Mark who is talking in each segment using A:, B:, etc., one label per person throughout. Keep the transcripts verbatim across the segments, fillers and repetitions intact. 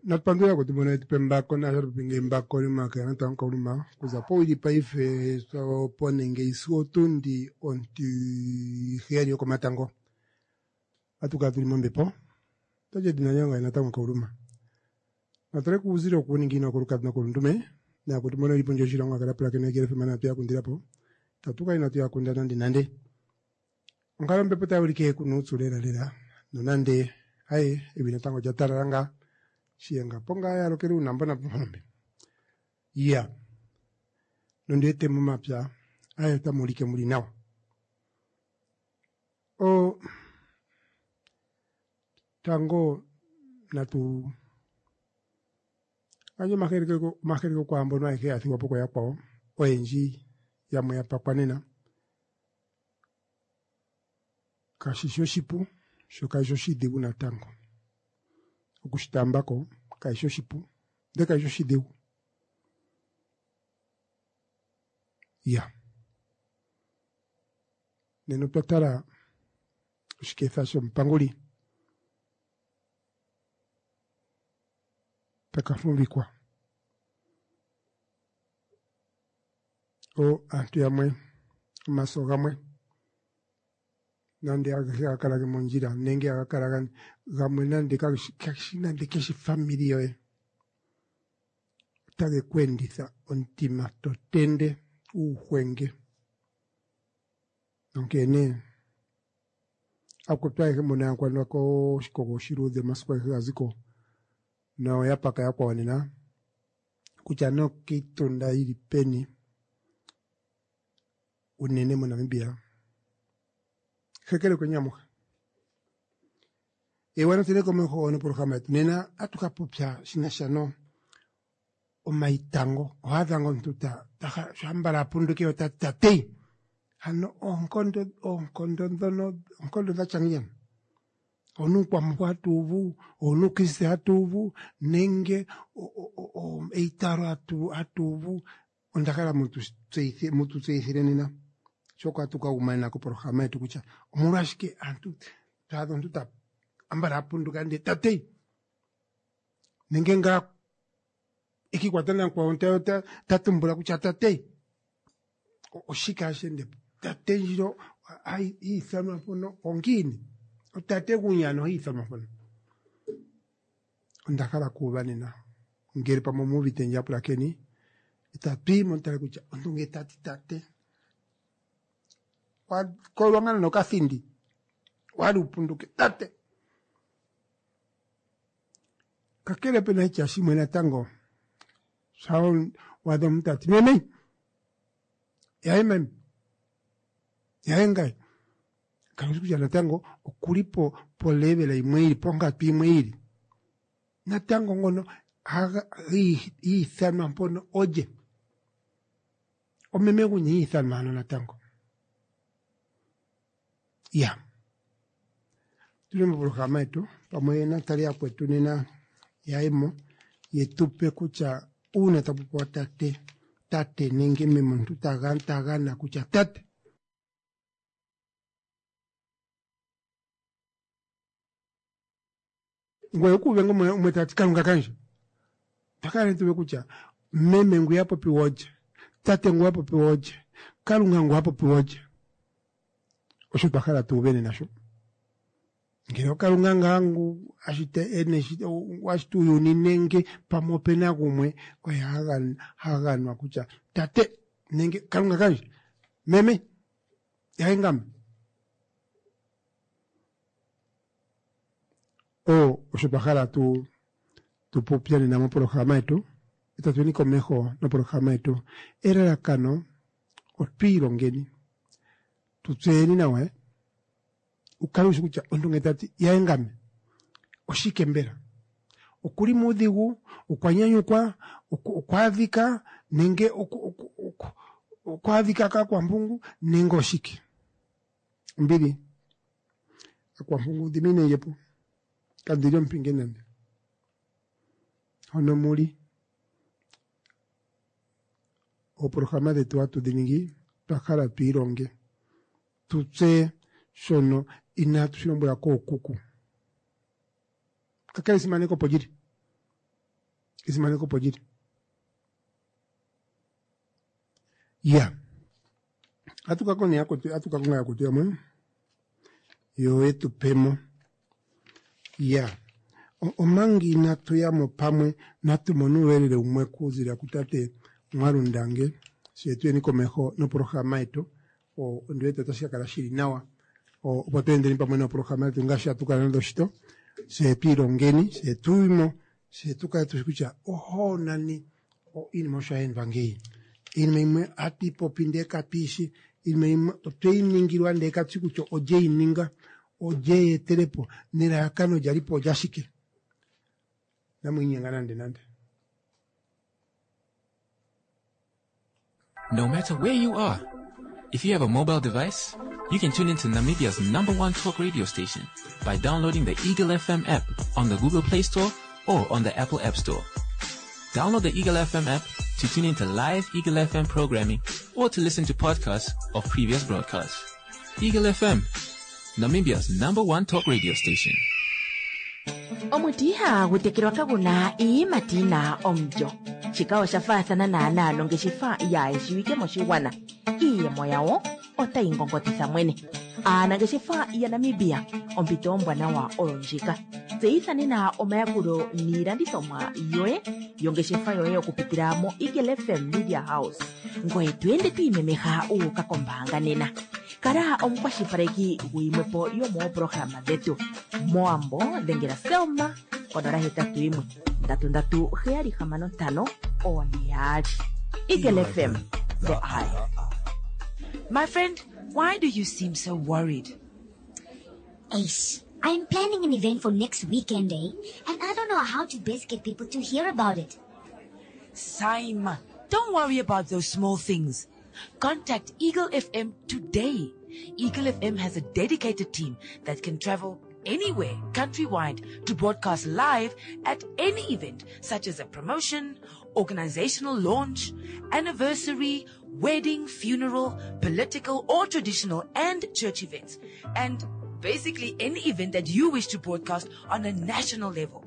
A: Natupandula kutumona yetu pembako naashatupinga embako limaka natango kauluma kuza powili paife opo nenge isiku otundi ontiheyali yokomatango atukala tuli mombepo otaji edina lyange natango kauluma natale kuuzilo okuuningino okolukadi nokolundume nakutumona ili pondje yoshilongo akala pulakene kelefema natu yakundilapo tatu inatu yakunda nande nande onkalo yombepo tayi kuna uupyu lela lela nonande aye evi natango olya talala ngaa shiyenga po ngaa yalokele uunambo napombe iya nondiwete momapya aye otamu ulike muli nawa o tango natu gandje omahekeleko kwaambono ayehe ya thigwa po kooyakwawo oyendji yamwe ya pakwa nena kashishi oshipu sho kashishi oshidhigu natango okushitaambako kashishi oshipu ndele kashishi oshidhigu iya nena otwa tala oshiketha shomupanguli taka fumvikwa o aantu yamwe omaso gamwe nande agehe haga kala mondjila nenge haga kala gamwe nande kageshi nande keshi famili yoye otage ku enditha omutima to tende uuhwenge onkene akwetu ayehe mbono ya koshikogo oshiluudhe omasiku agehe gaziko noya paka yakwawo nena kutya nokiitunda yili peni unene moNamibia hekelekweni amuhe ewa natule komeho nopolohalama yetu nena atu ka popya shinasha no omaitango ohaadha nga omuntu sho ambala apunduke otati tatei hano oonkondo oonkondo dhono oonkondo dhatya ngiini onuukwamuhoko hatuuvu onuukriste hatuuvu nenge eitaalo hatuuvu onda hala mutu tseyithile nena shoka hatu kaguma nena kopolohalama yetu kutya omolwashike aantu twaadha omuntu ta ambala apunduka ndee tatei nenge ngaa ekiikwata namukwawo ta tumbula kutya tatei oshike hashi endepo tate ndjino hiithanwa mpono ongiini otate gunyani ohiithanwa mpono onda hala kuuva nena ngele pamwe omuuvite ndje apulakeni itatu yi mutale kutya omuntu ngee tati tate wakolwa ngaa nokathindi wali upunduke tate kakele pena itya shimwe natango sha waadha omuntu tati meme yaye meme yaye ngaye kalushi kutya natango okuli po polevela imwe ili ponkatu imwe ili natango ngono hiithanwa mpono olye omeme guni hiithanwa hano natango iya tuli mopolohalama yetu pamwe natale yakwetu nena yayemo yetupe kutya uuna tapopiwa tate tate nenge meme omuntu tagana kutya tate ngoye okuuve nga umwe tati kalunga kandje twakala tuve kutya meme ngu yapopiwa olye tate ngu apopiwa olye kalunga ngu apopiwa olye osho twahala tuuve nena sho ngele okalunga ngaa ngu ashita ashita uuyuni nenge pamwe opena gumwe oye haganwa kutya tate nenge kalunga kandje meme yaye ngame o osho twahala tu tupopye nena mopolohalama yetu itatuyeni komeho nopolohalama yetu elalakano otwiilongeni tutseyeni nawa ukale ushi kutya omuntu ngele tati yaye ngame oshike mbela okuli muudhigu okwa nyanyukwa okwaadhika nenge okwaadhika kaakwampungu nenge oshike ombili akwampungu dhiminendjepo kandili ompinge nande hono muli oopolohalama dhetu hatu dhi ningi twahala twiilonge tutseye shono inaatu shi lombwelwa kookuku kakele esimaneko opo lyili Esimaneko opo lili. Ya atu ka konga yakwetu, atu ka konga yakwetu yamwe yo yetu pemo. Ya omanga inatu yamo pamwe natu mone uuyelele umwe kuzila kutate Mwalundange fye tuyeni komeho noprograma yetu. Ondi wete otashi ka kala shili nawa opo tu endeni pamwe noprograma yetu ngaashi hatu kala nado shito, fye twiilongeni, fye tuyimo, fye tukale tushi kutya oho nani iinima osho hayeendwa ngeyi. Iinima imwe hatu ipopi ndee katuishi, iinima imwe otweyi ningilwa ndee katushi kutya olye yi ninga, olye yi etelepo nelalakano lyalipo olyashike. Inamu inyenga nande nande.
B: No matter where you are, if you have a mobile device, you can tune into Namibia's number one talk radio station by downloading the Eagle F M app on the Google Play Store or on the Apple App Store. Download the Eagle F M app to tune into live Eagle F M programming or to listen to podcasts of previous broadcasts. Eagle F M, Namibia's number one talk radio station.
C: Omuti ihagu tekelwa kaguna iiyimati yina omulyo. Shika osha faathana naanaa nongeshefa yaayeshiwike moshigwana. Iiyemo yawo otayi ngongotitha mwene. Aanangeshefa yaNamibia, ompito ombwanawa oyo ndjika. Tseyitha nena omayakulo niilandithomwa yoye yongeshefa yoye okupitila mo Eagle F M Media House. Ngoye to ende to imemeha u uka kombaanga nena. Kala omukwashilipaleki guyimwepo yomoopolohalama dhetu. Mowambo dhengela Selma konola hetatu yimwe ndatu ndatu heyali hamano ntano one yaali. Eagle F M, the eye.
D: My friend, why do you seem so worried?
E: Ace, I'm planning an event for next weekend, eh? And I don't know how to best get people to hear about it.
D: Saima, don't worry about those small things. Contact Eagle F M today. Eagle F M has a dedicated team that can travel anywhere countrywide to broadcast live at any event, such as a promotion, organizational launch, anniversary, wedding, funeral, political or traditional and church events, and basically any event that you wish to broadcast on a national level.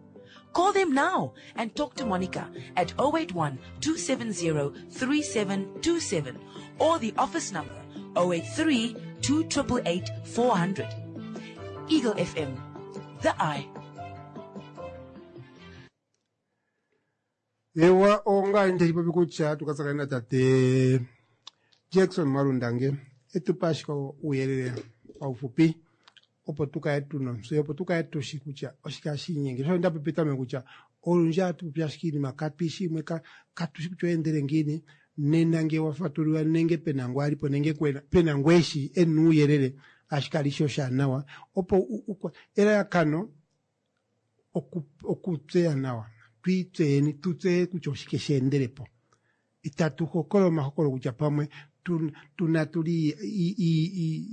D: Call them now and talk to Monica at oh eight one, two seven zero, three seven two seven or the office number oh eight three, two triple eight, four hundred. Eagle F M, the eye.
A: Ewa onga nde popi kutya tukatsakanena tate Jackson Mwalundange etupa ashike uuyelele paufupi opo tukale tuna ontseyo, opo tukale tushi kutya oshike hashi inyenge. Sho nda popi petameko kutya olundji ohatu popi ashike iinima katuyishi yimwe, katushi kutya oyeendele ngiini. Nena nge wa fatululwa nenge pena ngu alipo nenge pena ngu eshi ena uuyelele, ashike alishi oshaanawa opo elalakano okutseya nawa, twiitseyeni, tutseye kutya oshike she endelepo. Itatu hokola omahokolo kutya pamwe tuna tuli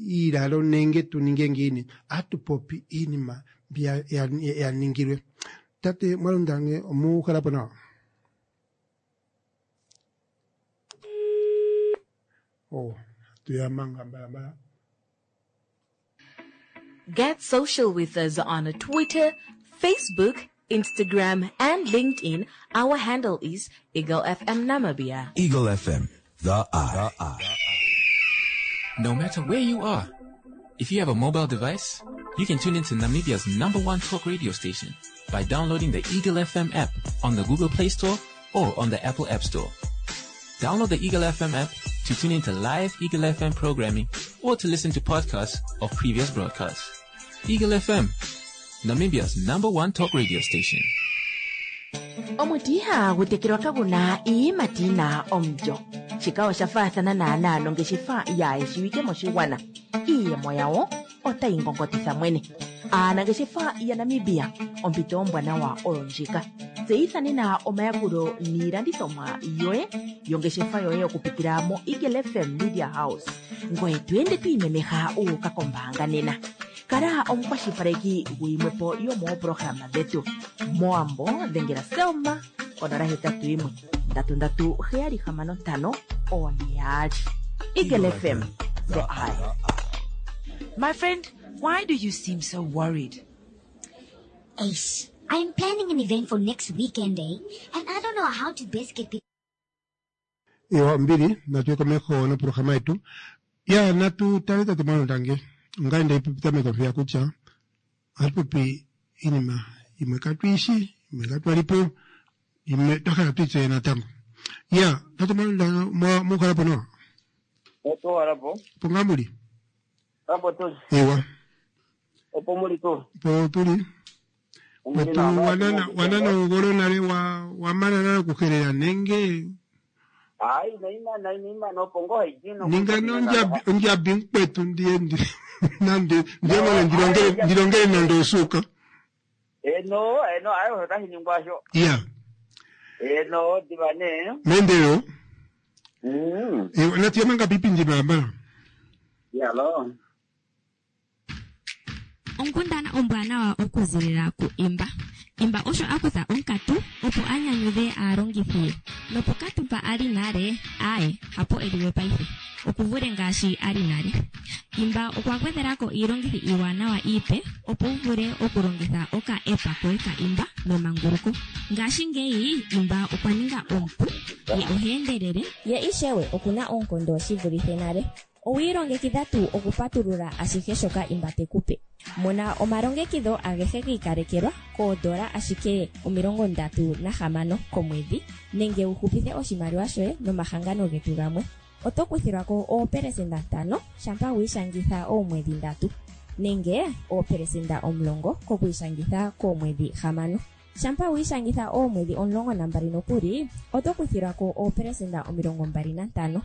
A: iilalo nenge tuninge ngiini, ohatu popi iinima mbi ya ningilwe. Tate Mwalundange, omuuhalapo nawa? Oh, tuyamanga mbalambala.
F: Get social with us on Twitter, Facebook, Instagram, and LinkedIn. Our handle is Eagle F M Namibia.
G: Eagle F M, the eye. The eye.
B: No matter where you are, if you have a mobile device, you can tune into Namibia's number one talk radio station by downloading the Eagle F M app on the Google Play Store or on the Apple App Store. Download the Eagle F M app to tune into live Eagle F M programming or to listen to podcasts of previous broadcasts. Eagle F M, Namibia's number one talk radio station.
C: Omuti ihagu tekelwa kaguna iiyimati yina omulyo. Shika osha faathana naanaa nongeshefa yaayeshiwike moshigwana. Iiyemo yawo otayi ngongotitha mwene. Aanangeshefa yaNamibia, ompito ombwanawa oyo ndjika. Tseyitha nena omayakulo niilandithomwa yoye yongeshefa yoye okupitila mo Eagle F M Media House. Ngoye to ende to imemeha u uka kombaanga nena. Kala omukwashilipaleki guyimwepo yomoopolohalama dhetu. Mowambo dhengela Selma konola hetatu yimwe ndatu ndatu heyali hamano ntano one yaali. Eagle F M, the eye.
D: My friend, why do you seem so worried?
E: Ace, I'm planning an event for next weekend, eh? And I don't know how to best get people.
A: Ewa mbili natuye komeho noprograma yetu ya natu tale tate Mwalondange ongaye ndaipetameko mpeya kutya ohatu popi iinima imwe katwiishi imwe katwalipo imwe twa hala twitseye natango. Ya tate Mwalondange mukhalapo nawa?
H: Otuwalapo.
A: Po ngaa muli?
H: Apo tuli.
A: Ewa.
H: Opo muli tu.
A: Po tuli. Otu wanana wanana ongolo nale wa wamana nale okuhelela nenge
H: Hayi naimana inaimana opo ngoo haidino.
A: Ninga nondjabi ondjabi mukwetu ndiye ndi nande ndiye mane ndilongele ndilongele nande osuka.
H: Eno eno ayo otashi ningwa sho.
A: Ya.
H: Eno diva nee.
A: Mendelo.
H: Mm.
A: Ewa natiya manga pipindi mbalambala.
H: Yalo.
I: Onkundana ombwanawa okuzilila ku Imba. Imba osho a kutha onkatu opo a nyanyudhe aalongithi ye. Nopokatu mpa a li nale, aaye, hapo e liwe paife. Okuvule ngaashi a li nale. Imba okwa gwedhela ko iilongithi iiwanawa iipe opo wu vule okulongitha oka app koye ka Imba memanguluko. Ngashingeyi Imba okwa ninga omupu, ye oha endelele,
J: ye ishewe okuna oonkondo shi vulithe nale. Owi ilongekidha tuu okupatulula ashihe shoka Imba te ku pe? Mona omalongekidho agehe gi ikalekelwa koodola ashike omilongo ndatu nahamano komwedhi nenge wu hupithe oshimaliwa shoye nomahangano getu gamwe. Oto kuthilwa ko oopelesenda ntano shampa wi ishangitha oomwedhi ndatu nenge oopelesenda omulongo kokwiishangitha koomwedhi hamano. Shampa wi ishangitha oomwedhi omulongo nambali nokuli oto kuthilwa ko oopelesenda omilongo mbali nantano.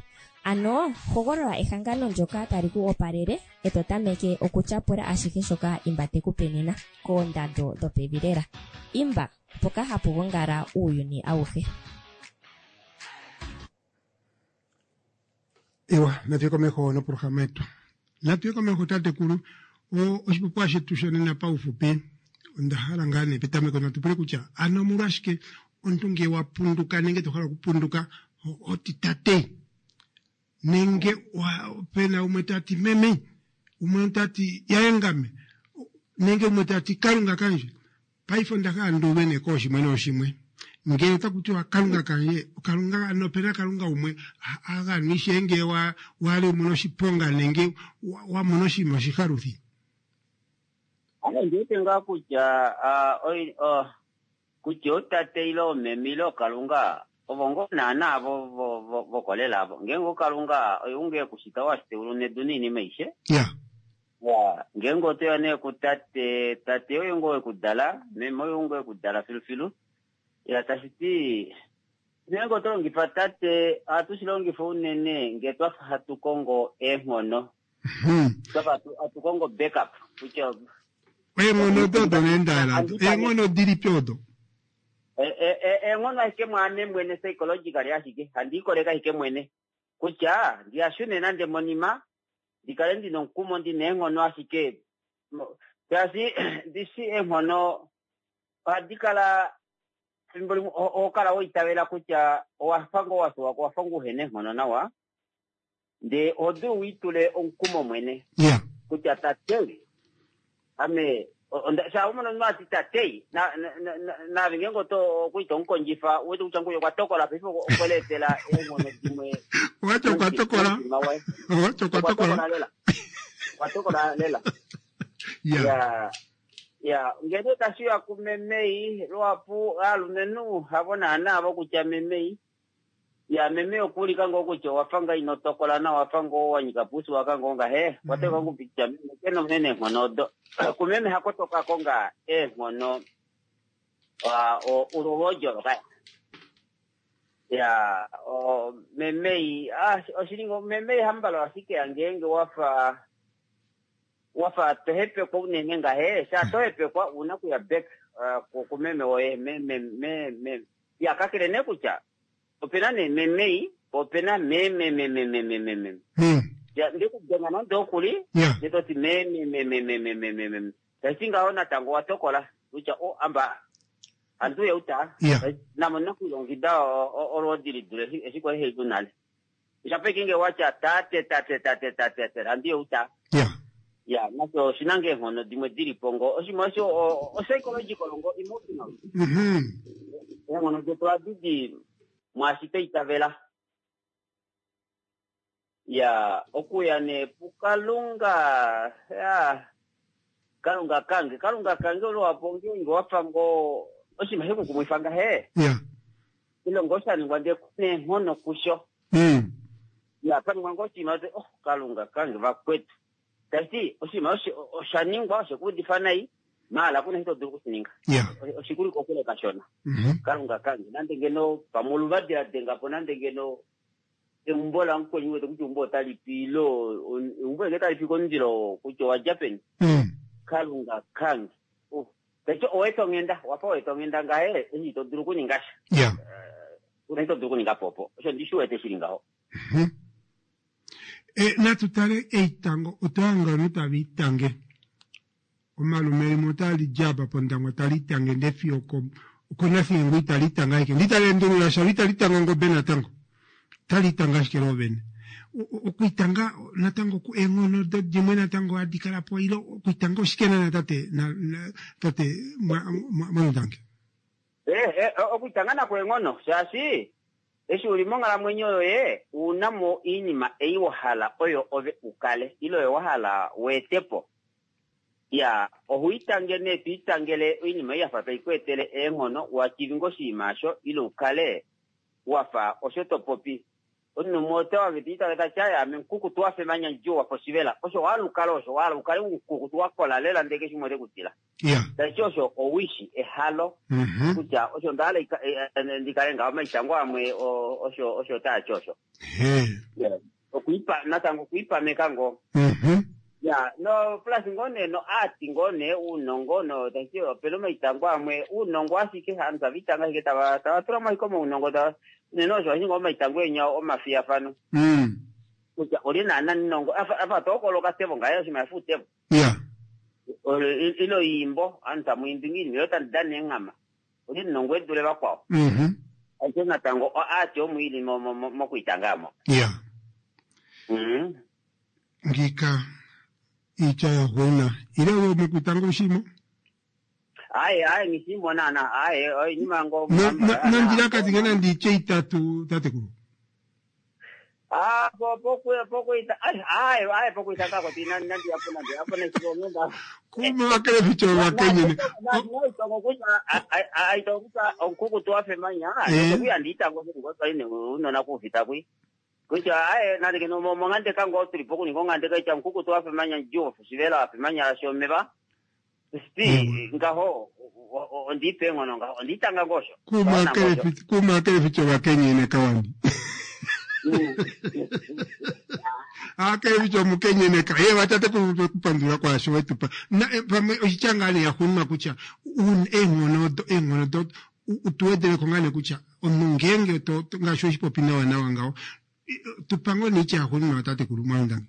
J: Ano hogolola ehangano ndyoka tali ku opalele e to tameke okutyapula ashihe shoka Imba te ku pe nena koondando dhopevi lela. Imba, mpoka hapu gongala uuyuni awuhe.
A: Ewa natuye komeho noprograma yetu. Natuye komeho tatekulu oshipopiwa shetu shonena paufupi onda hala ngaa nee petameko natu pule kutya ano omolwashike omuntu ngele wa punduka nenge to hala okupunduka oti tate nenge pena umwe tati meme umwe tati yaengame nenge umwe tati kalunga kanje. Paife onda hala nduuve nee kooshimwe nooshimwe ngele otaku tiwa kalunga kanje kalunga ano opena kalunga umwe aganwishe ngele wa wali umona oshiponga nenge wa mona oshinima oshihaluthi.
H: Ame ndiwete ngaa kutya kutya otate ile omeme ile okalunga ovo ngoo naana vo vokolela avo. Ngeenge okalunga oye unge ekushita washita eulu nedu noinima aishe.
A: Ya.
H: Ya, ngeenge otoya nee kutate, tate oye ngoo wekudala, meme oye ngoo wekudala filufilu. Ya tashi ti ngeenge oto longifa tate, ohatu shi longifa unene ngee twafa hatu kongo eenghono. Twafa hatu kongo backup kutya
A: eenghono odo nee ndahala eenghono dilipi odo?
H: Eenghono ashike mwaame mwene psychologically ashike handi ikoleka ashike mwene kutya ndiyashune nande monima ndikale ndina omukumo ndina eenghono ashike shaashi ndishi eenghono ohadi kala fimbo limwe oho kala waitavela kutya owafa ngoo wasuwako owafa ngoo uhena eenghono nawa ndee oho dulu wiitule omukumo mwene kutya tate ame sha umona omunhu ati tate naave ngeenge oto okuita omukondjifa uwete kutya nguye okwa tokola paife okweleetela eenghono dimwe.
A: Owati okwa tokola. Owati okwa tokola
H: lela. Okwa tokola lela. Ya. Ya, ngeno tashiya kumemei lwapu aalumenhu havo naana avo kutya memei. Ya meme okuulika ngoo kutya owafa nga ino tokola nawa wafa ngoo wa nyika puusi waka ngoo ngahe wateka ngoo kutya meme kena unene eenghono odo. Kumeme hakotoka ko nga eenghono ulolwojo kaya. Ya memei oshilingo memei hambalo ashike ngeenge wafa wafa tohepekwa unene ngahe sha tohepekwa una kuya back kumeme woye meme meme ya kakele nee kutya opena nee memei opena meme meme meme meme. Ya ndikudenga nande okuli ndetoti meme meme meme meme meme tashi ngaho natango watokola kutya o amba antu yeuta namo nakulongida olwoodi lidule eshi kwali haidu nale. Shapeke nge watya tate tate tate tate tate andi yeuta.
A: Ya.
H: Ya nasho oshina ngoo eenghono dimwe dilipo ngoo oshinima osho o-psychological ngo emotional.
A: Mhm.
H: Eenghono detu ohadi di mwaashi twa itavela. Ya okuya nee puKalunga ya Kalunga kange Kalunga kange luhapu ngeenge wafa ngoo oshinima shekukumwifa ngahe
A: Ya.
H: ile ngoo sha ningwa ndee kuna eenghono kusho.
A: Mm.
H: Ya paningwa ngoo oshinima oti oh Kalunga kange vakwetu. Tashiti oshinima osho osha ningwa oshekuudifa nai maala kuna eshi to dulu okushininga.
A: Ya.
H: Oshikuli kokule kashona.
A: Mhm.
H: Kalunga kange nande ngeno pamwe oluvadi la denga po nande ngeno eumbo lamukweni wete kutya eumbo otali pi ile eumbo ngee tali pi komundilo kutya owadja peni.
A: Mm.
H: Kalunga kange. Oh. Tashiti oweeta onghenda wafa weeta onghenda ngahe eshi ito dulu okuninga sha.
A: Ya.
H: Kuna eshi to dulu okuninga po opo. Osho ndishi wete shili ngaho.
A: Mhm. E, natu tale eitango otwahanga ovanhu tava itange omalume limwe otali di apa pOndangwa tali itange ndee fiyo oko okoNathingo itali itange ashike ndee itali endulula sha lo itali tange ongobe natango otali itange ashike loovene. Okwiitanga natango eenghono dimwe natango hadi kala po ile okwiitanga oshike naana tate na, na, tate Mwanundange?
H: Eh, eh, okwiitanga nako eenghono shaashi eshi uli monghalamwenyo yoye una mo oinima ei wa hala oyo ove ukale ile oyo wa hala weetepo. Ya ohuitange nee twiitangele oinima ei yafa tai ku etele eenghono wachivinga oshinima osho ile ukale wafa osho to popi. Omunhu umwe ota wange tiitange tati aye ame mukukutu wafa emanya mudjuu wafa oshivela. Osho wahala ukale osho wahala ukale umukukutu wakola lela ndee keshe umwe ote
A: Ya.
H: Tashi osho owishi ehalo
A: Mhm.
H: kutya osho ndahala ndikale ngaho omaitango amwe osho osho taati osho.
A: He.
H: Okwiipa natango okwiipameka ngoo.
A: Mhm.
H: Ya no plus ngoo nee no art ngoo nee uunongo no tashi opena omaitango amwe uunongo ashike aantu tava itanga ashike tava tava tulamo ashike omaunongo tava unene osho hashi ngoo omaitango enya omafiyafano.
A: Mm.
H: Kutya oli naana ninongo afa afa tohokola okatevo ngaye oshinima shafa uutevo.
A: Ya.
H: Ile oyiimbo aantu tamu imbi ngiini ile tamu dana eenghama oli ninongo edule vakwao.
A: Mhm.
H: Ashike natango art omo ili mokwiitanga amo.
A: Ya.
H: Mhm.
A: Ngika iitya ya gwana ile wo mokwiitanga oshimo
H: Aye aye ngishimo naana aye oinima ngo
A: nandilakati nge nandi itye itatu tatekulu.
H: Ah po poku pokuita aye aye aye pokuita kako tina nandi yapo nandi yapo nechibonga.
A: Kuma vakele vicho vakenyene.
H: Aitongo kutya aitongo kutya onkukutu wafemanya
A: Eh.
H: kuya ndiitango ngopa ine unona kufita kwi. Kutya aye nandi kino mongande kango tuli poku ningo ngande kaita nkukutu wafemanya njuo shivela wafemanya shomeva. Sti ngaho ondipe ngono ngaho ondiitanga ngosho.
A: Kuma akele vicho kuma akele vicho vakenyene kawandi. Akele vicho mukenyene ka ye vatate kupandula kwasho wetupa. Na eh, pamwe oshitya ngaa nee yaxuuninwa kutya un eenghono do eenghono do utuwedeleko ngaa nee kutya omunhu ngeenge to to- ngaashi oshipopi nawa nawa ngaho tupa ngoo neitya yaxuuninwa tatekulu Mwanundange.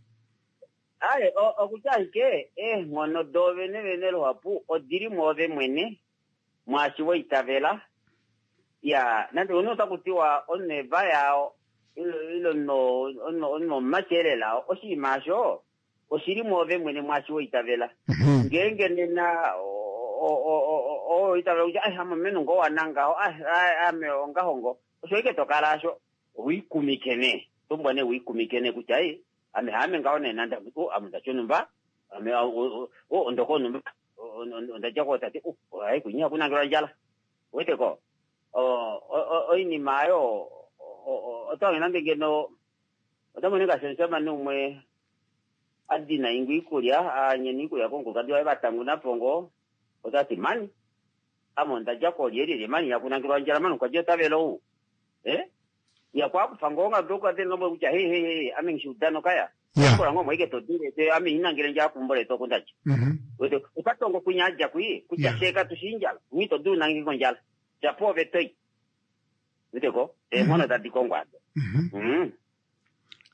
H: Aye okutya ashike eenghono doovene vene luhapu odili mwoove mwene mwaashi waitavela. Ya nande omunhu otaku tiwa omunhu evaya ile omunhu omumati elela oshinima osho oshili mwoove mwene mwaashi waitavela. Ngeenge nena oitavela kutya ai ame omumenhu ngoo wanangaho ame ongaho ngo osho ashike tokala asho wiikumike nee tombwa nee wiikumike nee kutya ai ame haame ngaho nee nande oh ame ondati onumba ame oh ondoko onumba ondadja kootate oh ai kunya kunangelwa ondjala weteko oinima ayo otawange nande ngeno otamoni ngaashi omushamane umwe adina ingu iikulya anyena iikulya komukulukadi waye vatangunapo ngoo otati mani ame ondadja koolyelyelye mani yakunangelwa ondjala mani okwadja otavela ou eh ya kwakufa ngoo ngadoka te kutya he he he ame ngishiudano kaya kola ngoo mwaike todile ame inangele ndjala kumbo letu oku ndadja wete okatongo kwinya adja kwi kutya sheka tushinjala mwi todulu nange kondjala shapo ove toi weteko eenghono tadi kongwa ado. Mm.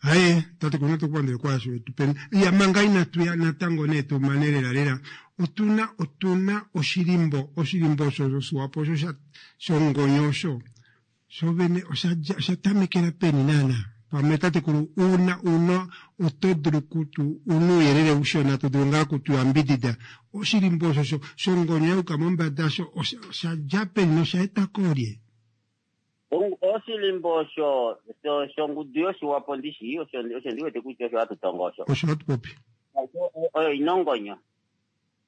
A: Aye tatekulu natukupandule kwasho wetupeni. Ya manga inatu ya natango nee tumane lela lela otuna otuna oshilimbo oshilimbo osho shoswapo osho shongonyo osho shovene osha tamekela peni naana Pamwe tatekulu una una oto dulu kutu una ouyelele ushona to dulu ngaa kutuyambidida oshilimbo osho sho- shongonyo yayuka mombada sho osha osha dja peni nosha eta koolye?
H: Ong- Oshilimbo osho sho- shongudu yoshiwapo ndishi osho osho ndiwete kutya osho hatu tongo osho.
A: Osho hatu popi.
H: Oyo ina ongonyo.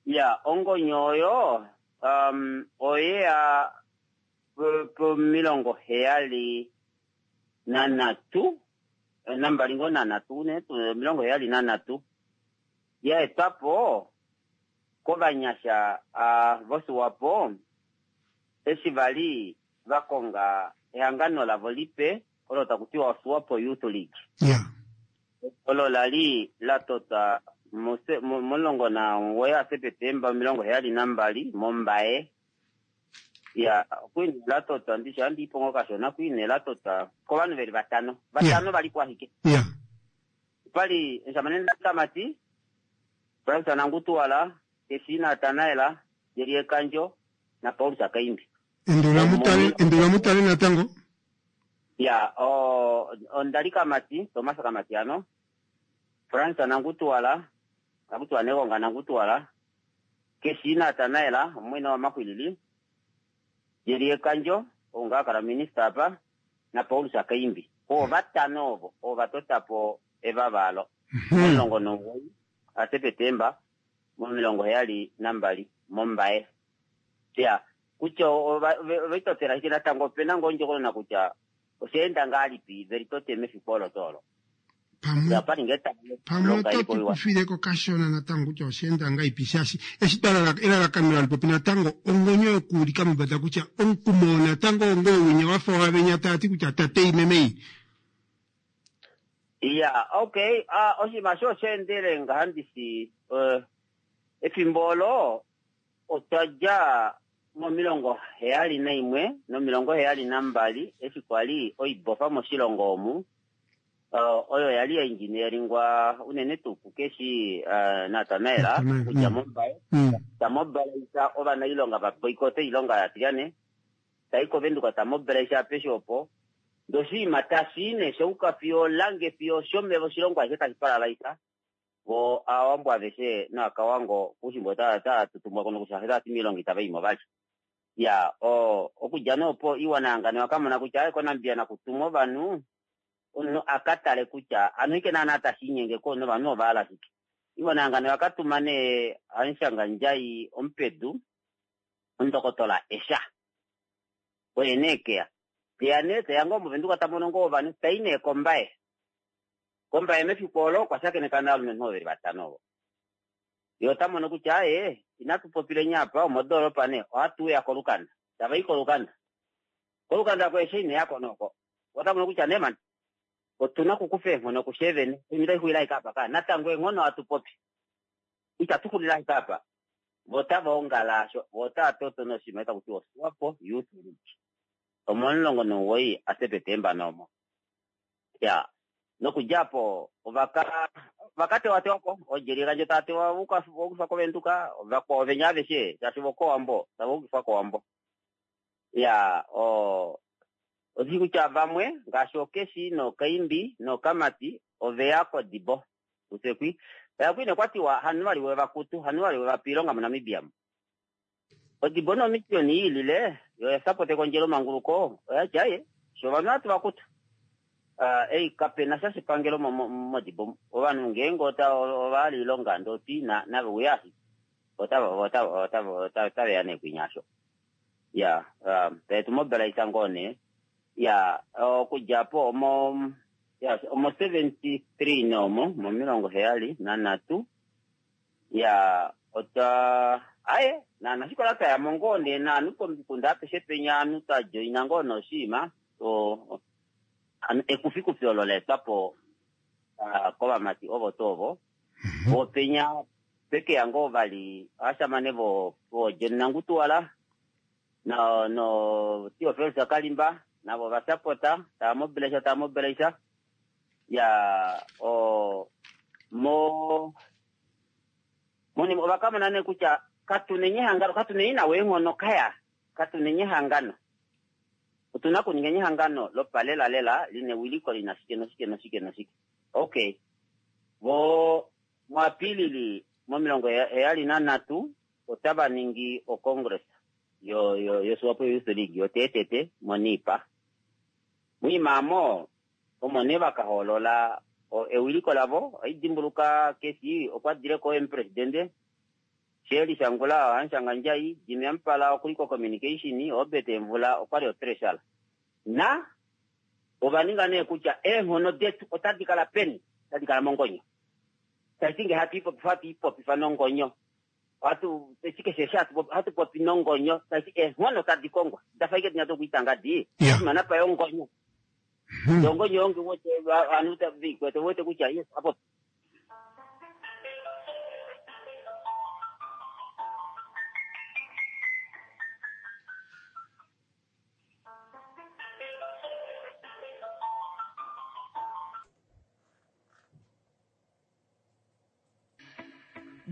H: Ya, ongonyo oyo um, oyeya pomilongo heyali nanhatu eh, nambali ngoo nanhatu ne omilongo heyali nanhatu ya etwapo kovanyasha uh, voSwapo eshi vali vakonga ehangano lavo lipe olo taku tiwa Swapo Youth League.
A: Ya.
H: Olo lali la tota mose- mo- momulongo namugoyi aSepetemba omilongo heyali nambali mOmbaye. Ya, okwini la tota ndishi andiipo ngoo kashona kwine la tota kovanhu veli vatano. Vatano valipo ashike.
A: Ya.
H: Pali Nshamane Kamati, Francis Nangutuwala, Kesina Natanaela, Jerie Kanjo na Paulus Akaimbi.
A: Endola mutale endola mutale natango.
H: Ya, o Ondali Kamati, Thomas Kamati ano, Francis Nangutuwala, Nangutuwala Negonga Nangutuwala, Kesina Natanaela, omwene wa Makwilili, Jerie Kanjo, onga kala minister apa, na Paulus Akaimbi. O vatano ovo, ovatotapo evavalo. Omulongo nomugoyi aSepetemba momilongo heyali nambali mOmbaye. Ya, kutya ovaitotela ashike natango opena ngoo ondjokonona kutya oshaenda ngahelipi velitote mefiku olo tuu olo.
A: Pamwe
H: Ya, pali ngee
A: pamwe
H: longa
A: oto
H: ilipo iwa.
A: tukufileko kashona natango kutya oshaenda ngahelipi shaashi eshi twa elalakano lalipopi natango ongonyo yokuulika mombada kutya omukumo natango ongoo winya wafa wavenya taati kutya tate imemei.
H: Ya, okay, ah, oshinima sho oshaendele ngaha ndishi eh, efimbo olo otwa dja momilongo heyali naimwe nomilongo heyali nambali eshi kwali oibofa moshilongo omu uh, oyo yali yainjinieringwa unene tuu kukeshi uh, Natanaela
A: Natanael,
H: kutya
A: mm.
H: mOmbaye
A: Mm.
H: tamobilaisa ovanailonga vaboikote oilonga yatilyane tai kovenduka tamobilaisa apeshe opo ndoshinima tashi ne shouka fiyo lange fiyo shomeva oshilongo ashishe tashi palalaisa vo aawambo aveshe naakawango puushimba ota ota tutumwa kono kutya otati miilongo itava yimo vali. Ya, o okudja nee opo iwana yangano yakamona kutya aye koNamibia nakutumwa ovanhu omunhu akatale kutya anu ike naana tashiinyenge ko novanhu ovahala shike. Iwana yangano yakatuma nee hamushangandjai omupedu omundokotola Esha. Oye nee keya. Teya nee teya ngoo movenduka tamono ngoo ovanhu tai nee kOmbaye. Kombaye mefiku olo okwa shakeneka novalumenhu ovo veli vatano ovo. Ye ota mono kutya aye inatu popileni apa omodoolopa nee ohatu uya kolukanda. Tava i kolukanda. Kolukanda ko Esha ineyako noko. Ota mono kutya nee mani otuna okukufa eenghono kusheevene. Oinima itai xulile ashike apa ka. Natango eenghono hatu popi. Itatu xulile ashike apa. Vo otava ongala asho. Vo otava toto noshinima taku tiwa Swapo Youth League. Omomulongo nomugoyi aSepetemba noomo. Ya, nokudja po ovaka vakatewatewa oJeri Kandjo tava tewa voukifwa kovenduka vakwao venya aveshe shaashi vokowambo tava ukifwa kowambo. Ya, o odishi kutya vamwe ngaashi okeshi nokaimbi nokamati oveya kodibo usekwi oya kwine kwatiwa hanu vali wevakutu hanu vali wevape oilonga moNamibia. Odibo nomisioni yiilile yo oya ekondjelo manguluko oyati aye sho ovanhu hatu vakutu. Uh, ei kapena sha shepangelo modibo ovanhu ngeenge ota ovahala oilonga ndoti nave uya ashike otava otava otaveya nee kwinya asho. Ya, um, taetu mobilaisa ngoo nee. Ya, okudja po omo ya omo seventy three noomo momilongo heyali nanhatu. Ya, otwa aye nanashikola twayamo ngoo nee naanhu pomikunda apeshe penya ovanhu twajoina ngoo noshinima o ekufikufi olo laetwapo uh, kovamati ovo tuu ovo. Vopenya pekeya ngoo vali ovashamane vo vo John Nangutuwala no no Theophilus Kalimba navo vasapota tava mobilaisa tava mobilaisa. Ya, o mo monima ovakamona nee kutya katunenye ehangano katunenye nawo eenghono kaya katunenye ehangano. Otuna okuninga ehangano lopalelalela lina ewiliko lina shike noshike noshike noshike. Okay, vo muApilili momilongo heyali nanhatu otava ningi ocongress yo yo yoSwapo Youth League yoteetete mOniipa. Muimaamo omo nee vakahoolola ewiliko lavo. Oidimbuluka kesi okwa dile ko omupresidente Shirley Shangula ohamushangandjai, Jimmy Amupala okuli ko communication, Obert Emvula okwali otreasurer. Na ova ninga nee kutya eenghono detu otadi kala peni, otadi kala mongonyo. Tashi nge hatu ipopifa hatu ipopifa nongonyo. Hatu keshe eshi hatu popi nongonyo, tashi eenghono tadi kongwa. Dafa ike tinya tokuitanga di. Mana pa yongonyo. Yongonyo yonge wote anu tavi kwete wote kutya yes apo.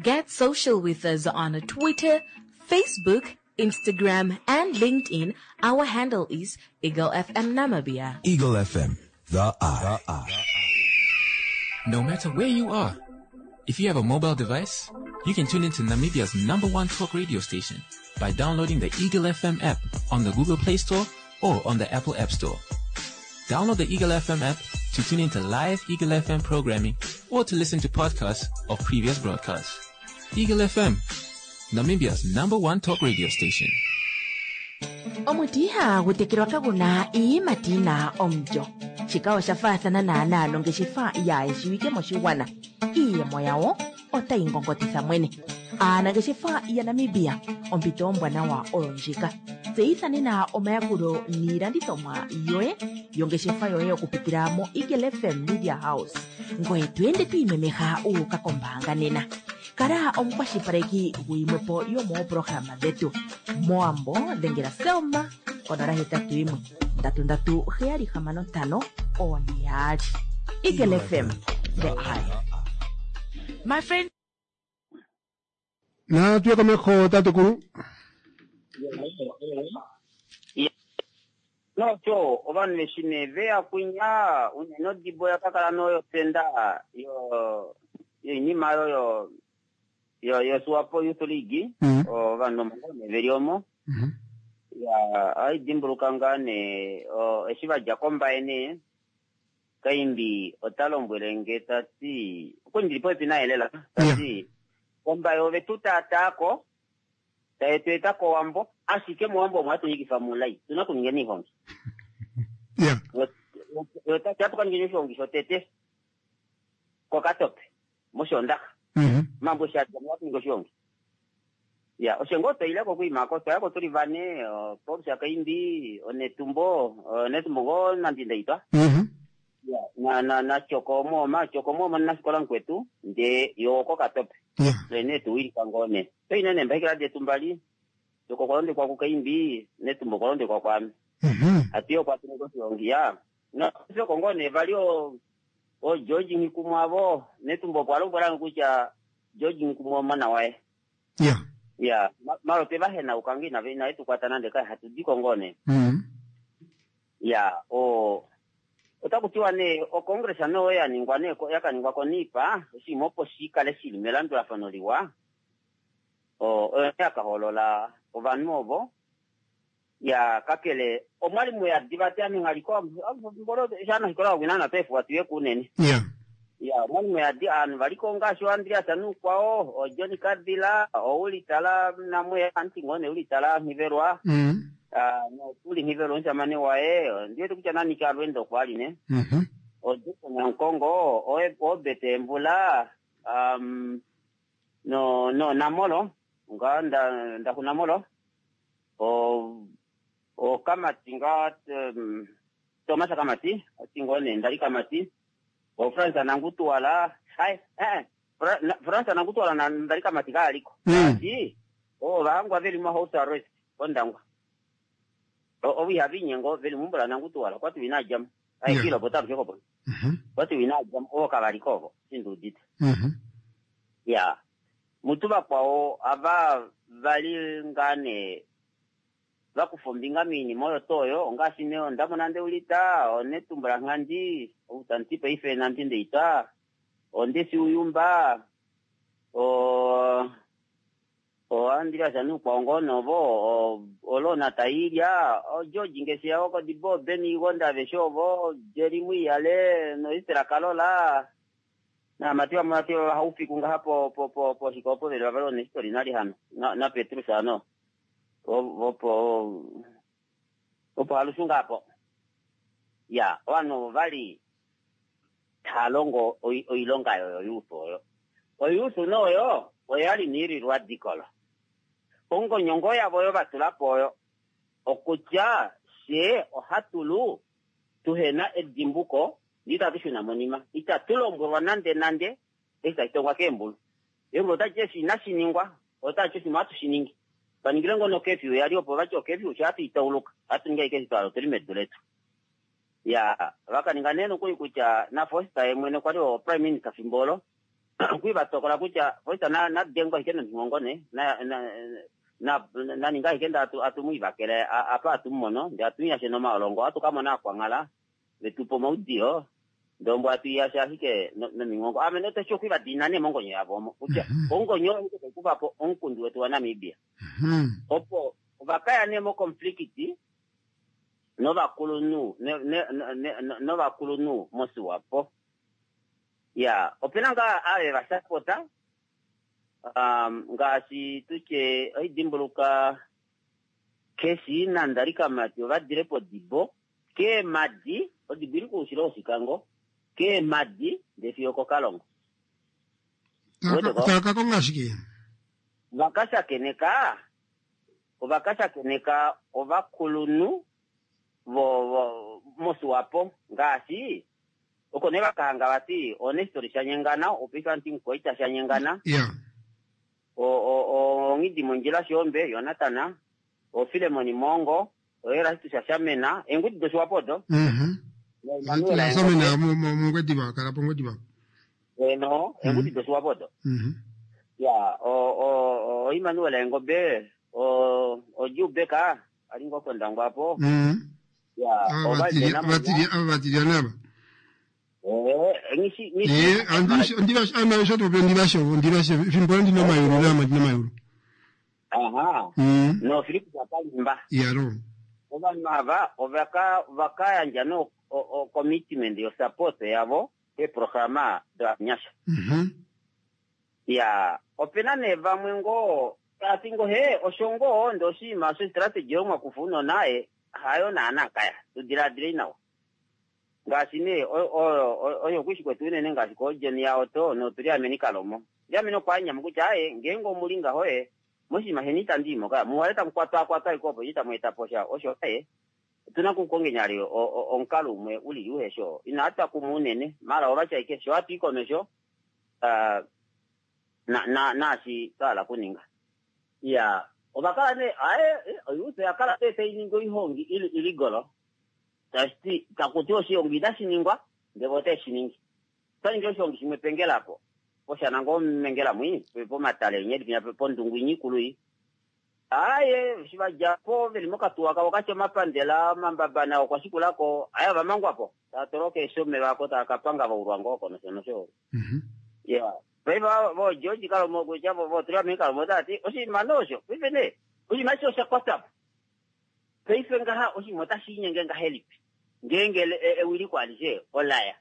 F: Get social with us on Twitter, Facebook, Instagram, and LinkedIn. Our handle is Eagle F M Namibia.
G: Eagle F M, the eye. The eye.
B: No matter where you are, if you have a mobile device, you can tune into Namibia's number one talk radio station by downloading the Eagle F M app on the Google Play Store or on the Apple App Store. Download the Eagle F M app to tune into live Eagle F M programming or to listen to podcasts of previous broadcasts. Eagle F M, Namibia's number one talk radio station.
C: Omuti ihagu tekelwa kaguna iiyimati yina omulyo. Shika osha faathana naanaa nongeshefa yaayeshiwike moshigwana. Iiyemo yawo otayi ngongotitha mwene. Aanangeshefa yaNamibia, ompito ombwanawa oyo ndjika. Tseyitha nena omayakulo niilandithomwa yoye yongeshefa yoye okupitila mo Eagle F M Media House. Ngoye to ende to imemeha u uka kombaanga nena. Kala omukwashilipaleki guyimwepo yomooprograma dhetu. Moambo dhengela Selma konola hetatu yimwe ndatu ndatu heyali hamano ntano one yaali. Eagle F M, the eye.
D: My friend.
A: Na tuye komeho tatekulu.
H: No cho ovanhu veshine veya kunya unene odibo yakakala noyopenda yo yoinima yoyo yo yo Swapo Youth League ovanhu omongone veli omo. Ya aidimbuluka ngaa nee eshi vadja kombaye nee Kaimbi ota lombwele nge tati okundili popepi naye lela tati kombaye ove tu taataako taye tu eta kOwambo ashike mOwambo omwa tunyikifa mulai tuna okuninga niihongi. Otati atu kaninge oshihongi shotete koKatope mOshoondaxa. Mambo shadja mwa tuninga oshihongi. Ya oshengo toileko okuimako twayako tuli vane Paulus Kaimbi Onetumbo Onetumbo ngo Nandi-Ndaitwah. Ya na na na Choko Mooma Choko Mooma nasikola nkwetu nde yo koKatope. Twene tuwilika ngone toine nembaikila detu mbali Choko kwalondekwa kuKaimbi Netumbo kwalondekwa kwame. Atiyo kwatuninga oshihongi ya no Choko ngone vali o o George Nghikumwavo Netumbo kwalombwela kutya George Nghikumwa omona waye.
A: Ya.
H: Ya malo te vahena ukangi na vena tukwata nande kai hatudiko ngone. Ya o otakutiwa ne o congress no ya ningwa ne yakaningwa konipa oshinima opo shikale shili melandulafano liwa. O oyo yakaholola ovanhu ovo ya kakele omwalimu ya divate ame nghaliko mbolo shana hikola wina na pefu watuye kunene.
A: Ya.
H: Ya omwalimu ya di anu valiko ngaashi Andreas Anukwao o Johnny Kadila o Ulitala namwe anti ngone Ulitala Nghivelwa.
A: Mm.
H: Ah no tuli Nghivelwa nshamane waye ndiye kutya nani ka lwendo kwali ne.
A: Mhm.
H: O Jackson Nkongo o o Bete Mvula um no no Namolo nga nda nda kunamolo o o Kamati nga um, Thomas Kamati atingone ndali Kamati o Fransa Nangutwala hai eh Fransa Nangutwala na ndali Kamati kaaliko
A: mm.
H: o vangwa veli mu house arrest kondangwa o o wihavinyengo veli mumbula Nangutwala kwati winajam ai kilo botabu choko
A: mhm
H: kwati winajam o kabalikovo sindudita
A: mhm
H: ya mutu vakwao ava vali ngane Vakufa ombinga moinima oyo tuu oyo ongaashi nee Ondamona Ndeulita, oNetumbula Nghandi, outanti paife Nandi Ndeitwa, oNdesi Uyumba, o oAndreas Nuukwaongo novo, oLona Tailya, oGeorge Ngesheya wokOdibo, Ben Igonda aveshe ovo, Jerry Mwiiyale noEsther Kalola naamati vamwe vati vahaufiku ngaha po po po poshika opo veli vavali oNestori nalihano na na Petrus ano opo opo halushunga apo ya ovanhu ovo vali tava longo oilonga yoyo youth oyo. Oyouth noyo oyali niili radical. Ongonyongo yavo oyo vatula po oyo okutya fye ohatulu tuhena edimbuko ndee itatu shuna monima, itatu lombwelwa nande nande eshi tashi tongwa keembulu. Eembulu otadi ti eshi inashi ningwa, otadi ti oshinima ohatu shi ningi. Paningile ngoo nokefyu yali opo vati okefyu sho hatu itauluka, ohatu ningi ashike eshi twa hala otuli medu letu. Ya vakaninga nee nokuli kutya naFoster ye mwene kwali o prime minister fimbo olo okwi vatokola kutya Foster na nadengwa ashike nominghongo ne na na na naninga ashike nde atu atumwivakele apa atumumono ndee atumuyashe nomaolongo ohatu kamona aakwanghala vetupa omaudiyo ndee ombwa atuiyashe ashike nominghongo. Ame notoshi okwi vadiinina nee mongonyo yavo omo kutya ongonyo oyo ashike taikufapo omukundu wetu waNamibia. Opo ovakaya nee moconflict novakulunhu novakulunhu moSwapo. Ya opena ngaa ave vasapota um, ngaashi tutye oidimbuluka Keshi naNdali Kamati ovadile pOdibo keemadi, Odibo ili koushilo wOshikango, keemadi ndee fiyo okOkalongo. Uwete ko?
A: Tava ka konga shike?
H: Vakashakeneka ovakashakeneka ovakulunhu vo, vo moSwapo ngaashi oko nee vakahanga vati oNestori Shanyengana opaife handi Mukoita Shanyengana
A: Ya.
H: Onghidi Mondjila Shoombe Jonathan, oFilemon Mongo, oErastus Shamena, eengudi doSwapo odo.
A: Mhm.
H: naEmmanuel
A: Samena
H: Engobe
A: mOngwediva kala pOngwediva.
H: eno eengudi doSwapo odo.
A: Mhm.
H: Ya o o oEmmanuel Engobe, o oJubeka ali ngoo pOndangwa apo.
A: Mhm.
H: Ya
A: Ava
H: ovali
A: vatilya
H: vena
A: vatilya ava vatilya nava.
H: Eh, ngishi ngishi
A: Eh, andi ndivashe ana shoto pe ndivashe ndivashe fimbo ndina mayulu nama ndina mayulu.
H: aha
A: Mhm.
H: no Philip Shakalimba
A: Yaro.
H: ovanhu ava ovaka vakayandja no o- o- commitment yo support yavo keeprograma dovanyasha.
A: Mhm.
H: Ya opena nee vamwe ngoo tati ngo he osho ngoo ndee oshinima osho strategy yomwakufa unona e hayo naana kaya tudiladile nawa ngaashi nee oyo oyo oyo kwishi kwetu unene ngaashi koJohn yaOtto noTuliameni Kalomo. Tuliameni okwa nyama kutya aye ngeenge omuli ngaho e moshinima sheni itandi imo kaya muwale tamu kwatwakwatwa ashike opo itamu eta po sha osho aye otuna okukongenyali omukalo umwe ulili uhesho inatwa kumwe unene mara ovatya ashike sho hatu i komesho ah, na na naashi twa hala okuninga. Ya ovakala nee aye oyouth oyakala nee tainingi oihongi ili iligolo tashiti takuti oshihongi itashi ningwa ndee vo otae shi ningi. Otwaningi oshihongi shimwe pengela apo poshana ngoo mengela mwi pomatale nyedi pinya pondungu inyi ikulu iyi. Aye eshi vadjapo veli mokatuwa kavo katya omapandela omambabana okwa shikulako aye ovamangwapo tava twalwa keeshomeva ako tava kapanga vaulwa ngoo oko nosho nosho. Ya paife vo George Kalomo kutya vo voTuliameni Kalomo otavati oshinima nee osho paife nee oshinima eshi osha kwatwapo paife ngaha oshinima otashi linyenge ngahelipi ngeenge ewiliko alishe olaya.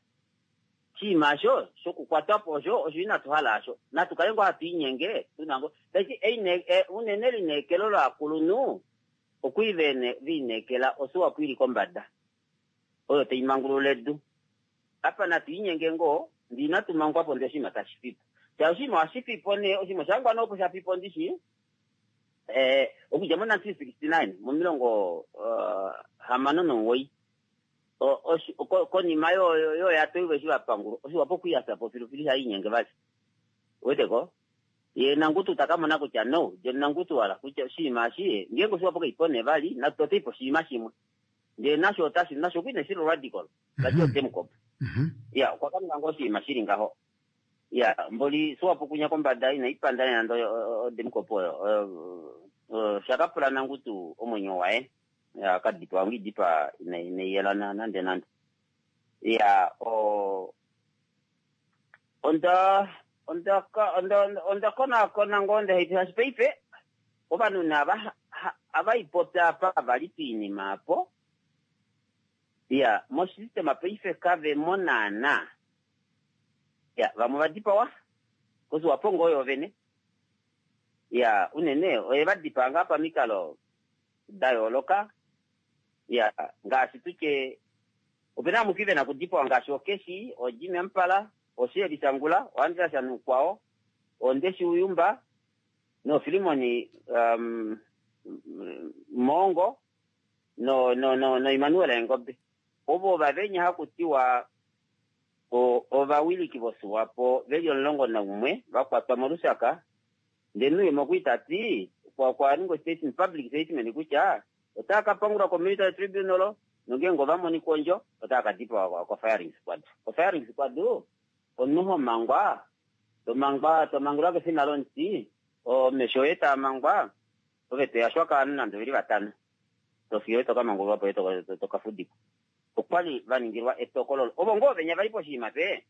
H: Oshinima osho shokukwatwapo osho osho inatu hala asho natu kale ngoo hatu inyenge tuna ngoo tashi unene lineekelo lovakulunhu okwii velineekela oSwapo ili kombada oyo taimangulula edu. Apa natu inyenge ngoo ndee inatu mangwapo ndee oshinima tashi fipo. Shaashi oshinima ohashi fipo nee oshinima oshahangwa nee opo shafipo ndishi eh, okudja mo nineteen sixty nine momilongo uh, hamano nomuwoi konima yoyatoivo eshi vapangulwa oshiwapo okwiyasapo filufilu ihainyenge vali. Uweteko ye Nangutu takamona kutya no John Nangutu wala kutya oshinima eshi ngeenge oshiwapo kaipo nee vali natu toteipo oshinima shimwe ndee nasho otashi nasho okwii shili radical vati otemukopa. Ya okwa kaninga ngoo oshinima shili ngaho. Ya mboli Swapo kunya kombada inaipanda nande odemukopa oyo Osha ka pula nangutu omwenyo waye akadipawa ngidipa inaiyela nande nande. Ya o onda onda onda onda konaakona ngoo ndehaipi paife ovanhu nava avaipopya apa vali piinima apo. Ya mosystema paife kave mo naana. Ya vamwe vadipawa koSwapo ngoo yoovene. Ya unene oye vadipaa ngaa pamikalo da yooloka. Ya ngaashi tutye opena vamwe vena okudipawa ngaashi okeshi, oJimmy Amupala, oSheeli Shangula, oAndreas Shanukwao, oNdeshi Uyumba noFilimoni um, Moongo no no no no Emmanuel Engombe. Ovo vavenya hakutiwa ovawiliki voSwapo veli omulongo naumwe vakwatwa moLusaka. Ndele Nuyoma okwa tati kwa ningwa statement, public statement kutya otava ka pangulwa ko military tribunal nongeenge ova monika ondjo otava ka dipawa ko firing squad. Ko firing squad omunhu ho mangwa tomangwa tomangulwa kefina lomuti, omesho oye taa mangwa ove toyashwa kovanhu nande oveli vatano tofiyo tokamangululwa po tokafudikwa. Okwali vaningilwa etokololo ovo ngoo venya vali poshinima pe.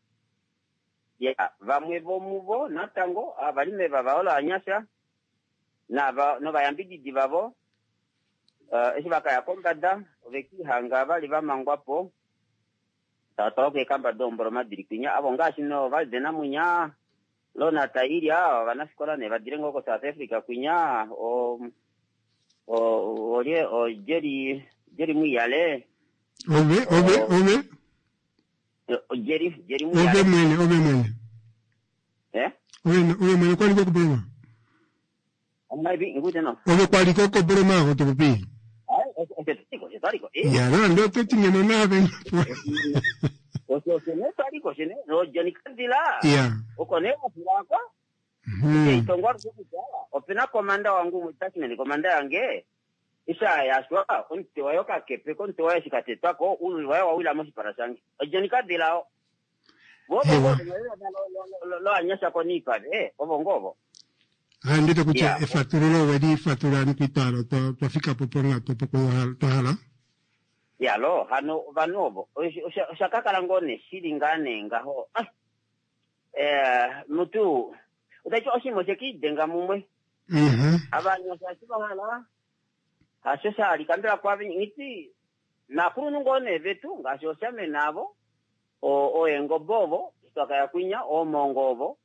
H: Ya vamwe vomuvo natango avali mevava olo anyasha nava novayambididi vavo uh, eshi vakaya kombada ovekihanga vali vamangwa po tava twalwa keekamba doomboloma dili kwinya avo ngaashi no valde Namunya Lona Tailya ovanafikola ne vadile ngoo ko South Africa kwinya o o olye o Jerry Jerry Muyale
A: ove ove ove
H: Jerry Jerry
A: ove
H: Muyale
A: mwene ove mwene
H: eh
A: ove ove mwene kwali kokubroma
H: amaibi ngute no
A: ove kwali kokubroma ako topopi
H: ai osho tiko osho twaliko eh
A: ya no ndo toti ngeno nave
H: osho osho ne twaliko shene no Johnny Kandila
A: ya
H: oko ne wafilako
A: Mhm.
H: itongwa kutya opena komanda wangu detachment komanda yange isha yashwa omutwe wayo kakepe komutwe wayo shikatetwako ululi wayo wawila moshipala shange oJohnny Kandila
A: Ewa.
H: loanyasha konipa eh ovo ngovo
A: Ah, ndete kutya
H: Yeah.
A: efatululo oweli fatulula nikwitalo twafika po pongato opo twahala
H: ya lo hano ovanhu ovo osha- osha kakala ngoo neshili ngaa nee ngaho Ah, eh mutu utaiti oshinima oshekiidenga mumwe
A: Mhm.
H: avanyasha eshi vahala hasho shalika mbela kwave ngiti nakulunhu ngoo nee vetu ngaashi oshamena avo oengobe ovo twakaya kwinya oomongo ovo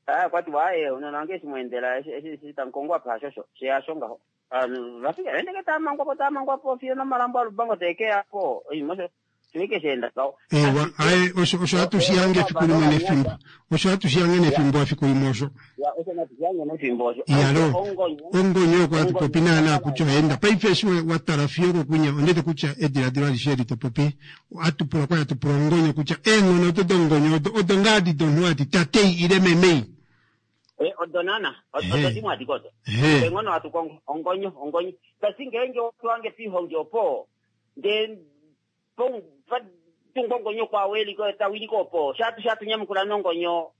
H: aya kwatiwa aye unona wange eshi mwendela eshi eshi tamukongwa apa hashosho sheyasho ngaho Anu, vafika endeke tamangwapo tamangwapo fiyo nomalambo alubango tekeyapo oshinima osho shiwike sheenda ngaho
A: ewa aye osho osho hatu shiyange efiku limwe nefimbo osho hatu shiyange nefimbo efiku limwe osho
H: Ya, osho natushiyange nefimbo osho
A: Yalo.
H: ongonyo
A: ongonyo oko hatu popi naana kutya oenda paife eshi watala fiyo kokunya ondete kutya ediladilo alishe eli topopi atupula kwali atupula ongonyo kutya eenghono odo dongonyo odo odo ngaadi domunhu ati tatei ile memei
H: Eh, odo nana odo
A: Ehe.
H: dimwe adike odo
A: Ehe.
H: enghono hatu kongo ongonyo ongonyo tasi ngeenge otwange pihongi opo nde tungwa ongonyo kwaweliko tawiliko opo shatu shatu nyamukula nongonyo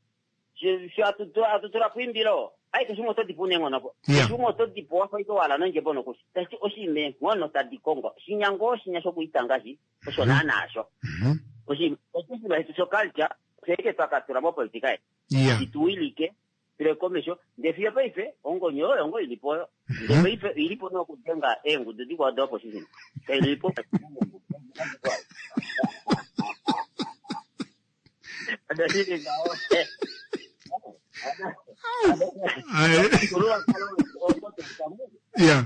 H: shatutula pwimbilo ai keshimwe oto dipu neenghono po
A: Yeah.
H: keshimwe oto dipu wafa ike wala nondjebo nokushi tasi oshiima eenghono tadi kongo shinya ngoo shinya shokuitanga shi osho naana asho
A: Mhm.
H: oshiima oshinima shetu shoculture oshaike twakatula mopolitika yetu
A: ya
H: ituwilike tule komesho ndee fiyo paife ongonyo oyo ongo ilipo oyo ndee paife ilipo nokudenga eengudu dikwao doopposition kailipo
A: Aye. ya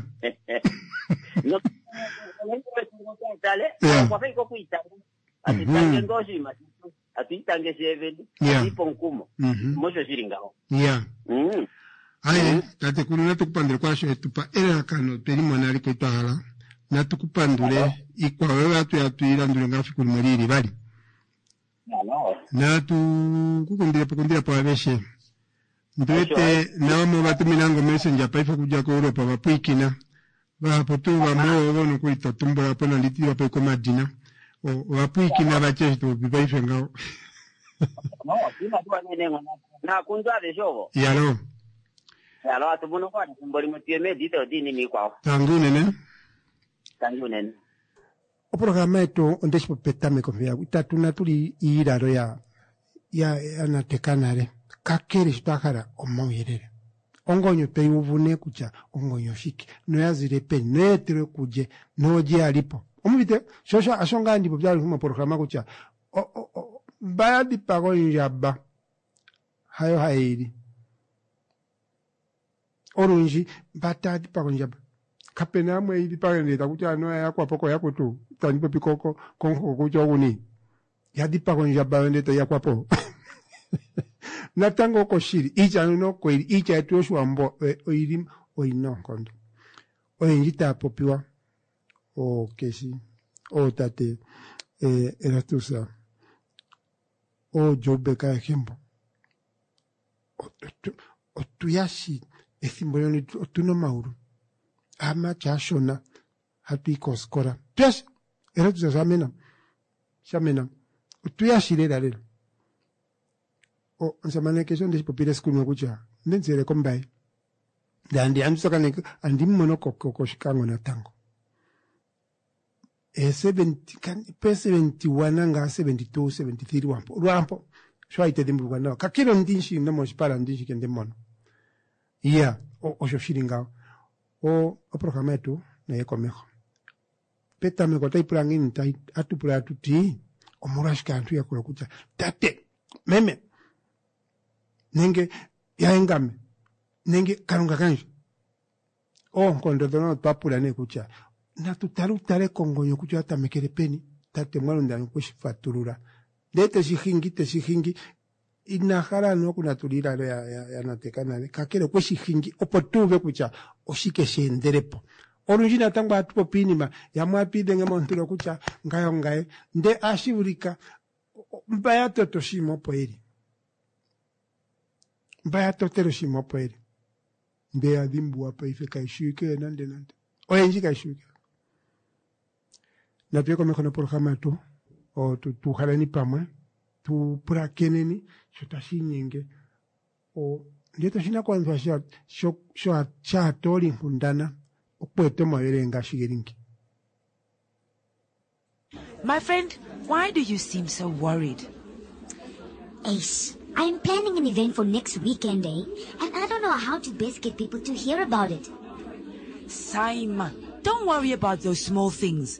A: Yeah.
H: kwafa iko kuitanga atitange ngoo oshinima shetu atuitange sheeveni
A: Yeah.
H: atiipe omukumo
A: Mhm.
H: mosho shili ngaho
A: ya
H: Mm.
A: aye tatekulu natukupandule kwaasho etupa elalakano twelimona aliko twahala natukupandule ikwao oyo hatu tuilandule ngaa fiku limwe liili vali
H: Alo.
A: natu kukundilepo kundilepo aveshe ndiwete navamwe vatuminango messenger paife okudja koEuropa vapwiikina vahapu tuu vamwe ovo nokuli totumbulapo nanditiliwapo komadina ovapwiikina vatye eshi topopi paife ngaho
H: No, sina tuwa nene ngona. Na kundu aveshe ovo.
A: yalo
H: Alo atu mono kwa ethimbo limwe tuye meedito diinima iikwawo.
A: Tangi unene.
H: Tangi unene.
A: Oprograma yetu ondeshi popetameko mpeya itatu natuli iilalo ya ya yanateka nale kakele sho twa hala omauyelele ongonyo tweyi uvu nee kutya ongonyo oshike noya zile peni noyeetelwe kulye noolye yalipo omuvite sho osho ngaa ndipopya aluhe moprograma kutya mba ya dhipaga ondjamba hayo haye yili olundji mba taya dhipaga ondjamba kapena yamwe yi dhipage ndee takuti anuwa oya yakwapo kooyakwetu tandi popi komuhoko kutya oguni ya dhipaga ondjamba yo ndee tayi yakwapo natango oko shili iitya mbyono oko yili iitya yetu yoshiwambo oyili oyina oonkondo oyendji taya popiwa ookeshi ootate Erastus ooJoubek ayehe mbo otu ya shi ethimbo ndyono otuna omaulu aamati aashona hatu yi kooskola tuyashi Erastus shamena shamena otu ya shi lela lela omusamane keshe ondeshi popile esiku limwe kutya onde mu tseyele kOmbaye ndee andi andi tsakaneke andi mu mono kOshikango natango ee seventy pe seventy one ngaa seventy two seventy three lwaampo lwaampo sho a itedhimbulukwa nawa kakele ondimushi nomoshipala ondimushi ke ndemu mono iya osho shili ngawo o oprograma yetu nayiye komeho petameko otayi pula ngiini atu pula atu ti omolwashike aantu ya pula kutya tate meme nenge yaye ngame nenge kalunga kandje oonkondo dhono otwa pula nee kutya natu tale utale kongonyo kutya oya tamekele peni tate mwalunda okwe shi fatulula ndee teshi hingi teshi hingi ina hala anuwa okunatula iilalo ya nateka nale kakele okwe shi hingi opo tu uve kutya oshike she endelepo olundji natango ohatu popi iinima yamwe ohatu idhenge moontulo kutya ngaye ongaye ndee ohashi vulika mba ya tota oshinima opo yeli mba ya totele oshinima opo yeli ndee ya dhimbuwa paife kayi shiwike we nande nande oyendji kayi shiwike natu ye komeho noprograma yetu tu haleni pamwe tu pulakeneni sho tashi inyenge ndee oshinakugwanithwa shaatoolinkundana okweeta omauyelele ngaashi geli nge.
D: My friend, why do you seem so worried?
E: Ace, I'm planning an event for next weekend, eh? And I don't know how to best get people to hear about it.
D: Saima, don't worry about those small things.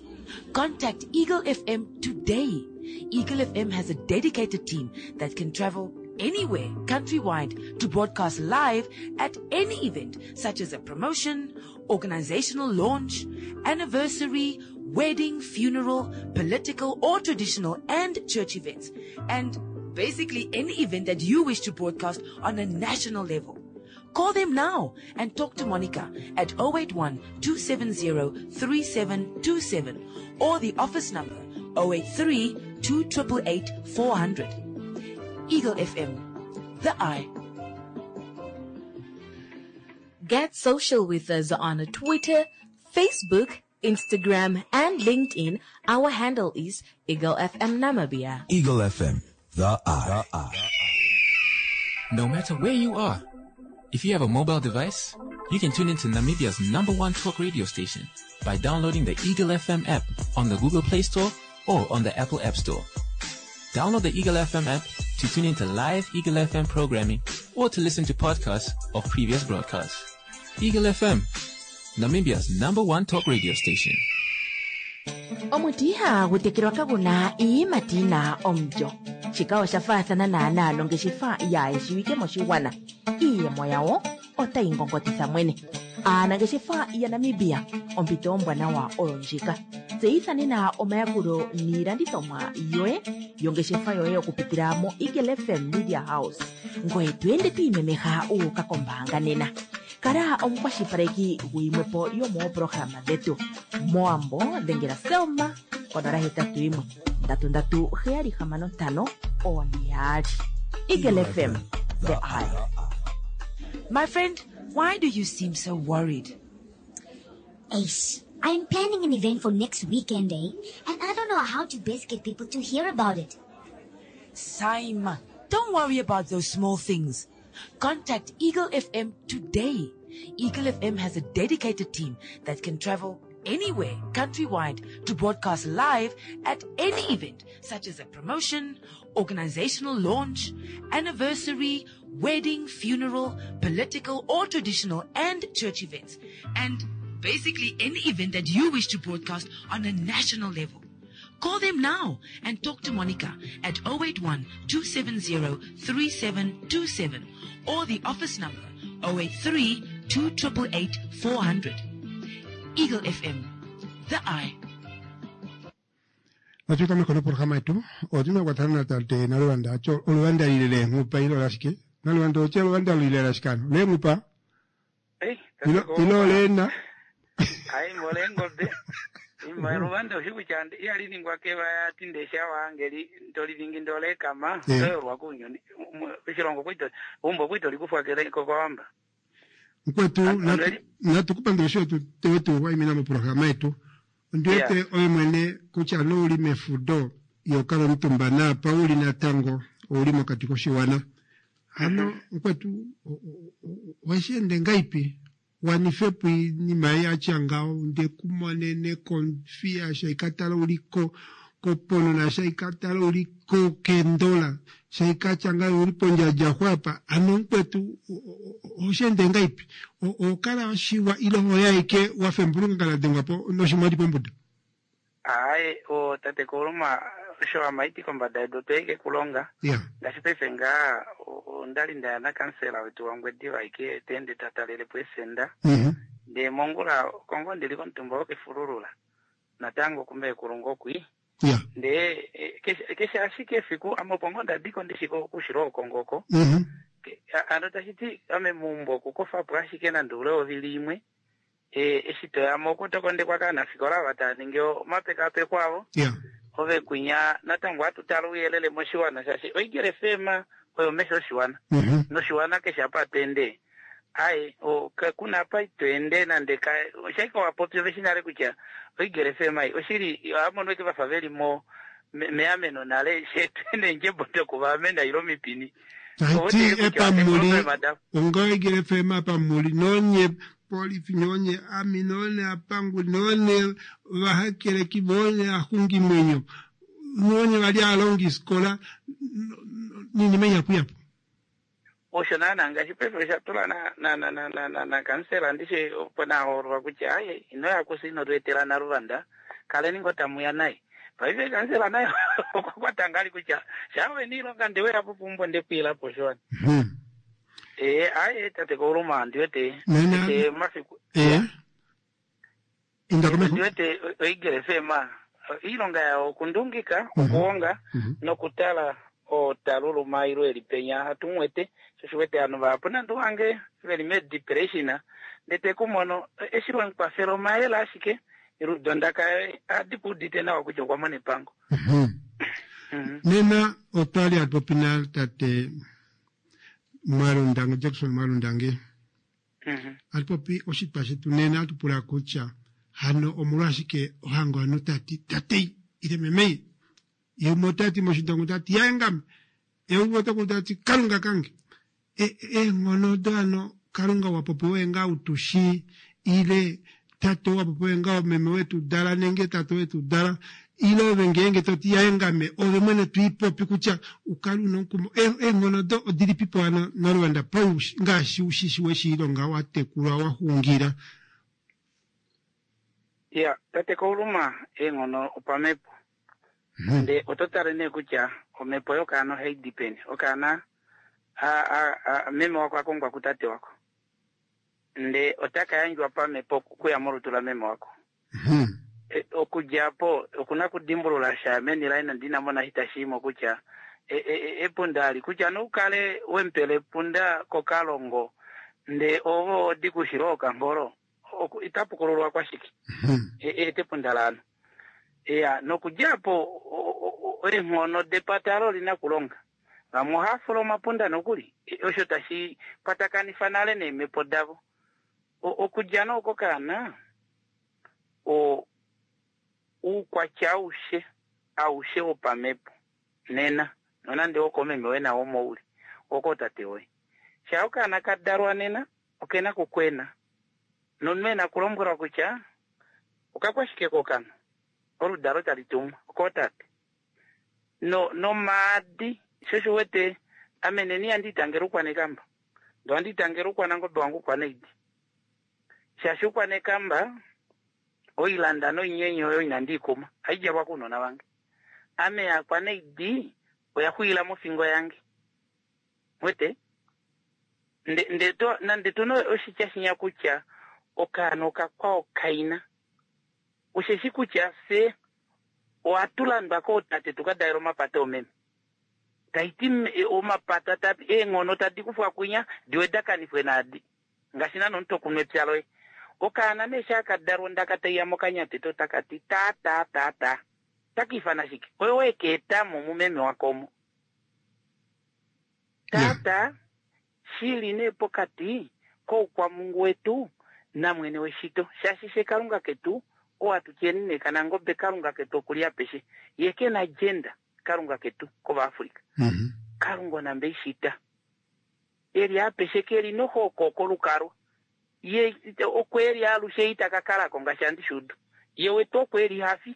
D: Contact Eagle F M today. Eagle F M has a dedicated team that can travel anywhere countrywide to broadcast live at any event, such as a promotion, organizational launch, anniversary, wedding, funeral, political or traditional and church events, and basically any event that you wish to broadcast on a national level. Call them now and talk to Monica at oh eight one, two seven zero, three seven two seven or the office number oh eight three, two triple eight, four hundred. Eagle F M, the eye.
F: Get social with us on Twitter, Facebook, Instagram, and LinkedIn. Our handle is Eagle F M Namibia.
G: Eagle F M, the eye. The eye.
B: No matter where you are, if you have a mobile device, you can tune into Namibia's number one talk radio station by downloading the Eagle F M app on the Google Play Store or on the Apple App Store. Download the Eagle F M app to tune into live Eagle F M programming or to listen to podcasts of previous broadcasts. Eagle F M, Namibia's number one talk radio station.
C: Omuti ihagu tekelwa kaguna iiyimati yina omulyo. Shika osha faathana naanaa nongeshefa yaayeshiwike moshigwana. Iiyemo yawo otayi ngongotitha mwene. Aanangeshefa yaNamibia, ompito ombwanawa oyo ndjika. Tseyitha nena omayakulo niilandithomwa yoye yongeshefa yoye okupitila mo Eagle F M Media House. Ngoye to ende to imemeha u uka kombaanga nena. Kala omukwashilipaleki guyimwepo yomooprograma dhetu. Moambo dhengela Selma konola hetatu yimwe ndatu ndatu heyali hamano ntano one yaali. Eagle F M, the eye.
D: My friend, why do you seem so worried?
E: Ace, I'm planning an event for next weekend, eh? And I don't know how to best get people to hear about it.
D: Saima, don't worry about those small things. Contact Eagle F M today. Eagle F M has a dedicated team that can travel anywhere countrywide to broadcast live at any event, such as a promotion, organizational launch, anniversary, wedding, funeral, political or traditional and church events, and basically any event that you wish to broadcast on a national level. Call them now and talk to Monica at oh eight one two seven zero three seven two seven or the office number oh eight three two eight eight four hundred. Eagle F M, the eye.
A: Natuka mikono programa yetu otuna kwatana na tate Naluvanda acho oluvanda lile lenghupa ilo lashike Naluvanda oche oluvanda lile lashikano lenghupa
K: Ei,
A: ilo ilo lena.
K: Ai mbole ngombe imba luvanda usiku chande iyaliningwa kevaya tindesha wange toliningi ndolekama.
A: Eh.
K: Toyolwa kunyoni oshilongo kwito umbo kwito likufwa kele kokwawamba.
A: Mkwetu natu- natukupandula sho tewetu waimina muprograma yetu ndiwete oye mwene kutya nouli mefudo yokala omutumba naapa uli natango ouli mokati koshiwana hano mkwetu weshiende ngaipi wanifepo inima yatya ngaho ndekumonene konfiya shaikatala uliko koponona shaikatala uliko kendola shaikatya ngayo uli pondjadja xwapa ano mukwetu oshiende ngaipi okala washiwa ile oyaike wafembulunga kala dengwapo noshimwadi pombuda.
K: Ayi o tate Kuluma osho amaiti kombada yedu toike kulonga.
A: Ya.
K: Ngaashi paife ngaa ondali ndaya nakansela wetu wangwediva ike tende tatalelepo esenda
A: Mhm.
K: ndee mongula kongo ndili komutumba wokefululula natango kumbe kulunga okwi
A: ya
K: ndee eh, keshe keshe ashike efiku ame opo ngoo ndadiko ndishiko okushila okongoko.
A: Mhm.
K: Ano tashiti ame muumbo okukofapo ashike nande ule ovili imwe e, eshi toyamo okutokondekwa kaanafikola ava tava ningi omapekapeko avo
A: ya
K: ove kwinya natango atutala ouyelele moshiwana shaashi oigele fema oyo mesho oshiwana
A: Mhm.
K: noshiwana keshe apa atende ai kuna apa itoende nande ka oshaika wapopi ove shinale kutya oigele fema ei oshili amono ike vafa veli mo me- meameno nale shetwene ndjembo dokuvaamena ilo mipini.
A: Taiti epamuli ongoigele fema pamuli nonye polifi nonye ami none apanguli none vahakeleki vone ahungi mwenyo nonye vali alongi sikola ninima iyapuyapu.
K: Osho naana ngaashi paife osha tula na na na na na na, na kansela ndishe opo nahoololwa kutya aye ino yakusa ino tweetela Naluvanda kaleni ngo tamuya naye paife kansela naye okwa kwata ngali kutya shawe niilonga ndeweyapo pumbo ndekwiilapo showana ee aye tate Kouluma ndiwete
A: Nena-
K: te mafiku
A: eh inda komeho.
K: Ndiwete oigele fema iilonga yawo okundungika okuwonga nokutala otaluluma ilo eli penya hatumwete sho shiwete ovanhu vahapu nande wange veli me-depression ndete kumono eshi wemukwafela omayele ashike eludondaka adi kuudite nawa kutya okwa mona epango.
A: Nena otwali atupopi na tate Mwalundange Jackson Mwalundange atupopi oshitwa shetu nena atupula kutya hano omolwashike ohango hano tati tatei ile memei yeumwe otati moshindongo tati yaengame yeumwe otaku tati kalunga kange eenghono odo hano kalunga wapopiwe nga utushi ile tate wapopiwe nga meme wetu dala nenge tate wetu dala ile ove ngeenge toti yaengame ove mwene twiipopi kutya ukale una omukumo eenghono odo odilipipo hano Naluvanda pa ngaashi ushishi weshiilonga watekulwa waxungila.
K: Ya tate Kouluma eenghono opamepo nde oto tale nee kutya omhepo yokaana ohai di peni okaana meme wako akongwa kutate wako nde otaka yandjwa pamhepo okuya molutu la meme wako e, okudja po okuna kudimbulula sha meni laye nande inamona hitashiimo kutya e, e, epunda ali kutya noukale wempele epunda kokalongo nde ovo odi kushila okangolo itapukululwa kwashike ete epunda laano ya nokudja po eenghono depatalo olina kulonga vamwe ohafula omapunda nokuli osho tashi kwatakanifa nale neemhepo davo okudja nooko kaana o uukwatya aushe aushe wopamhepo nena nonande wokomeme we nawo mouli wokootate woye Sha okaana ka dalwa nena okena kukwena nomunhu ena kulombwelwa kutya okakwashike kokana oludalo tali tumwa okootate no nomaadi sho wete ame neni handi itangela ukwanekamba ndo handi itangela ukwanangobe wangu ukwaneidi shaashi ukwanekamba oilanda noinyenye oyo inandi ikuma haidjalwa kuunona vange ame yakwaneidi oya xwiila mofingo yange wete nde nde to nande tuna oshitya shinya kutya okaana okakwao kaina osheshi kutya fye ohatu landwa kootate tukadaela omapata omeme taiti omapata ta eenghono tadi kufwa kwinya diwe dakanifwe naadi ngaashi nano omuntu okunwa epya loye okaana nee shaakadalwa ondaka taiya mokanyatete otakati ta ta ta ta takiifana shike oyo wekeetamo mumeme wakomo tata shili nee pokati koukwamungu wetu namwene weshito shaashi she kalunga ketu owatutyeni nee kanangobe kalunga ketu okuli apeshe ye kena agenda kalunga ketu kovaafrika
A: mm-hmm.
K: kalunga onambe ishita eli apeshe keli nohoko kolukalwa ye okweli alushe itakakalako ngaashi andishudu ye wetu okweli hafi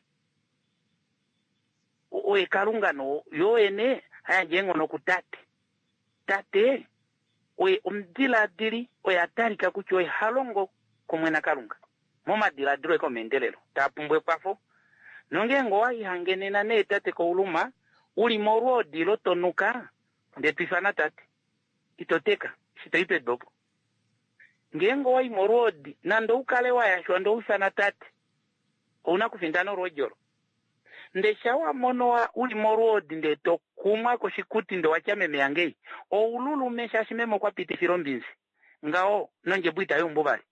K: oye kalunga no yoyene hayandje eenghono kutate tate oye omudiladili oye atalika kutya oye halongo kumwe nakalunga momadiladilo ekomeendelelo tapumbwa ekwafo nongeenge owaihangenena nee tate kouluma uli molwoodi lotonuka nde twifana tate itoteka shitoipe dopo ngeenge owai molwoodi nande oukale wayashwa nde oufana tate ouna kufindana olwoodi olo nde shawamono uli molwoodi nde tokumwa koshikuti nde watya meme yangei oululume shaashi meme okwa pitifila ombinzi ngaho nondjebo itayumbu vali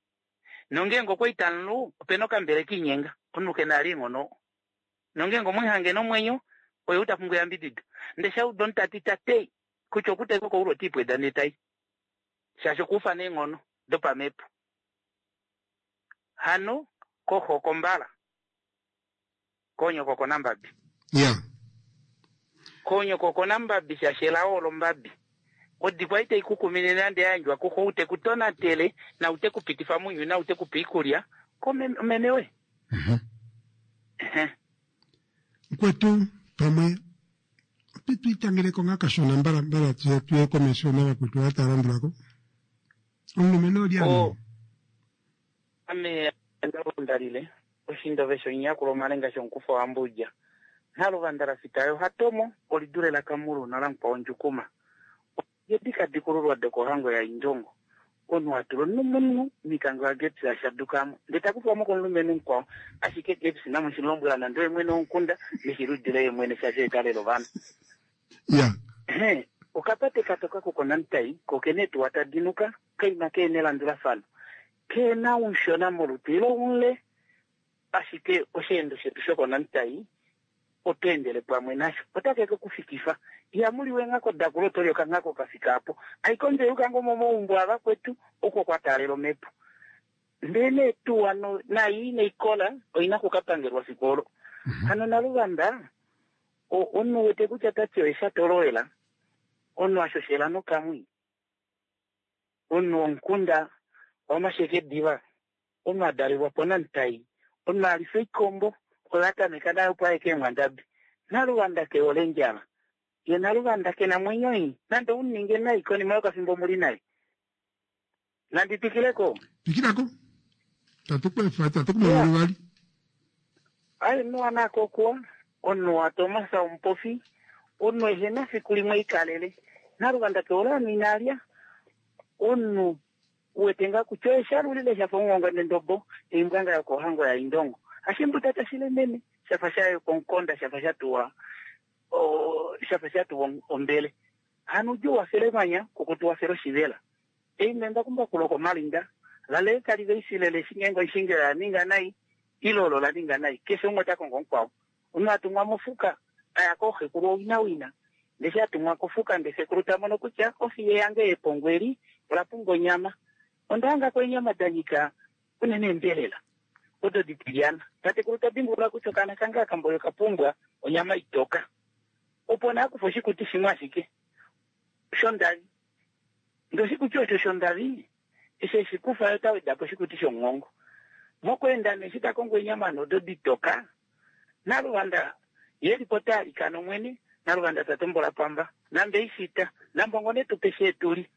K: nongeenge okwa nlu opena okambele kiinyenga omunhu kena ali eenghono nongeenge omwihange nomwenyo oye utapumbwa eyambidido nde shauda omutati tatei kutya okutaiko koulu otiipweda netai shaashi okuufa neenghono dopamepo hano koho kombala konyoko konambabi
A: yeah.
K: konyoko konambabi shaashi elao olombabi odikwa itaikukumine nande yayandjwa kuxo ute kutonatele naute kupitifa munyuni naute kupa iikulya komeme we
A: mm -hmm. kwetu pamwe twitangileko nga kashona mbala mbala tuye tuye komesho navakwetu vatalandulako omulumenhu oli
K: ano ame ndalundalile oshindove shonyakulo omalenga shonkufa wambudja naluvandala fitayo hatomo olidule lakamulu nalamukwao ndjukuma yedikadikululwa dokohango ya indongo onu atulo nomunhu mikango ya Gepsi ashadukamo ndetakufamo komulumenhu mukwao ashike Gepsi namushilombwela nande oye mwene womukunda neshiludile ye mwene shaashi ekalelo ovanhu
A: yeah.
K: okapate katoka kokonamtai kokene tuwa tadinuka kaima keene elandulafano keena unshona molutu ilo unle ashike osheendo shetu shokonamtai otweendele pamwe nasho otakeke kufikifa ihamuliwe nghako dakulo tolyoka nghako kafika apo aikondje yukango momaumbo avakwetu oko kwataalela omepo ndele tuu ano nayi neikola oina kukapangelwa fiku olo hano naluvanda omunhu wete kutya tati oye shatolowela omunhu ashoshela nokamwi omunhu womukunda wamasheke diva omunhu adalelwa ponamtai omunhu alifa oikombo oyo atameka nayo opo aye keemwandabi naluvanda keole ndjala ye naluvanda kena mwenyo i nande uninge nai konima yokafimbo muli naye nandi twikileko
A: twikilako tatukwefa tatukumoluvali
K: ayi nuwa nakokuwa omunhu watomasa omupofi omunhu ehena fiku limwe ikalele naluvanda keole anu inalya omunhu uwete nga kutya oye shalulile shafa omuhongo nendobo eimbwanga yokohango ya indongo ashimbuta tashilemene shafa shayo konkonda shafa shatuwa shafa shatuwa ombele hano ujo wafele manya kukutu wafele oshivela eimemba kumbakulo komalinda lale kali veisilele shingengo ishingela yaninga nai ilolo laninga nai keshe umwe takongo mukwao omunhu atumwa mofuka aya kooxekulu owinawina ndeshe atumwa kofuka nde xekulu tamono kutya ofiye yange yepongo eli ola pumbwa onyama ondahangako eenyama danyika unene embelela odo ditilyana tatekulu tadimbulula kutya okaana kange akamboyo kapumbwa onyama itoka opo naakufa oshikuti shimwe ashike shondali Ndee oshikuti osho shondavi eshi eshikufa yo otaweda po oshikuti shomuhongo. Mokweenda nee eshi takongo eenyama odo ditoka naluvanda yelipo taalikana omwene naluvanda tatombola pamba nambe ishita nambongo netupe sheetuli.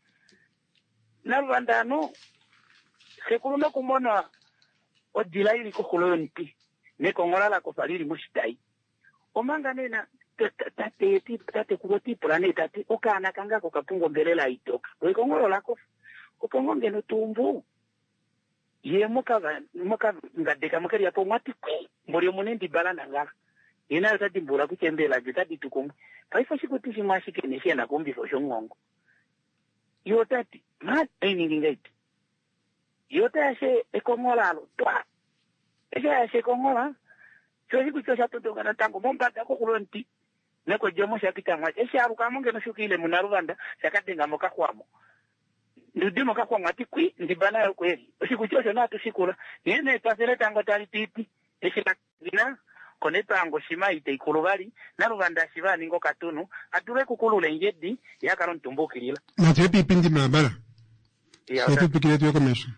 K: Naluvanda anu xekulu nokumona odila ili koxulo yomuti nekongola lakofa lili moshitai. Omanga nena tate tatekulu otiipula nee tati okaana kange ako kapumbwa ombelela itoka lo ekongolo lakofa opo ngoo ngeno tuumbu ye mokangadeka mokeliyapo omwati kwi mboli omuna endibala nangala ye naye ota dimbulula kutya embelela lye otadi tu kumwe. Paife oshikuti shimwe ashike nee shena kuumbifa oshomuhongo. Ye otati ma oiningi ngahelipi? Ye otayashe ekonghola alo twa eshi ayasha ekonghola sho oshikuti osha tondoka natango mombada koxulo yomuti nekodjomo shapita mwasha eshi alukamo ngeno shukile munaluvanda shakadenga mokaxwamo ndude mokaxwamo ati kwi ndiba nayo kweli oshikuti osho natushikula nghee nee twafele tango tali pipi eshi lakina konepango shima iteikulu vali naluvanda shiva aninga okatunu adule kukulula endjedi yakala omutumbukilila
A: Natuye piipindi mbalambala. Setupikile tuye komesho.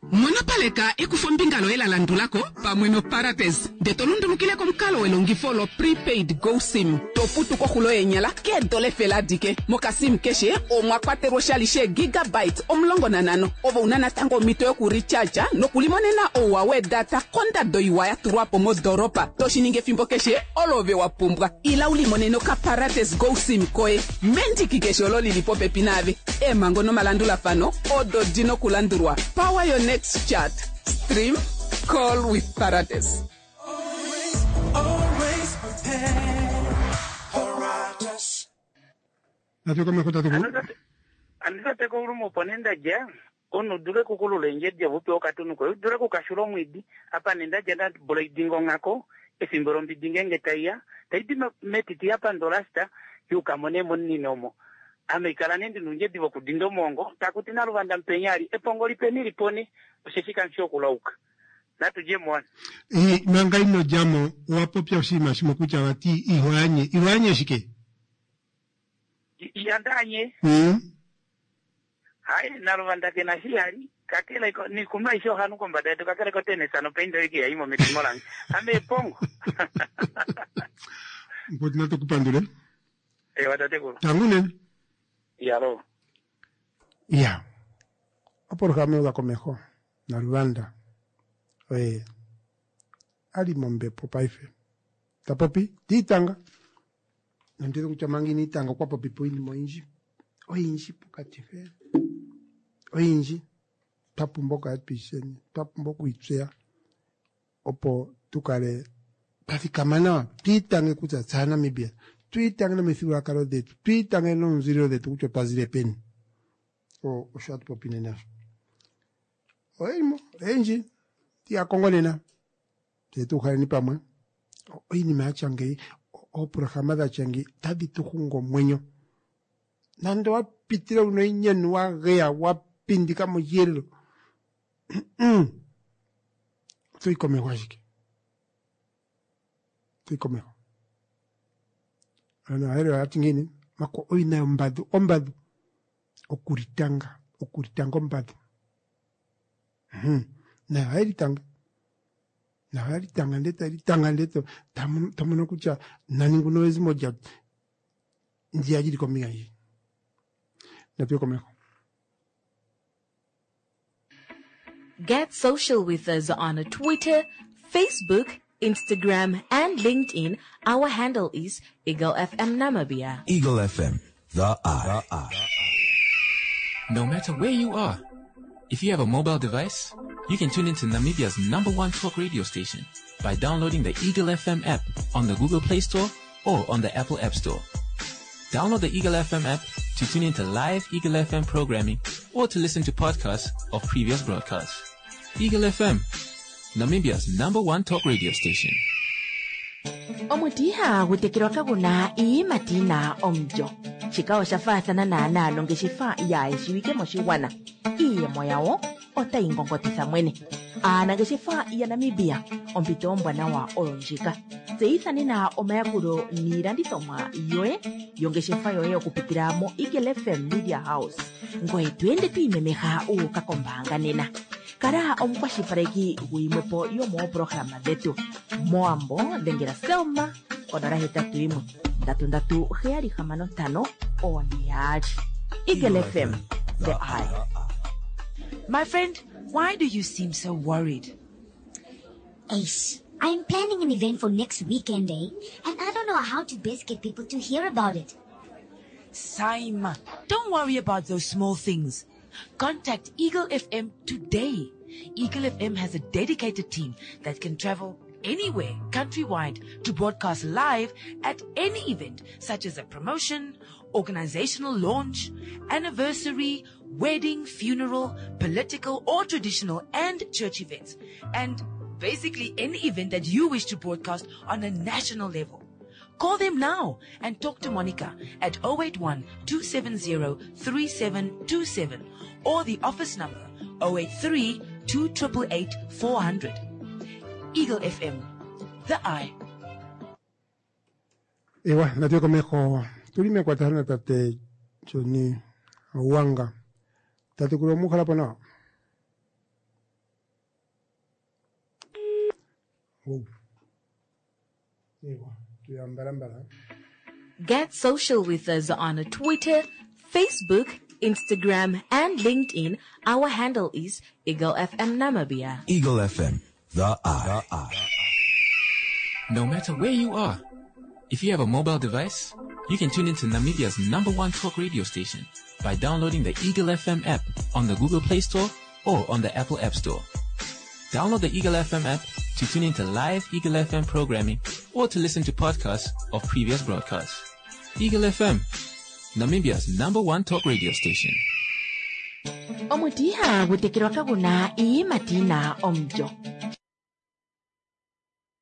L: Monopaleka ekufombinga loye la landulako pamwe noParates ndee to lundulukile komukalo welongifo lo prepaid go sim to futu koxulo yenyala keedola efele adike. Mokasim keshe omwa kwatelwa oshali sheegigabytes omulongo nanhano ove una natango omhito yokurecharge nokulimonena ouwa weedata kondado iwa ya tulwa po modoropa toshiningi efimbo keshe olo ove wa pumbwa. Ila ulimonene okaparates go sim koye mendiki keshe olo lili popepi naave. Eemhango nomalandulafano odo dina okulandulwa. Power your next chat. Stream, call with Parates.
M: Always prepared. Paratus.
A: Natuye komesho tatekulu.
K: Andi tate opo nee ndadja omunhu udule kukulula endjedi ove upewe okatunu koye udule kukashula omwiidi apa nee ndadja ndabula oidinga onghako efimbo lombidi ngeenge taiya taidi metiti yapandolasta yuukamo nee momunino omo. Ame ikala nee ndina oundjedi vokudinda omuhongo takuti naluvanda mupenya ali epongo lipeni lipone osheshi kamushi okulauka. Natudje moana.
A: Eh, manga ino djamo owa popya oshinima shimwe kutya vati ihoanye. Ihoanye shike?
K: Ihandaanye.
A: Mm.
K: Hai naluvanda kena shihali kakele nikunwa aishe ohanu kombada yedu kakele kotenesa nopaindo iki yaimo medimo lange. Ame epongo.
A: Mukoti natukupandule.
K: Ewa tatekulu.
A: Tangu nene.
K: Yalo.
A: Ya. Opolohalama yuka komeho naluvanda oye ali mombepo paife tapopi tiitanga nonditi kutya manga ina itanga okwa popipo oinima oyindji oyindji pokati mpe oyindji twa pumbwa okukala twiisheni twa pumbwa okwiitseya opo tukale twa thikama nawa twiitange kutya tse aaNamibia twiitange nomithigululwakalo dhetu twiitange noomuzililo dhetu kutya otwa zile peni osho hatu popi nena oyelimo oyendji tiya kongo nena tse tuuhaleni pamwe oinima yatya ngeyi ooprograma dhatya ngeyi otadhi tu hungu omwenyo nande wapitile una oinyenu wageya wapindika moshiyelelo otoyi komeho ashike otoyi komeho ano aayelele oyati ngiini mako oyina yombadhu ombadhu okulitanga okulitanga ombadhu nayo ohaye litanga nayo ohaye litanga ndee taye litanga ndee tomono kutya nani nguno ezimo lya ndiya lili kombinga ndji. Natuye komeho.
F: Get social with us on Twitter, Facebook, Instagram, and LinkedIn. Our handle is Eagle F M Namibia.
G: Eagle F M, the eye. The eye.
B: No matter where you are, if you have a mobile device, you can tune into Namibia's number one talk radio station by downloading the Eagle F M app on the Google Play Store or on the Apple App Store. Download the Eagle F M app to tune into live Eagle F M programming or to listen to podcasts of previous broadcasts. Eagle F M, Namibia's number one talk radio station.
C: Omuti ihagu tekelwa kaguna iiyimati yina omulyo. Shika osha faathana naanaa nongeshefa yaayeshiwike moshigwana. Iiyemo yawo otayi ngongotitha mwene. Aanangeshefa yaNamibia, ompito ombwanawa oyo ndjika. Tseyitha nena omayakulo niilandithomwa yoye yongeshefa yoye okupitila mo Eagle F M Media House. Ngoye to ende to imemeha u uka kombaanga nena. Kala omukwashilipaleki guyimwepo yomoopolohalama dhetu. Mowambo dhengela Selma konola hetatu yimwe ndatu ndatu heyali hamano ntano one yaali. Eagle F M, the eye.
D: My friend, why do you seem so worried?
E: Ace, I'm planning an event for next weekend, eh? And I don't know how to best get people to hear about it.
D: Saima, don't worry about those small things. Contact Eagle F M today. Eagle F M has a dedicated team that can travel anywhere countrywide to broadcast live at any event, such as a promotion, organizational launch, anniversary, wedding, funeral, political or traditional and church events, and basically any event that you wish to broadcast on a national level. Call them now and talk to Monica at oh eight one, two seven zero, three seven two seven or the office number oh eight three, two triple eight, four hundred. Eagle F M, the eye.
A: Ewa, natu komeho tuli mekwatathano na tate Johnny Wanga. Tate kulo mukhala po nawa. Oh. Ewa, tuyambalambala.
F: Get social with us on Twitter, Facebook, Instagram, and LinkedIn. Our handle is Eagle F M Namibia.
G: Eagle F M, the eye. The eye.
B: No matter where you are, if you have a mobile device, you can tune into Namibia's number one talk radio station by downloading the Eagle F M app on the Google Play Store or on the Apple App Store. Download the Eagle F M app to tune into live Eagle F M programming or to listen to podcasts of previous broadcasts. Eagle F M, Namibia's number one talk radio station.
C: Omuti ihagu tekelwa kaguna iiyimati yina omulyo.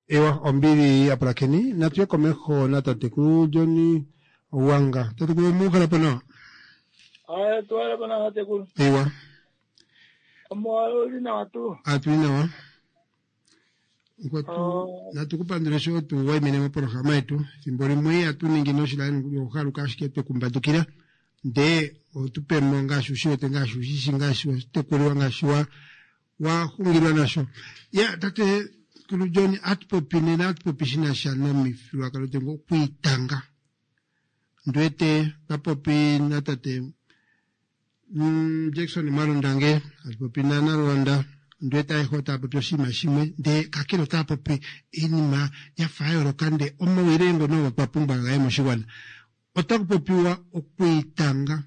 A: Ewa, ombili apulakeni, natuye komeho na tatekulu Johnny Wanga. Tatekulu mukhala po nawa.
N: Aya, tuwala po nawa, tatekulu.
A: Ewa.
N: Omo uli nawa tu.
A: Atuli nawa. Nkwatu, natukupandula sho tu waimene mopolohalama yetu. Thimbo limwe atuningi noshilani ohaluka ashike twekumbadukila. Ndee otupemo ngaashi ushiwete ngaashi ushishi ngaashi watekuliwa ngaashi wa waxungilwa nasho. Ya, tate Kulu John atupopi nena atupopi shinasha nomifyuululwakalo tengo okwiitanga. Ndwete papopi na tate mm, Jackson Mwalondange atupopi na Nalwanda. Ndwete ayehe otaapopi oshinima shimwe ndee kakele otaapopi iinima yafa ya yooloka ndee omawile ngono twa pumbwa gaye moshigwana. Otaku popiwa okwiitanga.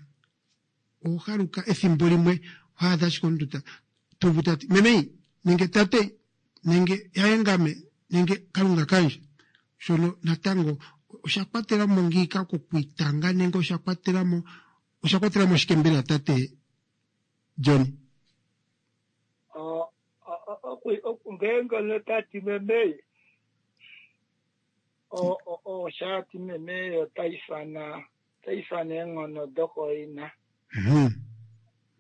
A: Ohaluka ethimbo limwe ohaadha ashike omuntu ta tuvu tati memei nenge tate nenge yayengame nenge kalunga kandje. Shono natango osha kwatela mo ngiika kokwiitanga nenge osha kwatela mo osha kwatela mo shike mbela tate John?
N: Ngeenge notati memei oshati memei otaifana otaifana eenghono dokoina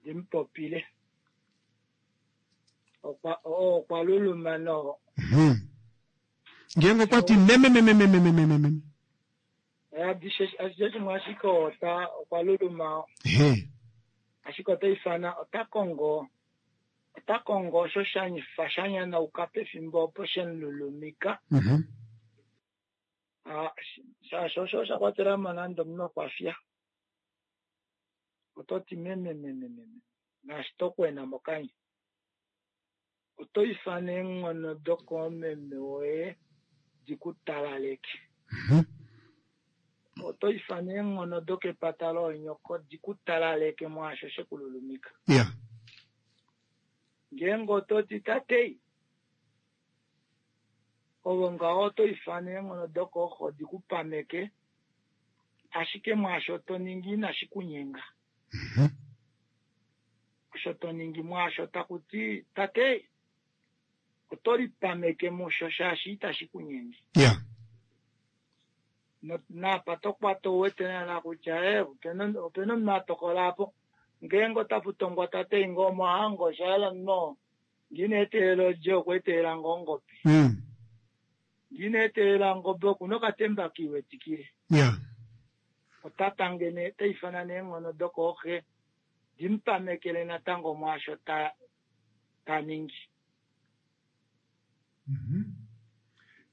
N: dimupopile. Okwa luluma no.
A: Ngeenge okwati meme meme meme meme meme.
N: Ashishe shimwe ashike ota okwa luluma. Ashike otaifana ota kongo ota kongo osho sha shanyanauka pefimbo opo shemululumika. Shaashi osho osha kwatela mo nande omunhu okwafya. Ototi meme meme meme naashi tokwena mokanya. Oto ifana eenghono dokoomeme woye dikutalaleke. Oto ifana eenghono dokepata loonyoko dikutalaleke mwaasho shekululumika.
A: Yeah.
N: Ngeenge ototi tate ovo ngaho oto ifana eenghono dokooxo dikupameke ashike mwaasho to ningi inashi kunyenga. Osho to ningi mwaasho takuti tate oto lipameke musho shaashi itashi kunyenge.
A: Yeah.
N: Napa tokwata ouwete naana kutya opena omunhu atokola apo ngeenge otaputongwa tate ngoo omohango osha hala no ngina eteelelo lye okweetelela ngoo ongobe. Ndina etelela ongobe okuna okatemba kiiwetikile.
A: Ya.
N: Ota tange nee, ota ifana neenghono dokooxe dimupamekele natango mwaasho ta ta ningi.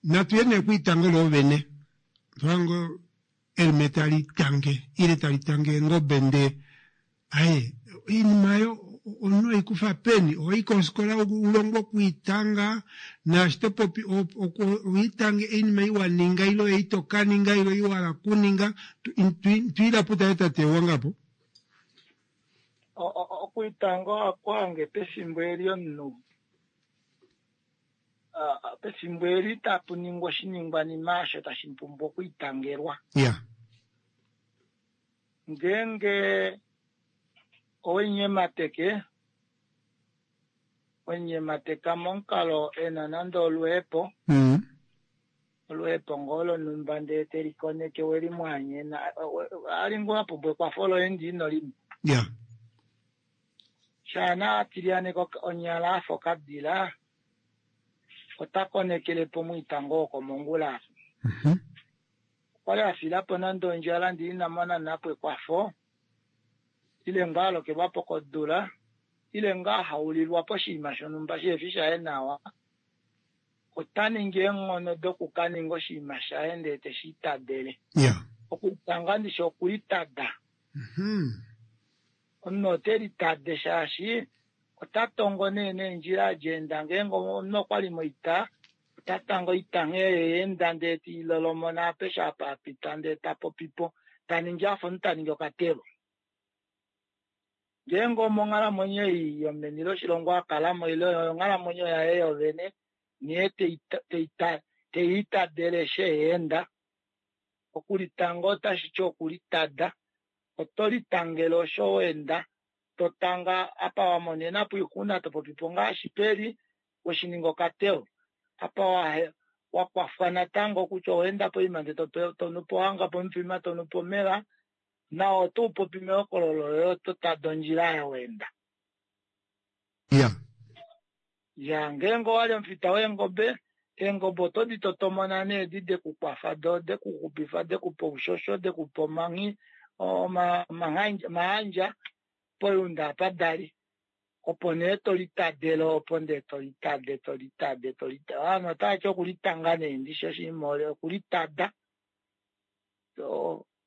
A: Natu ye nee kwiitango loovene. Twango elime tali tange ile tali tange eengobe ndee aye oinima oyo omunhu oikufa peni ohoi kofikola ulongwe okwiitanga naashi topopi owiitange oinima ei waninga ile ei tokaninga ile ei wahala okuninga twiila putale tate wangapo
N: Okwiitanga ohaku hange pefimbo eli omunhu pefimbo eli tapu ningwa oshiningwanima osho tashi pumbwa okwiitangelwa.
A: Ya.
N: Ngeenge owenyemateke wenyemateka momukalo ena nande oluhepo
A: mm.
N: oluhepo ngoo lonhumba ndee telikoneke welimwanyena ali ngoo apumbwa ekwafo loye ndi ino limo.
A: Ya.
N: Shaana atilyaneka onyala afa okadila ota konekelepo omwiitango wokomongula. Okwali afilapo nande ondjala ndee ina mona napo ekwafo ile ngoo alokelwapo kodula ile ngoo ahaulilwa poshinima shonhumba shihefi shaye nawa, ota ningi eenghono dokukaninga oshinima shaye ndee teshiitadele.
A: Ya.
N: Okwiitanga ndishi okulitada. Omunhu ote litade shaashi ota tongo nee neendjila adjeenda ngeenge omunhu okwali moita ota tango oita nghee yeenda ndee tiilolomona apeshe apa apita ndee tapopipo taningi afa omunhu taningi okatelo. Ngeenge omonghalamwenyo ei yomeni loshilongo akalamo ile onghalamwenyo yaye yovene nghee teiitadele eshi eenda. Okulitanga otashiti okulitada, oto litangele osho weenda totanga apa wamonenapo oixuna topopipo ngaashi peli weshininga okateo apa wakwafwa natango kutya oweenda poima ndee tonupo wahanga pomufima tonupo omeva nao oto upopi mehokololo loye oto tada ondjila oyo weenda.
A: Ya.
N: Ya, ngeenge owali omufita weengobe, eengobe oto di totomona nee edi dekukwafa doo dekuxupifa dekupa oushosho dekupa omanghi omahandja poyunda apa dali opo nee tolitadele opo ndee tolitade tolitade tolitade ovanhu otavati okulitanga nee ndishi oshinima okulitada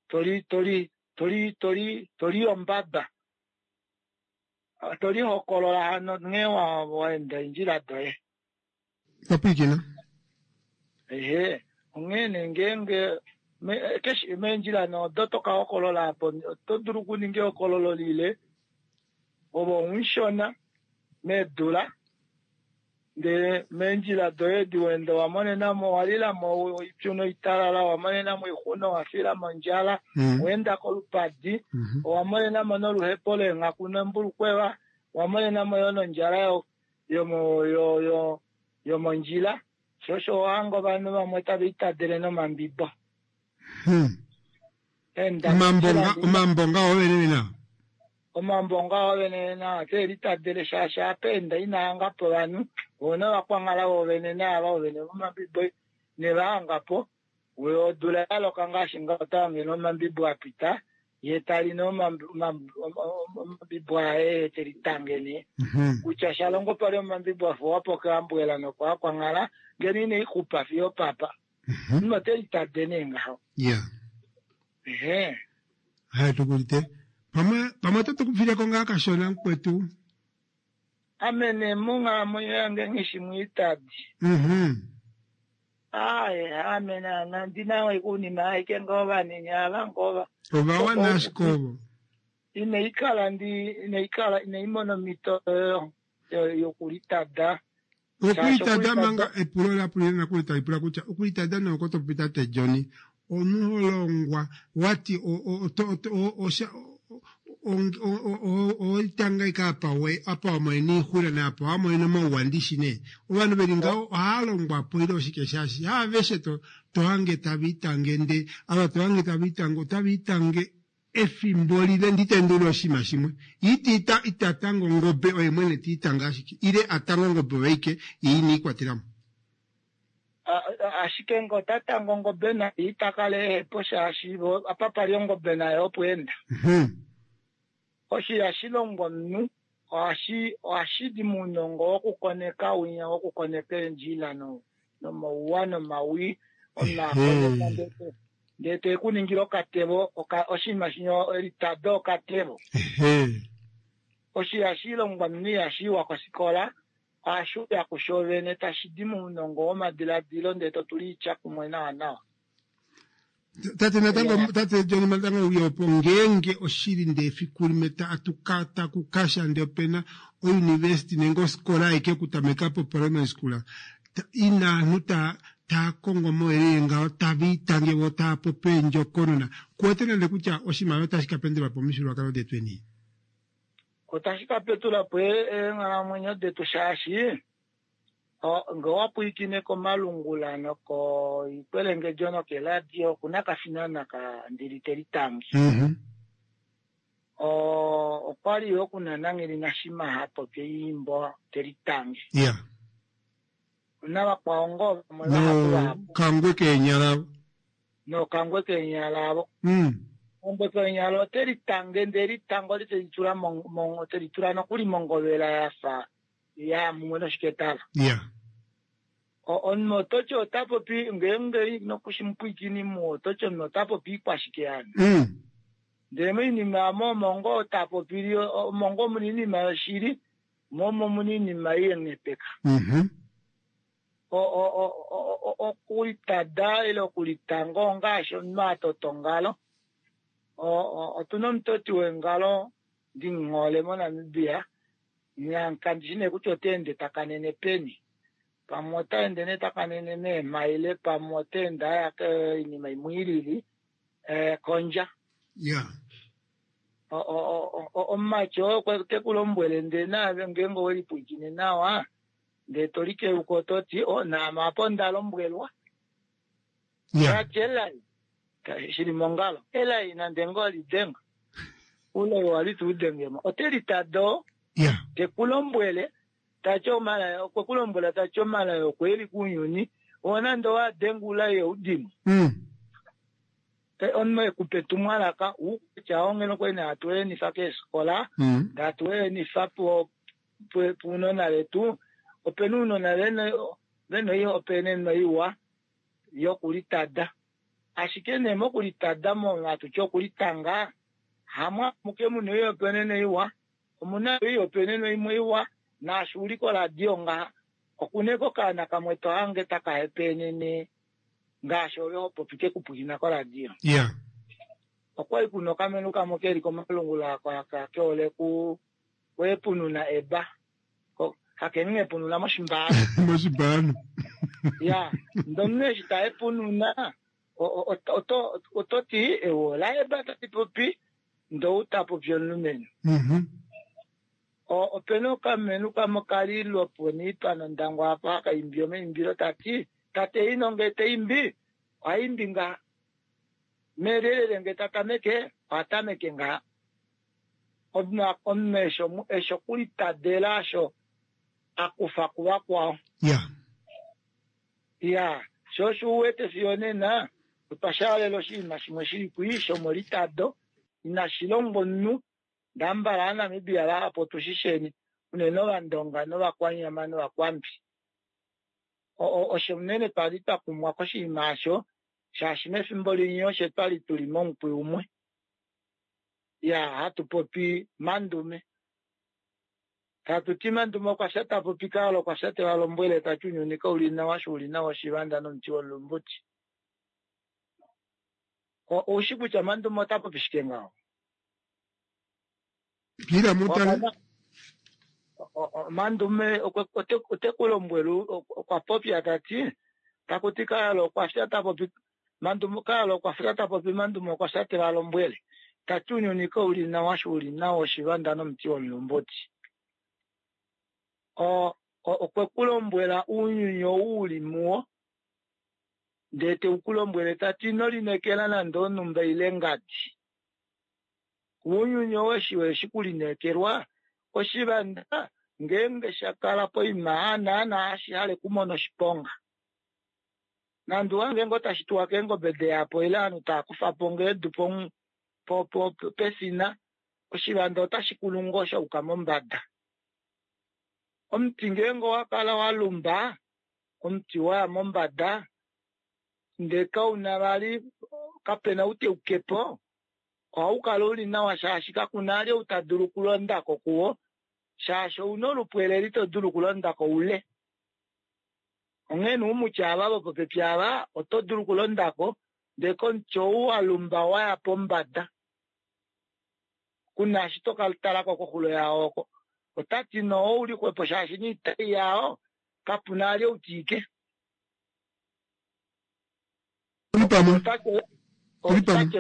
N: toli toli toli toli toli ombaba tolihokolola hano nghee waenda eendjila doye.
A: Wapwiikina.
N: Ehe, onghee nee ngeenge keshe meendjila nee odo toka hokolola apo oto dulu okuninga ehokololo lile ove omushona meedula ndee meendjila doye edi weenda owamonenamo owalilamo oipyu noitalala owamonenamo oixuna owafilamo ondjala owaenda kolupadi owamonenamo noluhepo leenghaku nembulukweva owamonenamo yoo nondjala yomo yo yomondjila sho osho owahanga ovanhu vamwe tava itadele nomambibo.
A: Omambo ngao vene vene
N: Omambo ngao vene vene ote litadele shaashi apa enda ina hangapo ovanhu voo novakwanghala voovene naava vovene vomambibo nevahangapo odula yaloka ngaashi ngaho ota hange nee omambibo apita yee tali nee omambibo aye telitange nee kutya shalongo pali omambibo afuwapo keambwela nokoakwanghala ngeno ina ixupa fiyo opapa. Omunhu ote litade nee ngaho.
A: Ya.
N: Ehe.
A: Haya tukulite. Pamwe pamwe oto tukufileko ngaa kashona mukwetu.
N: Ame nee monghalamwenyo yange nghishi mwiitadi.
A: Mhm.
N: Aaye ame naana ndina oinima aike ngoo vanini ava ngoo
A: Ovawana ashike ovo.
N: Inaikala ndi inaikala inaimona omhito yokulitada.
A: Okulitada manga epulo lapulile nakuli talipula kutya okulitada nee oko topopi tate John omunhu holongwa wati owelitanga ashike apa wamonene oixuna naapa wamonene omauwa ndishi nee ovanhu veli ngaho ohaalongwapo ile oshike shaashi haaveshe tohange tava itange ndee ava tohange tava itange otava itange efimbo lile nditendulile oshinima shimwe ita itatanga ongobe oye mwene tiitange ashike ile atange ongobe oyo aike yee ineikwatelamo.
N: A- a- Ashike nge ota tanga ongobe naye ita kala ehepo shaashi vo- apa pali ongobe naye opo enda.
A: Mhm.
N: Osho ihashi longwa omunhu ohashi ohashi di mounongo wokukoneka winya wokukoneka eendjila no nomauwa nomawii omunhu akoneka ndee ndee te ku ningile okatevo oka- oshinima shinyo elitado okatevo.
A: Ehe.
N: Osho ihashi longwa omunhu ihashi iwa kofikola ohashi uya kusho vene tashi di mounongo womadiladilo ndee to tula oitya kumwe nawa nawa.
A: Tate natango tate John natango uya opo ngeenge oshili ndee efiku limwe ta- atuka takukasha ndee opena ouniversity nenge ofikola aike okutameka po primary school ta- ina aanhu taa taa kongo omauyelele ngaho tava itange vo taa popi eendjokonona kuwete nande kutya oshimaliwa otashi ka pendelwa po omifyuululwakalo detweni
N: Otashi ka petula po e- eenghalamwenyo detu shaashi o- nge owa pwilikine komalungula nokoikwelengedjo nokeladio okuna kafinana ka ndili te litange. O- okwali yo kuna Nangeli Nashima ha popi eimbo te litange.
A: ya
N: Ona vakwao ngoo vamwe vahapu
A: no
N: vahapu
A: kangwe keenyala
N: nokangwe keenyala avo.
A: mm.
N: Kangwe keenyala ote litange ndele litango oli teli tula mo- mo- teli tula nokuli mongovela yafa ya mumwe noshiketala.
A: ya
N: O- Omunhu ototi ota popi ngeenge nokushimupwiikini muwo ototi omunhu ota popi ikwashike yani.
A: mm.
N: Ndele moinima omo omo ngoo ta popili omo ngoo muna oinima yoshili mo omo muna oinima iyenepeka.
A: Mhm.
N: O- o- o- o- o- okulitada ile okulitanga ongaashi omunhu a tota ongalo. O- o- Otuna omutoti wengalo ndimuhole moNamibia kandi shi nee kutya ota ende ta kanene peni. Pamwe ota ende nee ta kanene meemaile pamwe ota ende aya koinima imwe ilili eh, kondja.
A: ya
N: O- o- o- o- Omumati oo okwe te ku lombwele ndee naave ngeenge owelipwiikine nawa ndee to likeuka ototi o naame apa onda lombwelwa.
A: ya
N: Tati elai ka- shili mongalo elai nande ngoo lidenga ulai wali tuu dengemo ote litado
A: ya
N: te ku lombwele tati omalai okwe ku lombwela tati omalai okwe eli kuunyuni oo nande owadenga ulai eudimo
A: mm.
N: Eh, omunhu ekupa etumwalaka ukutya ongeno kwali nee hatu enifa keefikola
A: Mm.
N: hatu enifa po po- puunona vetu opena uunona vena vena oihopaenenwa iwa yokulitada ashike nee mokulitada mo hatutya okulitanga hamwe amuke muna oihopaenenwa iwa omuna oihopaenenwa imwe iwa naashi uli koradio ngaha okuna eko okaana kamwe tohange taka hepaenene ngaashi ove hopopi kekupwiina koradio
A: ya
N: okwali kuna okamenhu kamwe keli komalungula aka keole ku kweepununa eba Ko- hakeninga epununa moshimbaano
A: moshibano
N: ya ndee omunhu eshi taepununa o- o- oto- oto- ototi ewo laeba tali popi ndee ou tapopi omulumenhu
A: Mhm.
N: O- opena okamenhu kamwe kali lwoponiipa nondangwa apa haka imbi omaimbilo tati tate ino ngee taimbi ohaimbi ngaha melelele ngee tatameke ohatameke ngaha omunhu omunhu eshi omu- eshi okulitadela osho akufa kuvakwao
A: ya
N: ya sho osho uwete fiyo nena otwa shaalela oshinima shimwe shili kwi shomolitado inashi longwa omunhu ndambala aaNamibia vahapu otushisheni unene ovandonga novakwanyama novakwambi. O- o- Osho unene twali twa kumwa koshinima osho shaashi mefimbo linye osho twali tuli momukwi umwe ya hatu popi mandume tatu ti mandume okwa fya tapopi kaalo okwa fya teva lombwele tati unyuni kauli nawa sho uli nawa oshivanda nomuti womulumbuti. O- Oushi kutya mandume ota popi shike ngaho?
A: Pila mutale
N: O- o- Mandume okwe- ote- ote ku lombwele ok- okwa popya tati takuti kaalo okwa fya tapopi mandume kaalo okwa fya tapopi mandume okwa fya teva lombwele tati unyuni kauli nawa sho uli nawa oshivanda nomuti womulumbuti. O- o- okwe ku lombwela uunyuni ou uli muwo ndee teku lombwele tati ino lineekela nande onumba ile ngadi. Uunyuni ou eshi weshi kulineekelwa oshivanda ngeenge sha kala poima naana hashi hale okumona oshiponga. Nande wange ngo tashi tuwa keengobe deyapo ile ovanhu tava kufa po ngoo edu po- po- po- pefina, oshivanda otashi kulu ngoo sha yuka mombada. Omuti ngeenge owa kala wa lumba, omuti waya mombada, ndee kauna vali kapena ou teukepo, ohau kala uli nawa shaashi kakuna vali ou ta dulu okulondako kuwo, shaashi ouna olupwelele ito dulu okulondako ule. Onghee nee oumuti ava vopopepi ava oto dulu okulondako ndee komuti ou wa lumba waya pombada kuna eshi tokatalako koxulo yao oko. Otati noo ouli xwepo shaashi noitai yao kapuna vali ou tiike. Otati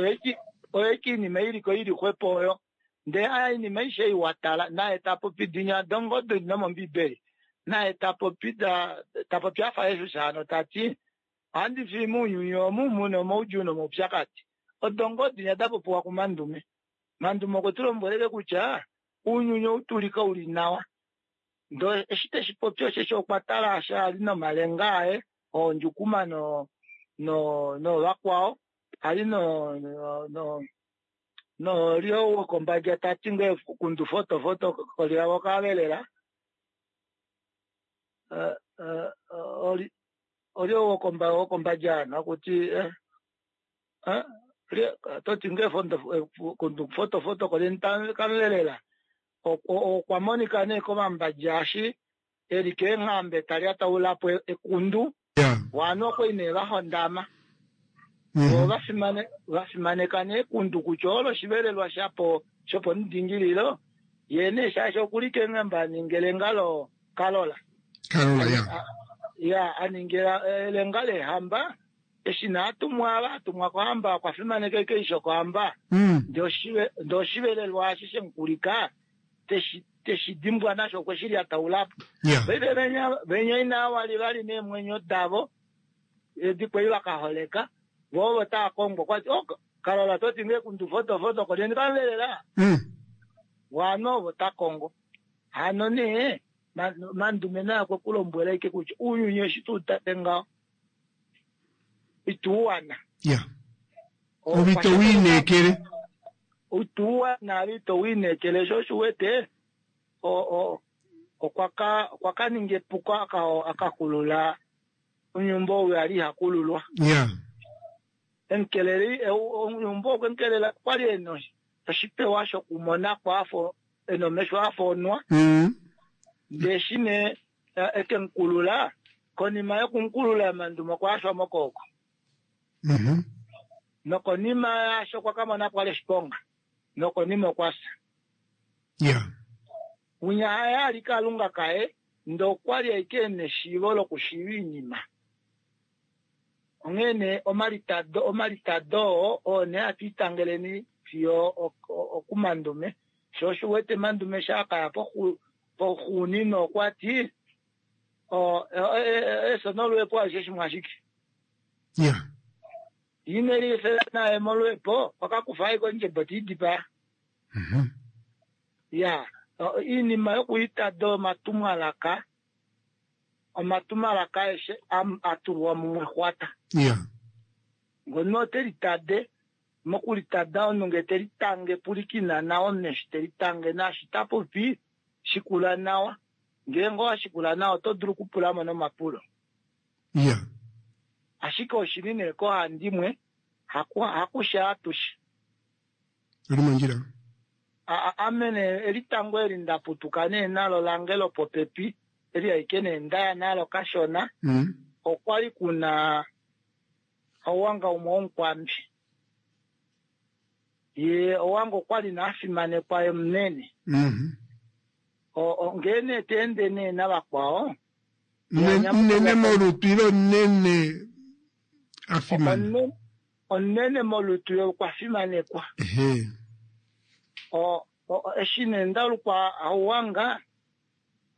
N: oyeiki oinima iliko ili xwepo oyo ndee aya oinima aishe ei watala naye tapopi dinya dongodo nomombiibeli naye tapopi tapopi afa Jesus hano tati ohandi fii mounyuni omu muna omaudjuu nomaupyakadi odo ngoo dinya dapopiwa kuMandume. Mandume okwe tu lombwelele kutya ounyuni ou tuli kauli nawa ndee eshi teshi popi osheshi okwa tala asha ali nomalenga aye oondjukuma no no novakwao ali no no nolyo wokombadja tati ngee kundu foto foto kolyavo kavelela olyo wokombadja hano akuti toti ngee kundu foto foto kolyeni kamulelela okwa monika nee komambadja eshi eli keenghambe talyataulapo ekundu waano okwali nee vahondama vo vafimaneka nee ekundu kutya olo oshivelelwa shapo shopomudingililo yee nee shaashi okuli keenghambe aninga elenga lokalola
A: Kalola ya
N: ya aninga elenga lehamba eshi nee atumwa ava atumwa kohamba okwa fimaneka eisho kohamba ndee oshivelelwa eshi shemukulika teshi dimbwa nasho okwe shi lyataulapo. Paife venya inaa vali neemwenyo davo edi kwali vakaholeka vo ovo tava kongwa okwati kalola toti ngee kundu foto foto kolyeni kamuvelela waano ovo takongo. Hano nee Mandume naye okwe kulombwela ashike kutya ounyuni eshi tuutale ngaho ituuwana.
A: Ove ito wiineekele.
N: Ituuwana ove ito wiineekele sho osho uwete okwa ka ninga epuko akakulula onyumba ou ali ihakululwa. Emukeleli onyumba okwe mukelela okwali ena oshipewa shokumonako afa ena omesho afa onwa. Ndee eshi nee ekemukulula konima yokumukulula Mandume okwa yashwa mokooko. Nokonima yaasho okwa kamona kwali oshiponga nokonima okwa fya. Winya haye ali kalunga kaye ndee okwali ashike ena eshiivo lokushiiva oinima. Onghee nee omalitado omalitado oo oo nee hatu itangeleni fiyo okuMandume sho osho uwete Mandume eshi akaya poxuuninwa okwati efyo noluhepo alishe shimwe ashike. Ine liefela naye moluhepo okakufa ashike ondjebo teidipaya. Ya oinima yokuitada omatumwalaka omatumwalaka aeshe atulwa mumwe xwata. Ngono otelitade mokulitada omunhu ngee telitange pulikina nawa omunhu eshi telitange naashi tapopi shikula nawa. Ngeenge owashikula nawa oto dulu okupulamo nomapulo. Ashike oshili nee kohandimwe hakusha atushe.
A: Oli mondjila.
N: Ame nee elitango eli ndaputuka nee nalo lange lopopepi eli ashike nee ndaya nalo kashona okwali kuna owanga umwe womukwambi. Ye owanga okwali nee afimanekwa ye munene. Ngee nee teende nee navakwao
A: Munene molutu ile omunene afimana?
N: Omunene molutu ye okwa fimanekwa. Eshi nee ndalukwa hauwanga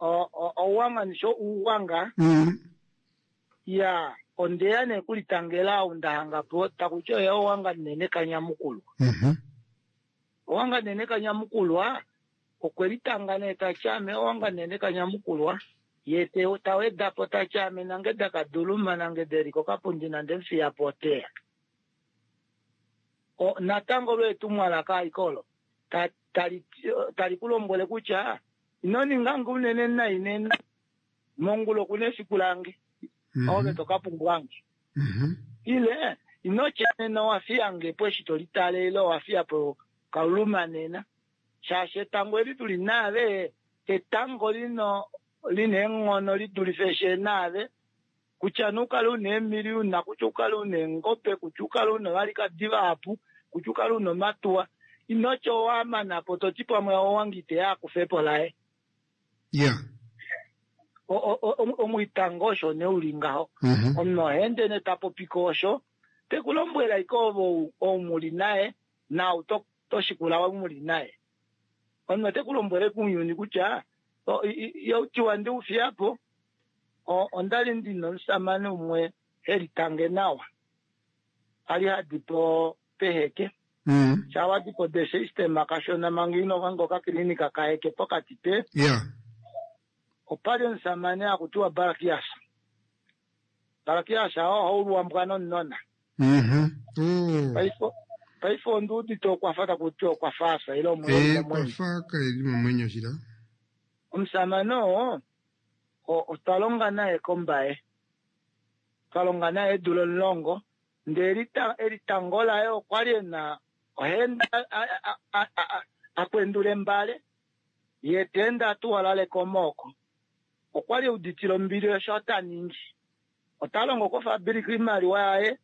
N: ouwanga nisho uuwanga ya ondeya nee kulitangela ou ndahangapo takuti oye owanga nene kanyamukulwa. Owanga nene kanyamukulwa okwe litanga nee tati ame owanga nene kanyamukulwa Ye te taweda po tati ame nange dakaduluma nange deli kokapundi nande mfiya po oteya. O, natango lwe etumwalaka aikolo ta- tali tali ku lombwele kutya ino ninga nge unene nai nena mongula okuna efiku lange ove to ka pumbwange ile ino tya nena owa fiya po eshi to litale ile owa fiya po kauluma nena shaashi etango eli tuli naave etango lino lina eenghono lidulife eshi naave kutya nukale una eemiliyuna kutya ukale una eengobe kutya ukale una ovalikadi vahapu kutya ukale una omatuwa inotya owamana po toti pamwe owange iteya akufepo laye
A: Yeah.
N: O- o- o- omwitango osho ne uli ngaho
A: Mhm.
N: omunhu ohaende ne tapopi ko osho tekulombwela ike ovo ou muli naye nau to- toshikula ou muli naye omunhu ote kulombwele kuuyuni kutya o- i- i- youtiwa ndi ufiyapo o- ondali ndina omusamane umwe helitange nawa ali hadi po peheke
A: Mm.
N: shawadi po the system kashona manga ino vanga okakilinika kaheke pokati pe
A: Yeah.
N: opali omusamane akutiwa Barakias Barakias oo ohauluwambwa nomunona
A: Mhm. Oh.
N: paife paife onduudite okwafa takuti okwafaasa ile
A: Eh,
N: omwenyo
A: kwafa kaeli momwenyo shila.
N: omusamane oo o- otwa longa naye kombaye twa longa naye eedula omulongo ndee elita- elitango laye okwali ena ohaenda a- a- a- a- a- akwendula embale ye teende atuwalale komooko okwali euditile ombili osho taningi ota longo kofabulika oimaliwa yaye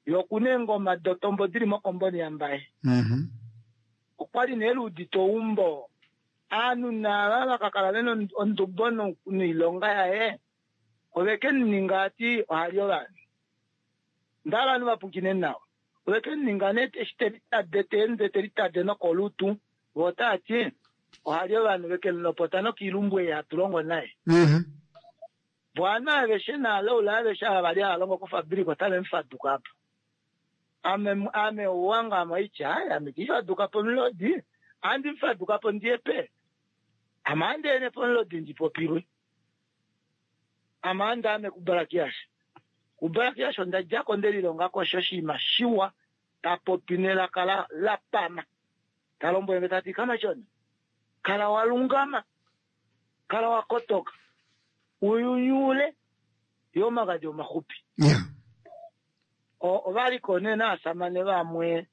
N: yokuna eengoma dotombo dili mokomboni yambaye
A: Mhm.
N: okwali nee luudite oumbo aanhu naava vakakala vena ond- ondubo no- noilonga yaye oveke muninga ati ohali ovanhu ndala ovanhu vapukine nawa oveke muninga nee eshi telitade teende telitade nokolutu vo otaati ohali ovanhu veke mulopota nokiilumbu ei hatu longo naye
A: Mhm.
N: vo ovanhu aveshe naalaula aveshe ava vali hava longo kofabulika otave mufaduka po ame ame ouwanga ame oitya ai ame tifaduka po mulodi andi mufaduka po ndiye pe ame andiene pomulodi ndipopilwe ame andi ame kubarakias kubarakias onda djako ndelilongako osho oshinima shiwa tapopi nelaka la, la pama talombwele nge tati kamachona kala walungama kala wakotoka uyunyule yo omagadhi omahupi
A: Yeah.
N: O- ovaliko nee naasamane vamwe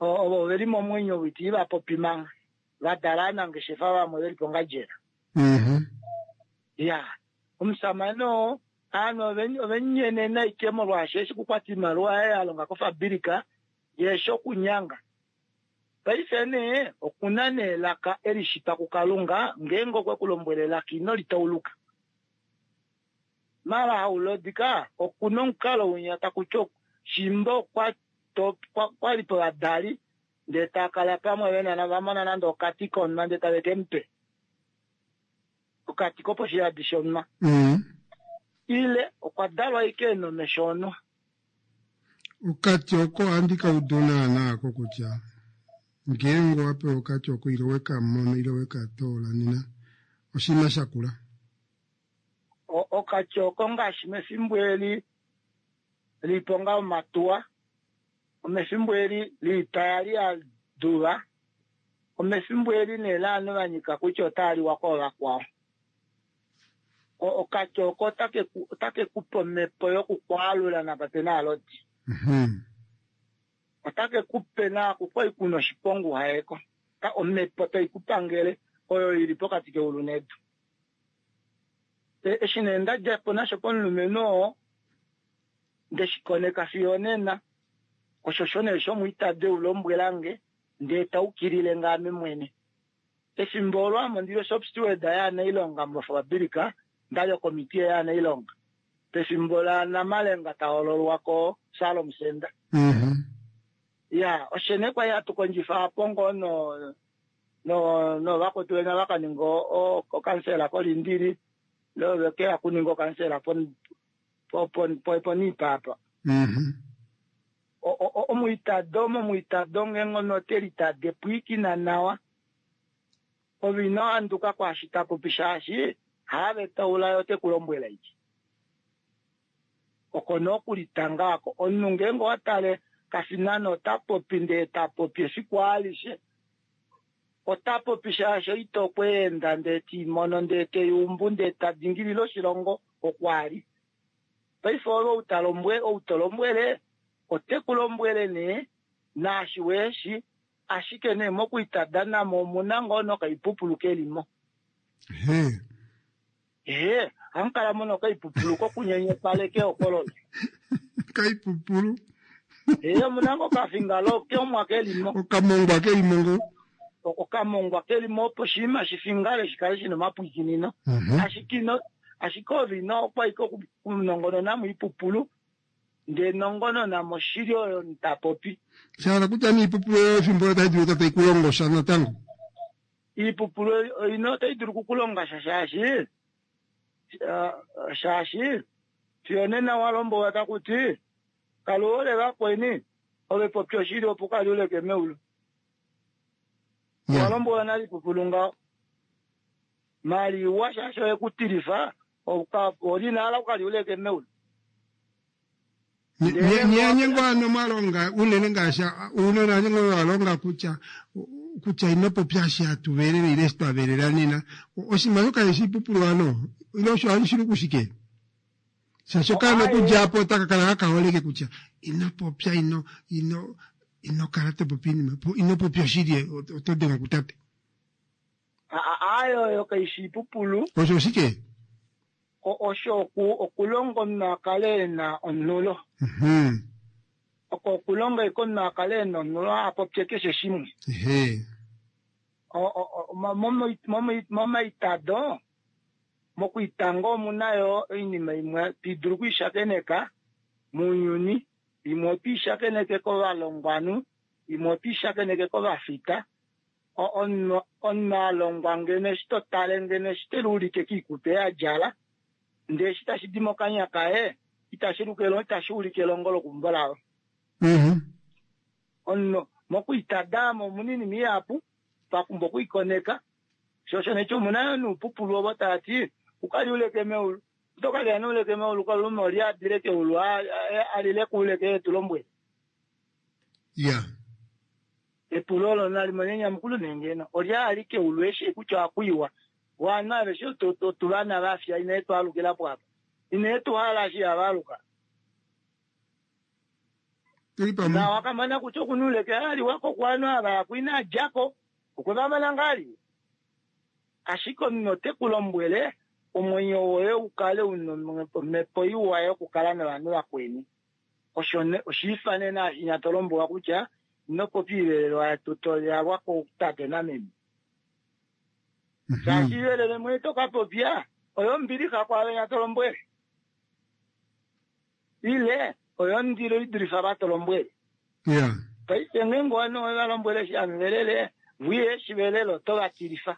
N: o- ovo veli momwenyo witi vapopi manga vadala aanangeshefa vamwe veli pongandjela
A: Mhm.
N: ya omusamane oo aanhu ove- ovenyenena ike molwaashi eshi kukwata iimaliwa yaye alonga kofabulika yeshi okunyanga paife nee okuna nee elaka elishitwa kukalunga ngeenge okwe kulombwela elaka ino litauluka mala haulodika okuna omukalo winya takuti shimba okwa to- kwa- kwali povadali ndee takala pamwe vena vamona nande okati konuma ndee tave kemupe okati koposhiyadi shonuma
A: Mhm.
N: ile okwa dalwa ike ena omesho onwa
A: Okati oko ohandi kaudu naana ko kutya ngeenge owapewa okati oko ile weka mono ile weka toola nena oshinima shakula.
N: O- okati oko ngaashi mefimbo eli liponga omatuwa omefimbo eli liita yali ya duva omefimbo eli nee laanhu vanyika kutya otaaliwa koovakwao O- okati oko otake ku- otake kupe omhepo yokukwaalula napa pena alodi
A: Mhm.
N: otake kupe naaku kwai kuna oshiponga uhayeko Ta- omhepo taikupangele oyo ili pokati keulu nedu E- eshi nee ndadjapo nasho pomulumenhu oo ndeshikoneka fiyo onena osho sho nee shomwiitade ulombwelange ndee taukilile ngaame mwene efimbo olo ame ondili shop steward yaanailonga mofabulika ndali okomitiye yaanailonga pefimbo la namalenga tahololwa ko Salom Center
A: Mhm.
N: ya oshene kwali hatu kondjifa apo ngoo no no novakwetu venya vakaninga o- okansela kolindili lovekeya kuninga okansela po- po- po- po- poniipapa
A: Mhm.
N: O- o- o- omwiitado momwiitado ngeenge ote litade pwiikina nawa ove ino handuka kwaashi tapopi shaashi Haave taula yo tekulombwela iki. Oko nokulitanga ako omunhu ngeenge owa tale kafinano ota popi ndee ta popi efiku alishe. Ota popi shaashi ito kweenda ndee timono ndee teyumbu ndee ta dingilile oshilongo okwali. Paife ove outalombwe outolombwele otekulombwele nee naashi weshi ashike nee mokuitadana mo omuna ngoo nokaipupulu kelimo.
A: He.
N: Ehe, hamukala mo nokaipupulu kokunyenyepaleke okololo.
A: Kaipupulu.
N: Ehe, omuna ngoo kafingalo keomwa kelimo.
A: Okamongwa kelimo ngo.
N: Okamongwa kelimo opo oshinima shifingale shikale shina omapwikinino.
A: Mhm.
N: Ashike ino ashike ove ino okwaika okunongonona moipupulu ndee nongonona moshili oyo ta popi.
A: Shahala kutya niipupulu oyo efimbo otayi dulu tayi kulongo sha natango.
N: Iipupulu ino otayi dulu kukulonga sha shaashi shaashi fiyo nena walombwelwa takuti kaluhole vakweni ove popi oshili opo kaliuleke meulu. Walombwelwa nale ipupulu ngaho. Maliwa shaashi oyekutilifa olina ukaliuleke meulu.
A: Nyengo ano mwalonga unene ngaashi unene nyengo walonga kutya kutya inopopya shi atuvelele ile twavelela nena oshinima shoka eshipupulu ano ile osho hali kushike shaashi okaana okudja apo otaka kala kakaholeke kutya inopopya ino ino inokala topopi inima inopopya oshili oto dengwa kutate.
N: Ayo yo kaishi ipupulu.
A: Osho oshike?
N: Osho okulonga omunhu akale ena onhulo. Oko okulonga iko omunhu akale ena onhulo apopye keshe shimwe. Momaitado mokuitanga omuna yo oinima imwe tidulu okuishakeneka mounyuni, imwe otiishakeneke kovalongwanhu, imwe otiishakeneke kovafita. Omunhu alongwa ngeno eshi totale ngeno eshi teluulike kiikutu yadjala ndee eshi tashi di mokanya kaye itashi ulike elongo lokumbo lavo. Omunhu mokuitadamo omuna oinima ihapu pakumba okuikoneka sho osho necho omuna yo noupupulu ovo tati ukaliuleke meulu otokalya neuleke meulu kalume oliadile keulu alile kuuleke etulombwele.
A: Yeah.
N: Epulo olo nalimone enyamukulo nengeno olya ali keulu eshi kutya akuiwa wana aveshe otuvana vafya ine twalukila po apa ine tuhala shi avaluka. Na wakamana kutya okunuleke ali wako kwano ava akuina ajako okwevamana ngali ashike omunhu otekulombwele omwenyo woye ukale una omhepo iwa yokukala novanhu vakweni. Osho oshiifanena ashinyatolombwelwa kutya inopopi ivelelwa yalwa kutate nameme. Shaashi ivelele mwe tokapopya oyo mbilixa kwaave nyatolombwele ile oyo ndilo idulifa vatolombwele. Paife ngeenge ovanhu ovalombwele eshi amuvelele vuye shivelele otovatilifa.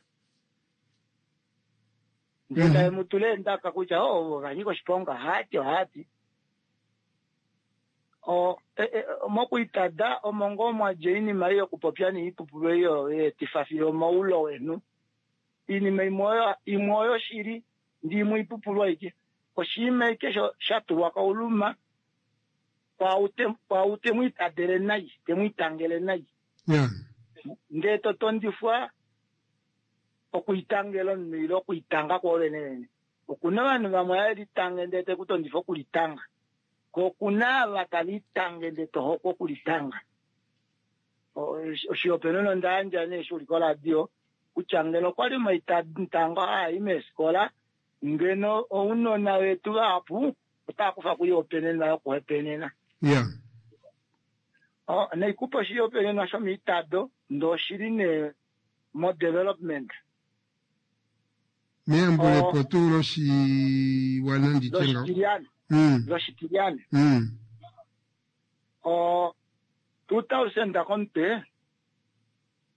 N: Ndee taye mutule endaka kutya ovo vanyika oshiponga hati ohati. Mokuitada omo ngoo mwadja oinima ei yokupopya niipupulu eyo yeetifa fiyo omaulo wenu. Iinima imwe oyo shili ndi imwe ipupulu aike. Oshinima ike shatulwa kauluma kwau temwiitadele nai temwiitangele nai. Ndee totondifwa okuitangela omunhu ile okuitanga kwoovene vene. Okuna ovanhu vamwe havelitange ndee tekutondifa okulitanga. Ko okuna ava talitange ndee tohokwa okulitanga. Oshihopaenenwa onda yandja nee eshi uli koradio kutya ngeno okwali omaitango haai meefikola ngeno ounona vetu vahapu otava kufa kuihopaenenwa yokuhopaenena. Naikupa oshihopaenenwa shomiitado ndee oshili nee mo development.
A: Meyambulepo tuu loshiwana nditye ngaho.
N: Loshitilyane. O two thousand komutwe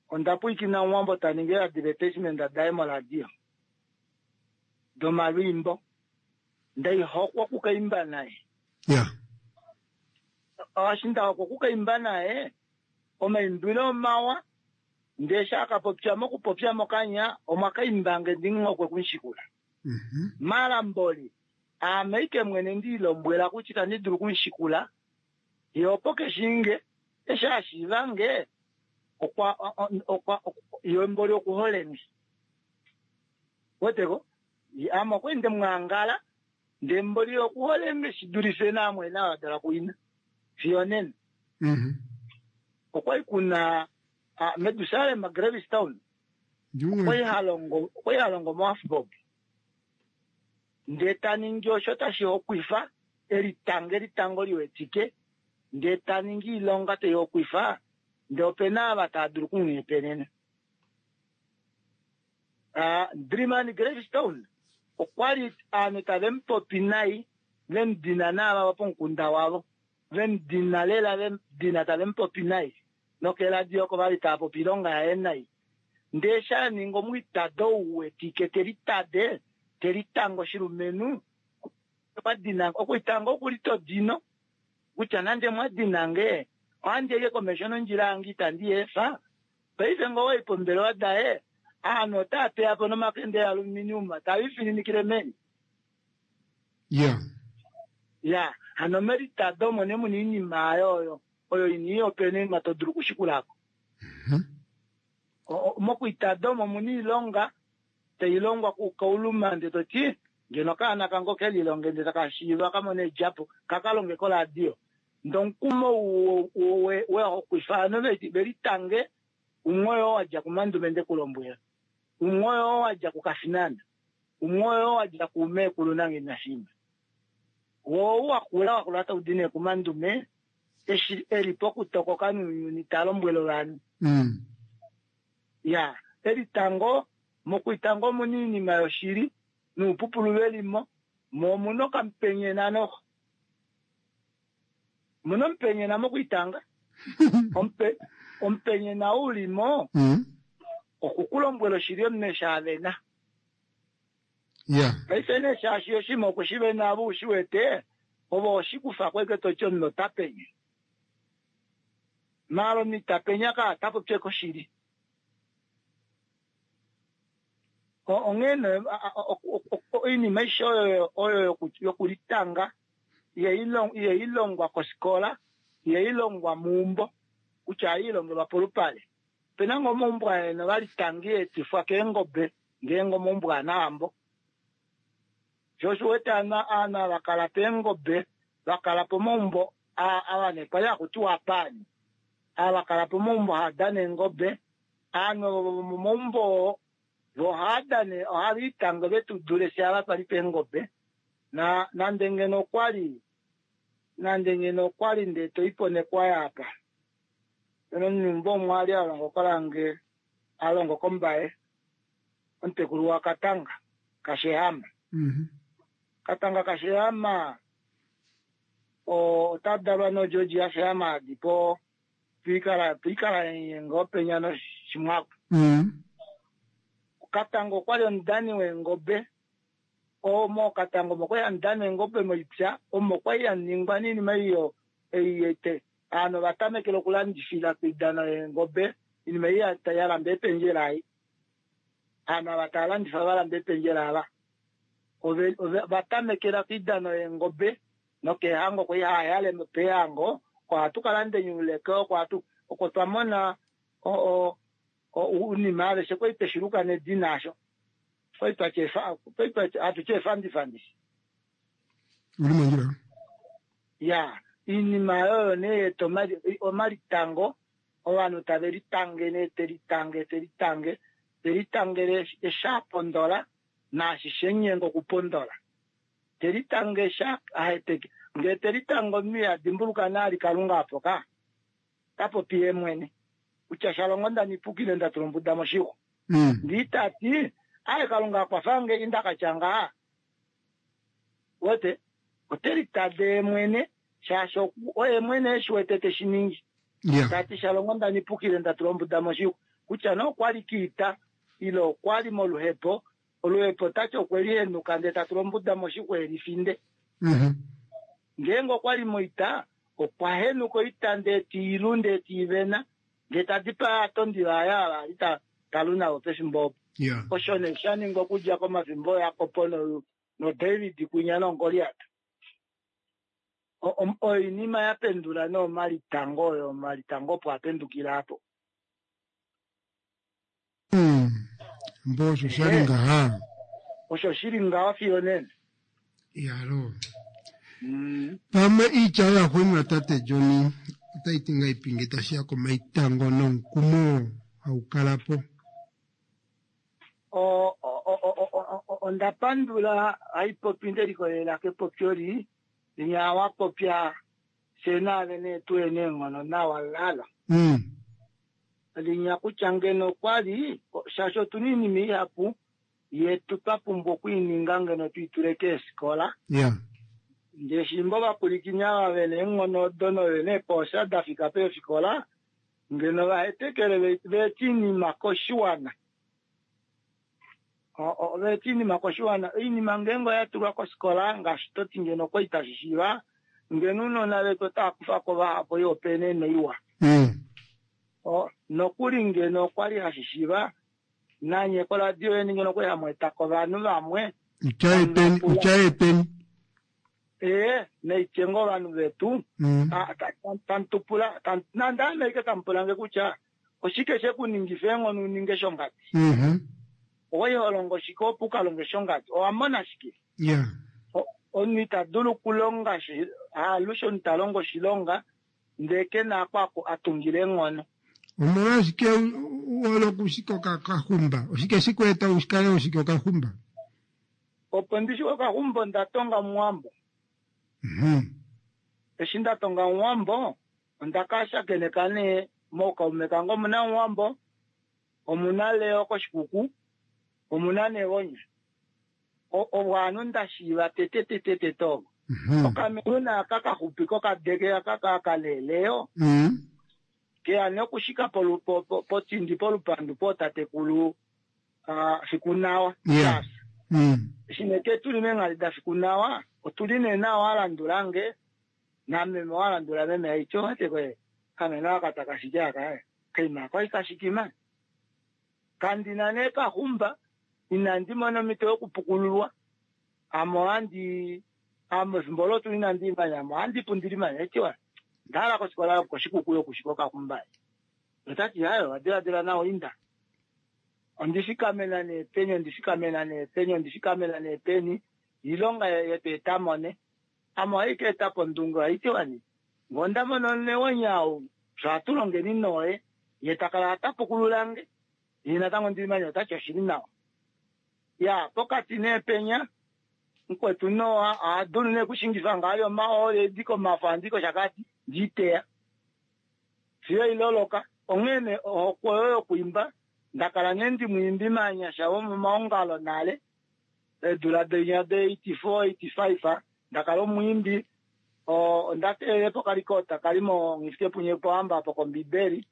N: onda pwiikina Omuwambo ta ningi advertisement daye moradio domalwiimbo ndaihokwa okukaimba naye. Eshi ndahokwa okukaimba naye omaimbilo omawa ndee eshi akapopya mokupopya mokanya omwakaimbange ndinghokwe kumushikula. Malamboli aame ike mwene ndiilombwela kutya itandi dulu okumushikula ye opo keshinge eshi ashiivange okwa okwa ye mboli okuholeni weteko ame okwali ndemwaangala ndee mboli okuholenge shidulife naamwe nawa dala kuina fiyo nena. Okwali kuna Medusalem Gravestown okwali halongo okwali halongo moAfbob ndee taningi osho tashi hokwifa elitange elitango liwetike ndee taningi iilonga tai hokwifa ndee opena ava tava dulu okumwiipenena. Dreaman Gravestone okwali aanhu tave mupopi nai vemudina naava pomukunda wavo vemudina lela vemudina tave mupopi nai nokeladio oko vali tava popi oilonga yaye nai ndee shaninga omwiitado ouwetike telitade telitanga oshilumenhu okwadina okuitanga okuli todino kutya nande mwadinange ohandi eke komesho nondjila yange itandi efa paife ngoo wai pombelewa daye aanhu otaa teya po nomakende aluminium tave ifininikile meni.
A: Yeah.
N: Ya, hano melitado omo nee muna oinima ayo oyo oyo ina iyopenenwa to dulu okushikulako. Mokuitada omo muna oilonga tailongwa kukauluma ndee toti ngeno okaana kange okelilonge ndee taka shiiva kamone edjapo kakalonge koradio ndee omukumo wehokwifa ovanhu velitange umwe oyoo wadja kumandume ndekulombwela umwe oyoo wadja kukafinana umwe oyoo wadja kumeekulu nange woo wakula wakula taudi nee kumandume eshi eli pokutokoka nounyuni talombwele ovanhu. Ya, elitango mokuitango omuna oinima yoshili noupupulu velimo mo omuna okamupenyena noxo omuna omupenyena mokuitanga Omupe omupenyena ulimo okukulombwela oshili omunhu eshi avena.
A: Yeah.
N: Paife nee shaashi oshinima okweshivena ava ushiwete ovo oshikufa kweke toti omunhu ota penye maala omunhu ita penya ka ota popi ashike oshili. Onghee nee oinima aishe oyo oyo yokulitanga ihailongwa kofikola ihailongwa meumbo kutya ohailongelwa polupale. Opena ngoo omaumbo aeno valitanga eetifwa keengobe ngeenge omaumbo anahambo sho osho uwete aanhu ava vakala peengobe vakala pomaumbo ava nee kwali hakutiwa apaani ava vakala pomaumbo haadana eengobe aanhu ovo vomomaumbo oo vo ohaadana ohave vetudule fye ava twali peengobe na nande ngeno okwali nande ngeno okwali ndee toipo nekwaya apa pena omunhu umwe ali alongo kolange alongo kombaye omutekulu waKatanga Kashehama. Katanga Kashehama ota dalwa noGeorge yaShehama adi po piikala piikala ngoo penya noshimwaku. Katanga okwali omudani weengobe omo Katanga omo kwali hamudana eengobe moipya omo kwali yaningwa noinima iyo ei aanhu ovatamekele okulandifila koidano yeengobe oinima ei yalamba eependjela ei aanhu ava tava landifa valamba eependjela ava vatamekela koidano yeengobe nokeehango kwali haayale peehango oko hatu kalanda enyuleke oko hatu oko twamona ounima aveshe kwali tweshiluka nedina asho kwali hatuti efandifandi.
A: Uli mondjila.
N: Ya, oinima oyo nee yeeta omalitango ovanhu tave litange nee telitange telitange telitangele eshi apondola naashi shenyenga okupondola telitange eshi aheteke ngee telitange omunhu ihadimbuluka naali Kalunga apo ka tapopi yee mwene kutya shalongo ndanipukile ndatula ombuda moshixwa ndee tati aye Kalunga akwafange indakatya ngaha wete otelitade yee mwene shaashi oye mwene eshiwete teshiningi tati shalongo ndanipukile ndatula ombuda moshixwa kutya nee okwali kiita ile okwali moluhepo oluhepo tati okwelihenuka ndee tatula ombuda moshixwa elifinde. Ngeenge okwali moita okwa henuka oita ndee tiilu ndee tiivena ndee tadipaa ovatondi vaye ava ali talu navo pefimbo opo.
A: Ya.
N: Osho nee sha ningwa okudja komafimbo Jakob no noDavid kwinya noGoliat. O- o- Oinima ya pendula nee omalitango oyo omalitango opo a pendukila apo.
A: Mm. Mbo osho sha li ngaha.
N: Osho shili ngaho fiyo nena.
A: Yalo.
N: Mm.
A: Pamwe iitya oyo yaxuuninwa tate John otai ti ngahelipi ngee tashi ya komaitango nomukumo hau kala po.
N: O- o- o- o- o- o- onda pandula haipopi ndelikolelela kepopyo li linya wa popya fye naave nee tuye neenghono nawa lala.
A: Mm.
N: Linya kutya ngeno okwali shaashi otuna oinima ihapu yetu twa pumbwa okwiininga ngeno twiitule keefikola.
A: Ya.
N: Ndee shimba ovapulikini ava vena eenghono odo novena eepoosha dafika peefikola ngeno vahetekele ve- veeta oinima koshiwana. O- o- veeta oinima koshiwana. Oinima ngeenge oya tulwa kofikola ngaashi toti ngeno okwali tashi shiiva ngeno ounona vetu otava kufako vahapu oihopaenenwa iwa.
A: Mm.
N: O, nokuli ngeno okwali hashi shiiva nanye koradio yeni ngeno okwali hamu etako ovanhu vamwe
A: Utya peni, utya peni.
N: ee naitye ngoo ovanhu vetu
A: Mm.
N: ta- ta- ta- tamutupula tam- nande ame ashike tamupulange kutya oshike shekuningifa eenghono uninge shongadi
A: Mhm.
N: owai holongo shike opo ukalonge shongadi owamona shike
A: Ya.
N: O- omunhu ita dulu okulonga shi- haalushe omunhu talongo oshilonga ndee kena ako aku- atungile eenghono
A: Omolwashike u- u hole okushika okaxumba? Oshike shikweeta ushikale hoshika okaxumba?
N: opo ndishi okaxumba onda tonga muwambo
A: Mhm.
N: eshi nda tonga muwambo onda ka shakeneka nee mookaume kange omuna muwambo omuna Leo koshikuku omuna Negonya O- ovo ovanhu nda shiiva tete tete tete ovo
A: Mhm.
N: okameluna aka kaxupi kokadeke aka kakaleleo
A: Mm.
N: keya nee okushika polu- po- po- potindi polupandu pootatekulu ah, Fikunawa
A: Yeah. Mm.
N: eshi nee ke tuli meenghali da Fikunawa otuli nee nawa walandulange nameme walandula meme aityo wate koye kameno aka takashiki aka kaima kwai kashikima kandina nee kaxumba inandi mona omhito yokupukululwa ame ohandi ame efimbo olo tuli inandi imanya ame ohandi pundili manya etiwa ndahala kofikola yokoshikuku yokushika okaxumba otati hayo wadiladila nawa inda ondifikamena nee peni ondifikamena nee peni ondifikamena nee peni ilonga yetu etamone ame ohaika eta pondunge ohaitiwani ngonda mono newonya ou sho hatu longeni noye ye takala atapukululange ye natango ndilimanya otati oshili nawa ya pokati nee penya mukwetu Noa ohadulu nee kushingifa ngaali omahooli edi komafo andi koshakati ndiiteya fiyo iloloka onghee nee ohokwe oyo yokuimba ndakala nee ndimwiimbi maanyasha vomomaongalo nale eedula dinya de eighty four eighty five ndakala omwiimbi o- onda teelele pokalikota kali mo Nghifikepunye Pohamba apo kombibeli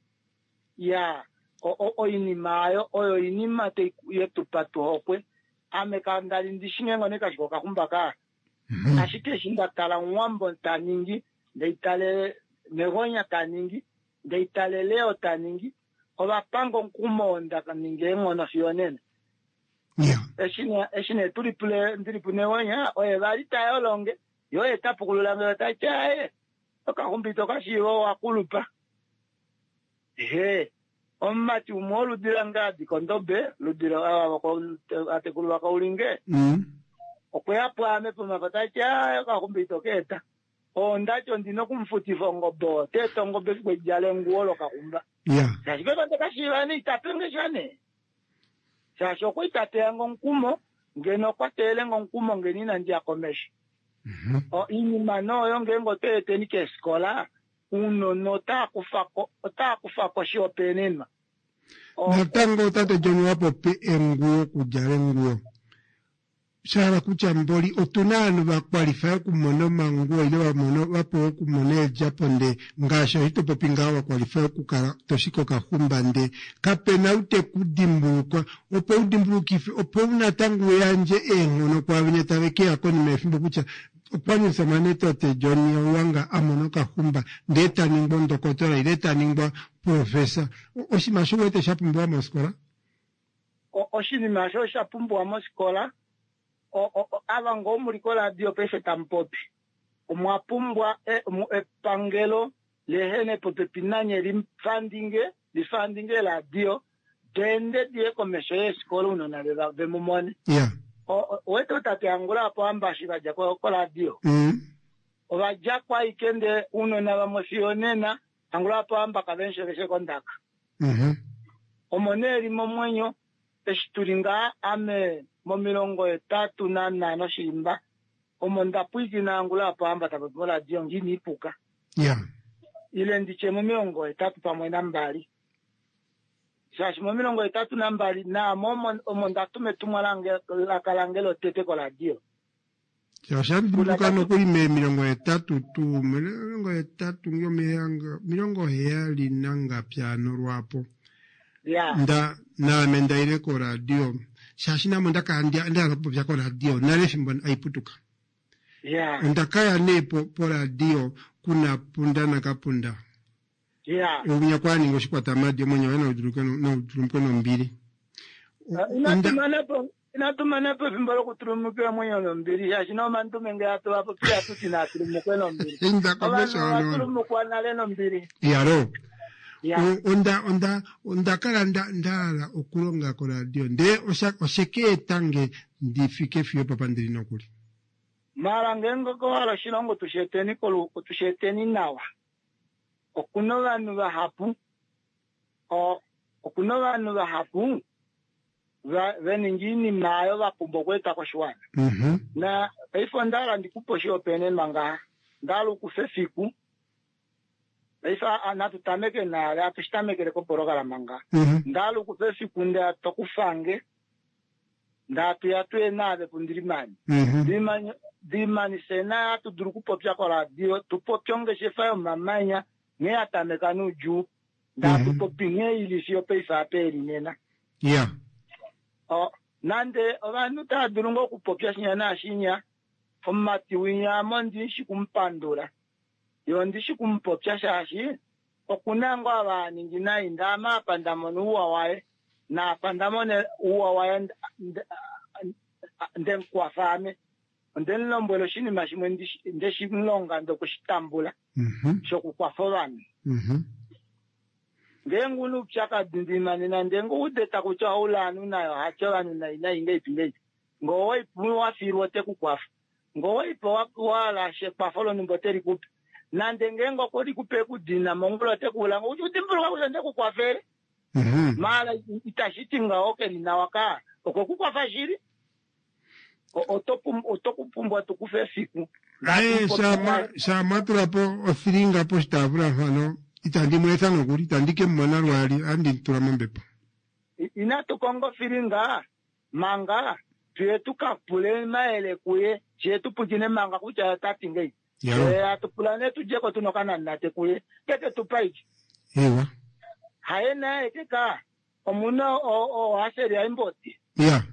N: ya o- o- oinima ayo oyo oinima tai- yetupa tuhokwe ame kandali ndishi nghee ngoo kashika okaxumba kaa ashike eshi nda tala muwambo taningi ndeitale Negonya taningi ndeitale Leo taningi ovapanga omukumo oo ndaninga eenghono fiyo nena eshi ne- eshi nee tuli pule ndili puNegonya oye vali tayolonge ye oye tapukululange otati aye okaxumba ito kashiiva owakulupa ehe omumati umwe woludi lange adi kondobe ludi atekulu vakaulinge
A: Mm.
N: okweya pwaame pomafa tati aye okaxumba ito keeta ondati ondina okumufutifa ongobe oo teeta ongobe efiku edjala enguwo lokaxumba
A: Ya.
N: shaashi pepa ndekashiiva nee itapenge sha nee shaashi okwa itateyange omukumo ngeno okwa teyelenge omukumo ngeno inandiya komesho O, iinima nooyo ngeenge otoeteni keefikola ounona otaakufako otaakufako oshihopaenenwa
A: Natango tate John wa popi enguwo okudjala enguwo. Shahala kutya mboli otuna ovanhu vakwalifaya okumona omanguwo ile vamona vapewa okumona eedjapo ndee ngaashi oshi topopi ngaho vakwalifaya okukala toshika okaxumba ndee kapena ou tekudimbulukwa opo udimbulukife opo natango uyandje eenghono kwaavenya tave keya konima yefimbo kutya okwali omusamane tate John Hauwanga amona okaxumba ndee taningwa ondokotola ile taningwa profesa. Oshinima osho uwete shapumbiwa mofikola?
N: O- Oshinima osho osha pumbiwa mosikola. O- o- o- Ava ngoo muli koradio paife tamu popi. Omwa pumbwa e- mu- epangelo lehene popepi nanye lifandinge lifandinge radio dende diye komesho yeesikola ounona veva- vemumone.
A: Ya.
N: O- o- Owete tate Angula apo ambashi vadja ko- koradio.
A: Mm.
N: Ovadja kwaike nde ounona vamwe fiyo nena Angula apo amba kavensheveshe kondaka.
A: Mhm.
N: Omo nee li momwenyo eshi tuli ngaa ame momilongo etatu nanhano shiimba omo nda pwiikina Angula apo amba tapopi moradio ngini ipuka
A: Ya.
N: ile nditye momilongo etatu pamwe nambali shaashi momilongo etatu nambali naamo omo- omo nda tuma etumwalaka lange lotete koradio
A: Osha dimbuka nokuli me milongo hetatu tuu milongo hetatu ngomihanga milongo heyali nangapyano lwapo
N: ya
A: nda naame ndaile koradio shaashi namo ndakala nda ndahala okupopya koradio nale efimbo aiputuka
N: ya
A: onda kaya nee po poradio kuna punda nakapunda
N: ya
A: ounya kwaninga oshikwatamadi omwenyo waye naudulumukwe nombili
N: inatumanapo inatumanapo efimbo lokutulumukila mwenyo nombili shaashi nomandume nge atuvapopi atuti natulumukwe nombili
A: Inda komesho
N: ovanhu
A: ono.
N: ovatulumukwa nale nombili
A: yalo
N: Ya.
A: O- onda onda onda kala nda ndahala okulonga koradio ndee osha oshekeetange ndifike fiyo papa ndili nokuli
N: mala ngeenge kohala oshilongo tusheeteni kolu tusheeteni nawa okuna ovanhu vahapu o- okuna ovanhu vahapu va- veninga iinima ayo vapumbwa okweeta koshiwana
A: Mhm.
N: na paife ondahala ndikupe oshihopaenenwa ngaha ndahala ukufa efiku paife a- natu tameke nale atushitamekele kopologalama ngaha
A: Mhm.
N: ndahala ukufa efiku nda tokufange ndatuya tuye naave pundilimani
A: Mhm.
N: Dimani- dimanise naye atudulu okupopya koradio tupopye ongeshefa yomamanya nghee yatameka nuudjuu ndatupopi nghee ili fiyo paife apa eli nena
A: ya
N: O, nande ovanhu tava dulu ngoo okupopya shinya naashinya omumati winya ame ndishi kumupandula ye ondishi kumupopya shaashi okuna ngoo ava aningi nai ndaame apa ndamona ouwa waye naapa ndamona ouwa waye nda- nda- ndemukwafa ame ondemulombwela oshinima shimwe ndishi- ndeshimulonga ndokushitambula
A: Mhm.
N: shokukwafa ovanhu
A: Mhm.
N: ngeenge una oupyakadi ndimanena ndenge udeta kutya oulaanu nayo hatye ovanhu nai nai ngeipi ngeipi ngoo wafilwa ote kukwafa ngoo waipa walasha ekwafo lonhumba ote likupe nande ngeenge okwe likupe ekudina mongula ote kuulanga kuti udimbuluka kutya ndekukwafele
A: Mhm.
N: maala itashi ti ngaho keli nawa ka okwe kukwafa shili O- oto pum- oto kupumbwa tukufe efiku
A: aye shama shama tula po othilinga poshitaafula mpano itandi mu etha nokuli itandi ke mu mona lwaali andi tula mombepo
N: inatu konga ofilinga manga tuye tukapule mayele kuye shiye tupukine manga kutya otati ngei
A: Yalo.
N: Eh, atupula ne tujeko tuna okananate kuye keke tupaiki
A: ewa
N: haye naye keka omuna ohaseli aimboti
A: ya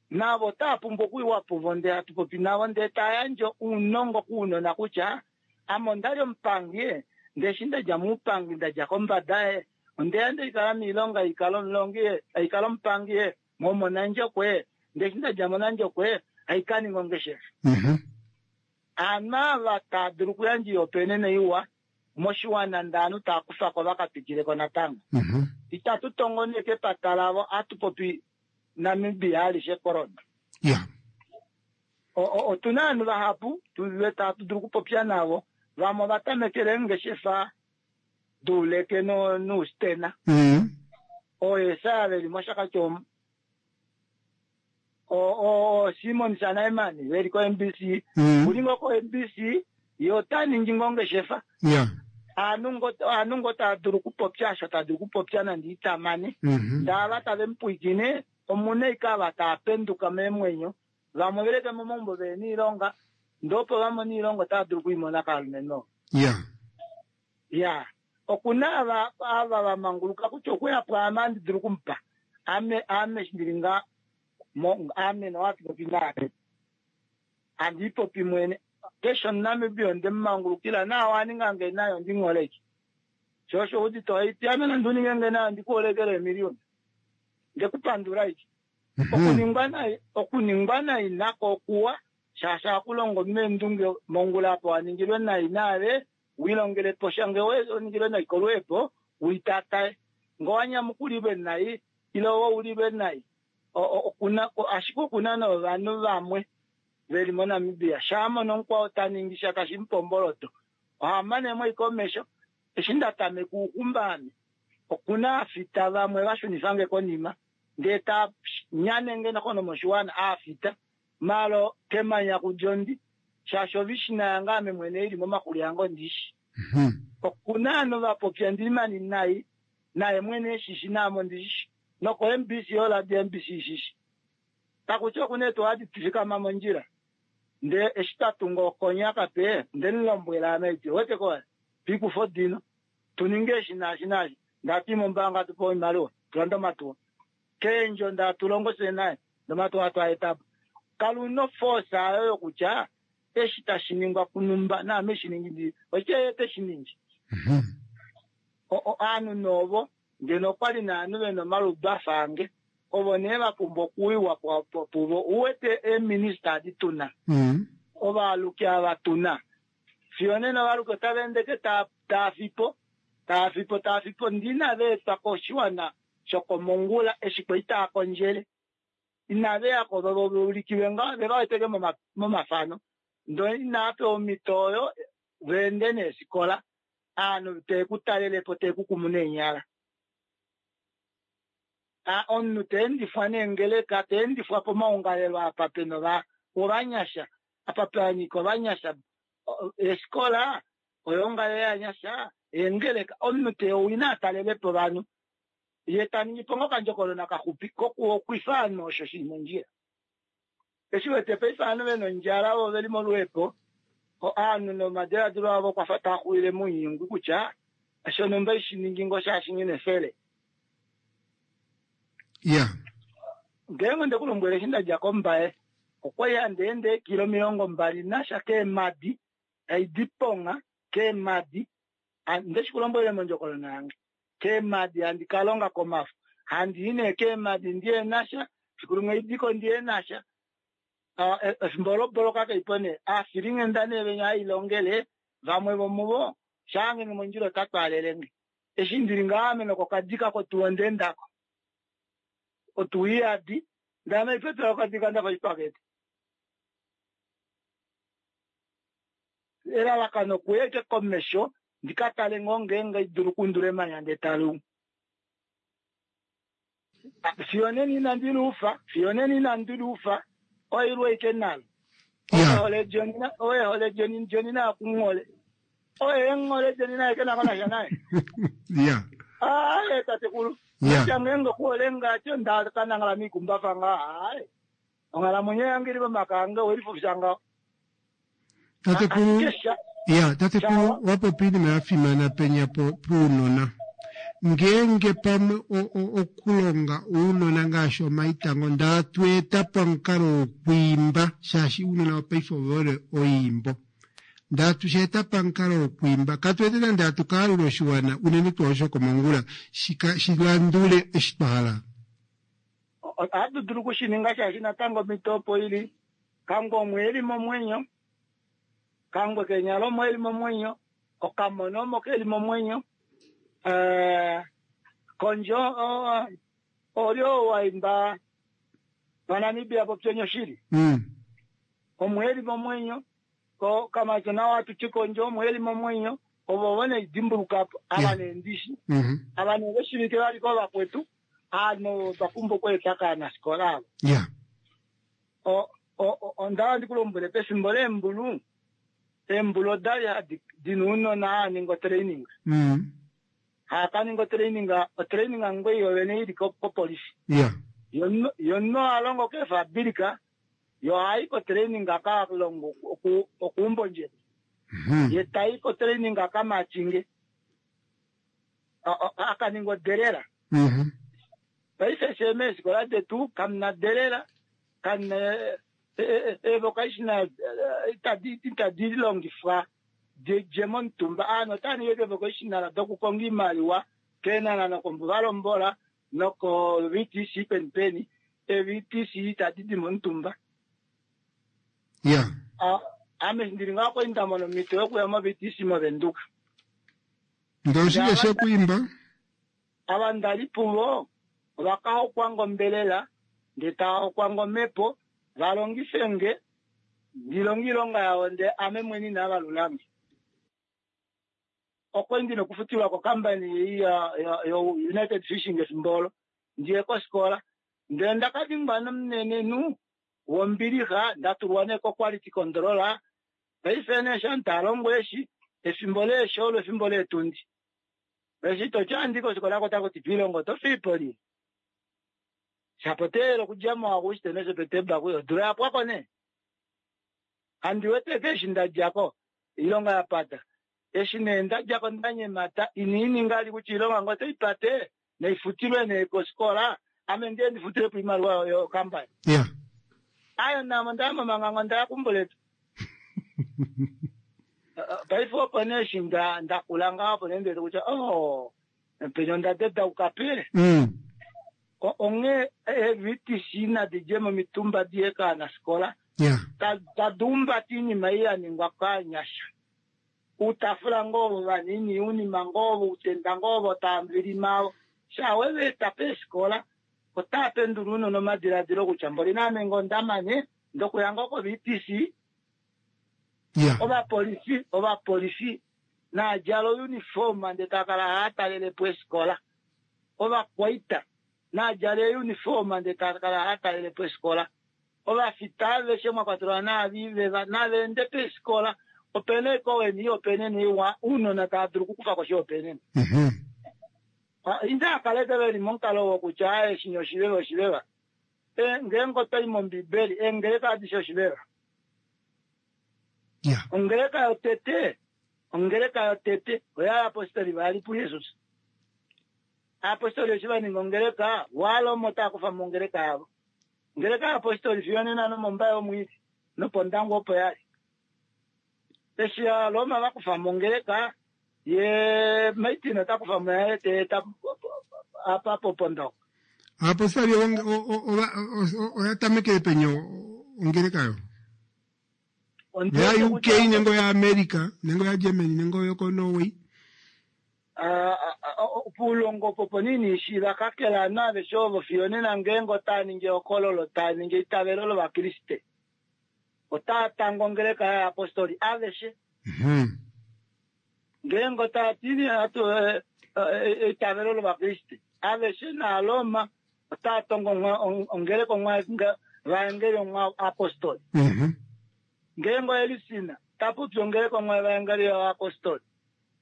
N: navo otaya pumbwa okuyiwa puvo ndee atupopi navo ndee tayandje uunongo kuunona kutya ame ondali omupangi e, ndee eshi ndadja muupangi ndadja kombada e ondeya ndeikala miilonga ikala omulongi e aikala omupangi e momonandjokwe ndee eshi ndadja monandjokwe aikaninga ongeshefa
A: Mhm.
N: aanhu ava taa dulu okuyandja ihopaenene iwa moshiwana ndee aanhu taa kufako vakatwikileko natango
A: Mhm.
N: itatu tongo nee kepata lavo atupopi Namibia alishe corona
A: ya
N: O- o- otuna ovanhu vahapu tuve tatu dulu okupopya navo vamwe ovatamekele eengeshefa duuleke no- nuustena
A: Mhm.
N: ooyesaya veli moshakati omu O- o- o Simon Sanaimani veli ko M B C
A: Mhm.
N: uli ngoo ko M B C ye ota ningi ngoo ongeshefa
A: ya
N: aanhu ngo- aanhu ngo taa dulu okupopya osho taa dulu okupopya nande itamane
A: Mhm.
N: ndaava tave mupwiikine omuna ike ava taa penduka meemwenyo vamwe veleke momaumbo veli niilonga ndee opo vamone iilonga otava dulu okwiimona kaalumenhu
A: ya
N: ya okuna ava ava vamanguluka kutya okuya pwaame andi dulu okumupa ame ame eshi ndili nga mo- ame nowatupopi naame andiipopi mwene keshe omunamibia ondemumangulukila naa waningange nayo ondingholeke sho osho udite oiti ame nandi uninge nayo ndikuholekele emiliyoni Ndekupandula iki. Okuningwa nai okuningwa nai nako okuwa shaashi akulongo meendunge mongula apo waningilwe nai naave wilongele po sha nge waningilwe nai kolweepo uitatae ngo wanyamukulilwe nai ile woulilwe nai okuna ashike okuna novanhu vamwe veli moNamibia shaamona omukwao taningi sha tashi mupomboloto ohamane mo ikomesho eshi ndatameka uukumba ame okuna aafita vamwe vashunifange konima ndee ta nyanenge nokono moshiwana aafita malo kemanya kudjondi shaashi ovishina yange ame mwene ili momakulu yange ondishi okuna ano vapopya ndilimani nai naye mwene eshishi naame ondishishi noko M B C oradio M B C ishishi takutya okuna etu hadi tufikama mondjila ndee eshi twatunga okonya kape ndemulombwela ame iti wete ko pikufo dino tuninge eshi naashi naashi ndati mombaanga tupe oimaliwa tulande omatuwa keendjo ndatulongo fye naye nomatuwa twaetapo kaluna force ayo yokutya eshi tashi ningwa kunumba naame shiningi ndi oche teshiningi ovanhu novo ngeno okwali naanhu vena omaludu afange ovo nee vapumbwa okuwiwa puvo uwete eeminista adi tuna ovaaluki ava tuna fiyo nena ovaluki otava endeke taafipo taafipo taafipo ndina veetwa koshiwana shokomongula eshi kwali taakondjele inaveyako vaulikiwe ngaho vevaweteke momafano ndo inaapewa omhito oyo veende neefikola aanhu teekutalelepo teekukumu neenyala omunhu teendifwa neengeleka teendifwa pomaungalelo apa pena ovanyasha apa panyika ovanyasha eefikola oyoongalele yanyasha eengeleka omunhu teowina atalelepo ovanhu ye taningi po ngoo okandjokonona kaxupi kokuhokwifa ovanhu osho shili mondjila eshi wete paife ovanhu vena ondjala ovo veli moluhepo ovanhu nomadiladilo avo okwafa taaxulile mounyungu kutya shonhumba ishiningi ngoo shaashi nghina efele
A: ya
N: ngeenge ndekulombwele eshi ndadja kombaye okwali handi ende eekilo omilongo mbali nasha keemadi haidiponga keemadi ndeshikulombwele mondjokonona yange keemadi handi kalonga komafo handi i nee keemadi ndiye nasha fiku limwe idiko ndiye nasha efimbo loboloka kaipo nee aafilinghenda nee venya hailongele vamwe vomuvo shaangenge mondjila ota twaalelenge eshi ndili ngaame nokokadika kotuwa ondeendako otuwa iyadi ndame ipetela okadika ndafa oshipakete elalakano okuya komesho ndikatale ngoo ngeenge idulu okundula emanya ndee talu fiyo nena inandi luufa fiyo nena inandi luufa oilwe ike nalo oye Joni oye hole Joni Joni naye okunghole oye enghole Joni naye kenako nasha naye
A: ya
N: aye tatekulu kutya ngeenge okuhole ngacho ndakanangala miikumbafa nga aye onghalamwenyo yange ili momaka ange welifufisha ngaho
A: tatekulu ya tatekulu wapopi oinima ya fimana penya po puunona ngeenge pamwe okulonga ounona ngaashi omaitango ndatweeta pamukalo wokwiimba shaashi ounona wopaife ovehole oyiimbo ndatusheeta pamukalo wokwiimba katweete nande hatukaalula oshiwana unene tuu osho komongula shilandule eshi twa hala
N: ohatu dulu okushininga shaashi natango omhito opo ili kangwe omwe eli momwenyo kangwe kenyala omwe eli momwenyo okamona omo keli momwenyo kondjo olyo waimba vaNamibia popyenyo shili omwe eli momwenyo ko kamacho nawo atuti kondjo omwe eli momwenyo ovo vo neidimbulukapo ava neendishi ava neveshivike valiko vakwetu ano twapumbwa okweeta kaanafikola avo ondawa ndikulombwele pefimbo leembulu eembulu odali hadi dina ounona haaningi otraining haakaninga otraining otraining ngwei yovene ili kopolifi yomunhu ohalongo keefabilika yo ohayi kotraining akalongo okuumba ondjembo ye tayi kotraining akamachinge akaninga odelela paife fye meefikola detu kamuna delela kamuna eevocational itadi longifwa didje momutumba aanhu otava ningi eevocational dokukonga oimaliwa keenana nokombuvalombola Noko V T C peni peni e V T C tadi di momutumba.
A: Ya.
N: Ah, ame ndili ngaho kwali nda mona omhito yokuya mo V T C moVenduka.
A: Ndele oshike she ku imba?
N: Ava ndali puvo ova ka hokwa ombelela ndee tava hokwa omhepo va longife nge ndilonge oilonga yavo ndee ame mwene inava lulange. Okwali ndina okufutilwa kokambani ei yo United Fishing efimbo olo ndiye kofikola ndele ndaka dingwa nomunenenhu wombilixa ndatulwa nee ko-quality control. Paife nee sha talongo eshi efimbo leeshi olo efimbo leetundi eshi toti andi kofikola ko takuti piilongo oto fiipo shapo teelele okudja muAuguste noSeptemba kuyo odula yapwako nee handi wete eshi ndadjako oilonga yapata eshi nee ndadjako ndanyemata iniininga ali kutya oilonga ngo otaipate naifutilwe nee kofikola ame ndiye ndifutilepo oimaliwa yokambani.
A: Ya.
N: Ayo namo ndaya momangango ndaya kumbuletu paife opo nee eshi ndakula ngaho opo nee ndiwete kutya oh penya onda dedauka pe.
A: Mm.
N: Onghee ee V T C nadi dje momitumba diye kaanafikola
A: ya
N: tadi umbata oinima ei yaningwa kaanyasha uutafula ngoo vanini uunima ngoo outenda ngoo taamvilima sha weveeta peefikola otaa pendula uunona omadiladilo kutya mboli naame ngoo ndamane ndokuya ngoo ko V T C.
A: Ya.
N: Ovapolifi ovapolifi naadjala ouniform ndee takala haatalelepo eefikola ovakwaita naadjala euniform ndee takala haatalelepo eefikola ovafita aveshe mwakwatelwa naaviveva naveende peefikola opena ekoweni opene niwa uunona tava dulu okukufa koshihopaenenwa.
A: Mhm.
N: Indaa veli momukalo wokutya aye shinya oshiveva oshiveva ngeenge otwayi mombibeli eengeleka adishe oshiveva.
A: Ya.
N: Ongeleka yotete ongeleka yotete oyaapostoli vali puJesus aapostoli eshi vaninga ongeleka walomo otaa kufa mongeleka yavo ongeleka yaapostoli fiyo nena nomombaye omwiidi nopondango opo yali eshi Aroma vakufa mongeleka ye Martin ota kufa mo yaye teeta apa popondongo.
A: Aapostoli oya tamekele peni ongeleka yo ya U K nenge oya America nenge oya Germany nenge oyoko Norway?
N: Puulongo opo nini shi vakakela naaveshe ovo fiyo nena ngeenge otaa ningi ehokololo taa ningi eitavelo lovakriste otaa tanga ongeleka yaapostoli aveshe.
A: Mhm.
N: Ngeenge otaa tini atu eitavelo lovakriste aveshe naaloma otaa tongo ongeleka onwa vaengeli onwa apostoli.
A: Mhm.
N: Ngeenge oelisina tapopi ongeleka onwa evaengeli yoapostoli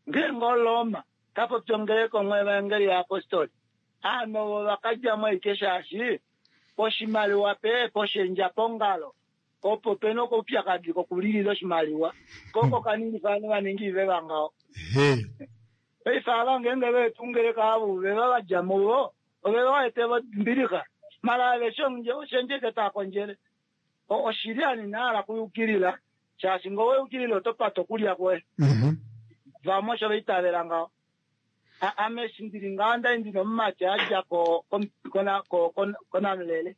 N: ngeenge oloma tapopi ongeleka onwa evaengeli yoapostoli aanhu ovo vakadjamo aike shaashi poshimaliwa pe poshendja pongalo opo pena okoupyakadi kokulilila oshimaliwa koko kaningifa ovanhu vaningi iveva ngaho.
A: He.
N: Paife ava ngeenge veetu ongeleka avo veva vadja muvo ove vaete mbilixa mala aveshe oshendjeke taa kondjele oshili ani nahala kuyukilila shaashi ngee oweyukilile oto pata okulya kwoye.
A: Mhm.
N: Vamwe osho vaitavela ngaho. Ame eshi ndili ngaho ndali ndina omumati adja konamulele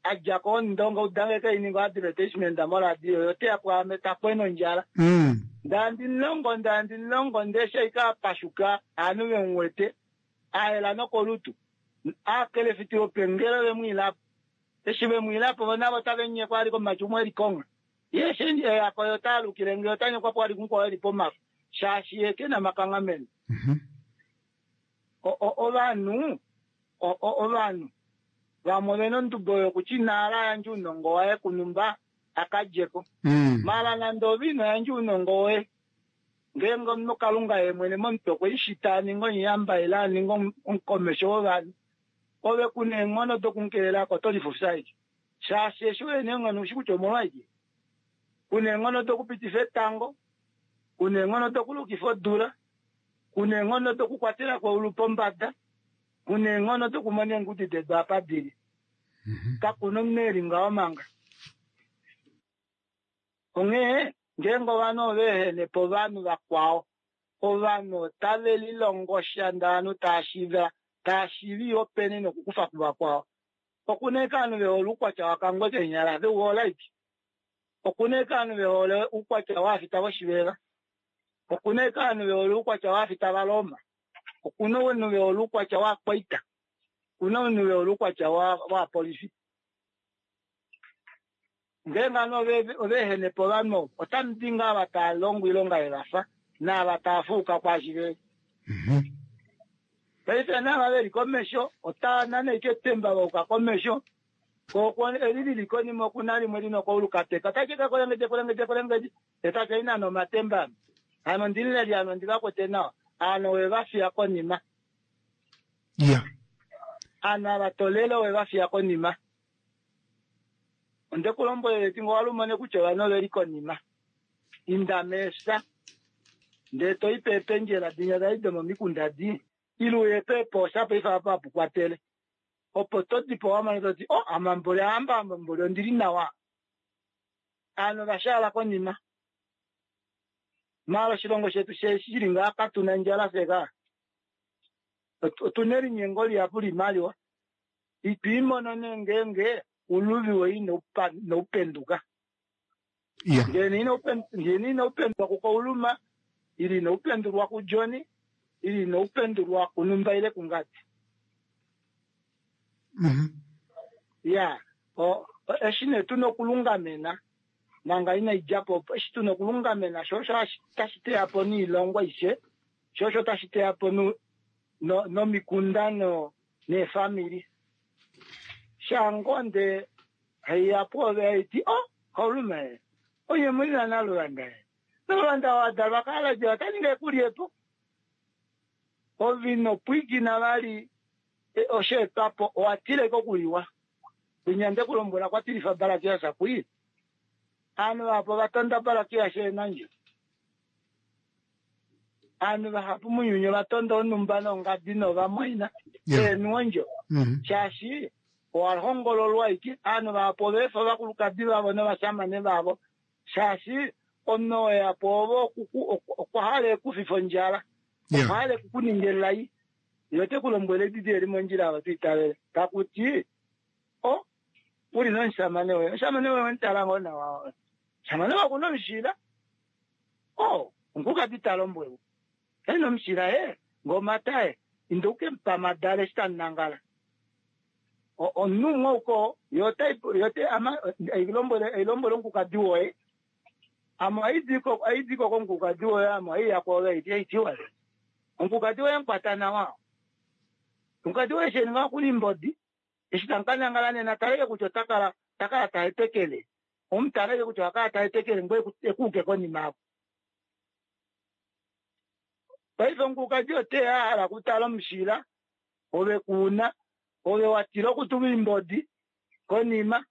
N: adja kondonga udange keininga advertisement moradio yo teya kwaame takwena ondjala.
A: Mm.
N: Ndandi nilongo ndandi nilongo ndee shaika pashuka aanhu vemuwete ayela nokolutu akelefitile opengelo vemwiilapo eshi vemwiilapo vo navo tave nyekwa ali komumati umwe eli konga ye eshi eyako yo taalukile nge otanyekwa po ali kumukwao eli pomafo shaashi ye kena makanghameno.
A: Mhm.
N: Ovanhu ovanhu vamwe ovena ondubo yokutya inaala yandje ounongo waye kunumba akadjeko.
A: Mm.
N: Mala nande ove ino yandja ounongo woye ngeenge omunhu kalunga ye mwene momutwe okwe ishita aninga omuyamba ile aninga omukomesho wovanhu ove kuna eenghono dokumukelelako oto lifufya ashike shaashi eshi wena eenghono ushi kutya omolwashike kuna eenghono dokupitifa etango kuna eenghono dokulukifa odula kuna eenghono dokukwatela kweulu pombada kuna eenghono dokumona eengudi dedu apa dili kakuna omunhu eli ngaho manga onghee ngeenge ovanhu ova ehene po ovanhu vakwao Ovanhu otave lilongo sha ndee ovanhu tava shiiva tava shiiva openi nokukufa kuvakwao. Okuna ashike ovanhu vehole oukwatya wakangwe keenyala veuhole ashike. Okuna ashike ovanhu vehole oukwatya waafita voshiveva. Okuna ashike ovanhu vehole oukwatya waafita vaRoma. Okuna ovanhu vehole oukwatya waakwaita. Okuna ovanhu vehole oukwatya waapolifi. Ngeenge ovanhu ovaehene po ovanhu ovo, otamu di ngaa ava tava longo oilonga yevafa naava tava fuuka kwaashi veli. Paife naava veli komesho otava nane ashike etemba vayuka komesho, ko eli lili konima okuna limwe lina okaulu kateka otali ka kwelengedje kwelengedje kwelengedje etali kai nana omatemba ame. Ame ondimuleli ame ondi va kwete nawa. Ovanhu owe va fiya konima.
A: Iya.
N: Ovanhu ava tolele owe va fiya konima. Onde ku lombwelele ti ngee owa mone kutya ovanhu oveli konima, inda meefya ndee to i peependjela dinya dali domomikunda di ile uye peepoosha paife apa hapu kwatele opo to di po wamona toti oh ame mboli ahamba ame mboli ondili nawa. Ovanhu ova shaala konima. Maala oshilongo shetu shili ngaha katuna ondjala fye ka. Otuna elinyengo lihapu liimaliwa. Itwiimono nee ngeenge uluvi woye inaupenduka. Ngee inaupenduka kuKauluma, ile inaupendulwa kuJohn, ile inaupendulwa kunumba ile kungadi. Iya, eshi nee tuna okulungamena manga inaidjapo opo, eshi tuna okulungamena shoo osho tashi teya po noilongo aishe, shoo osho tashi teya po nomikunda neefamili. Shangonde haiya pwoove haiti o kaulume onye muli na Naluvanda Naluvanda wadalwa kaalaje otaninga ekulyepo ove ino pwiikina vali osheetwapo owatila ashike okuliwa. Winya nde kulombwela kwa tilifa Barakias kwii ovanhu vahapu ova tonda Barakias eenandjo. Ovanhu vahapu mounyuni ova tonda onhumba nongadi novamwaina eenuondjo shaashi owa hongololwa ashike. Ovanhu vahapu ova efa ovakulukadi vavo novashamane vavo shaashi omunhu oo eya pwoove okwa hala ekufife ondjala, okwa hala ekukuninga elai, ye ote ku lombwele edidi eli mondjila ava to itavele takuti o uli nomushamane woye, omushamane woye wemutala ngoo nawa, omushamane woye okuna omushila, o omukulukadi ta lombwelwa ena omushila ye ngomata ye inda uke mupa amadala eshi tamunangala. Omunhu umwe ouko ye oilombwele omukulukadi woye ame ohaidiko komukulukadi woye ame ohaiya kwoove haiti haitiwa omukulukadi woye mukwata nawa, omukulukadi woye eshi eninga okuna imbodi eshi tamukanangala nena taleke kutya otakala takala tahetekele omutaleke kutya ohakala tahetekele ngoye ekuuke konima yako. Paife omukulukadi oteya ahala okutala omushila ove kuuna ove watila okutulwa imbodi konima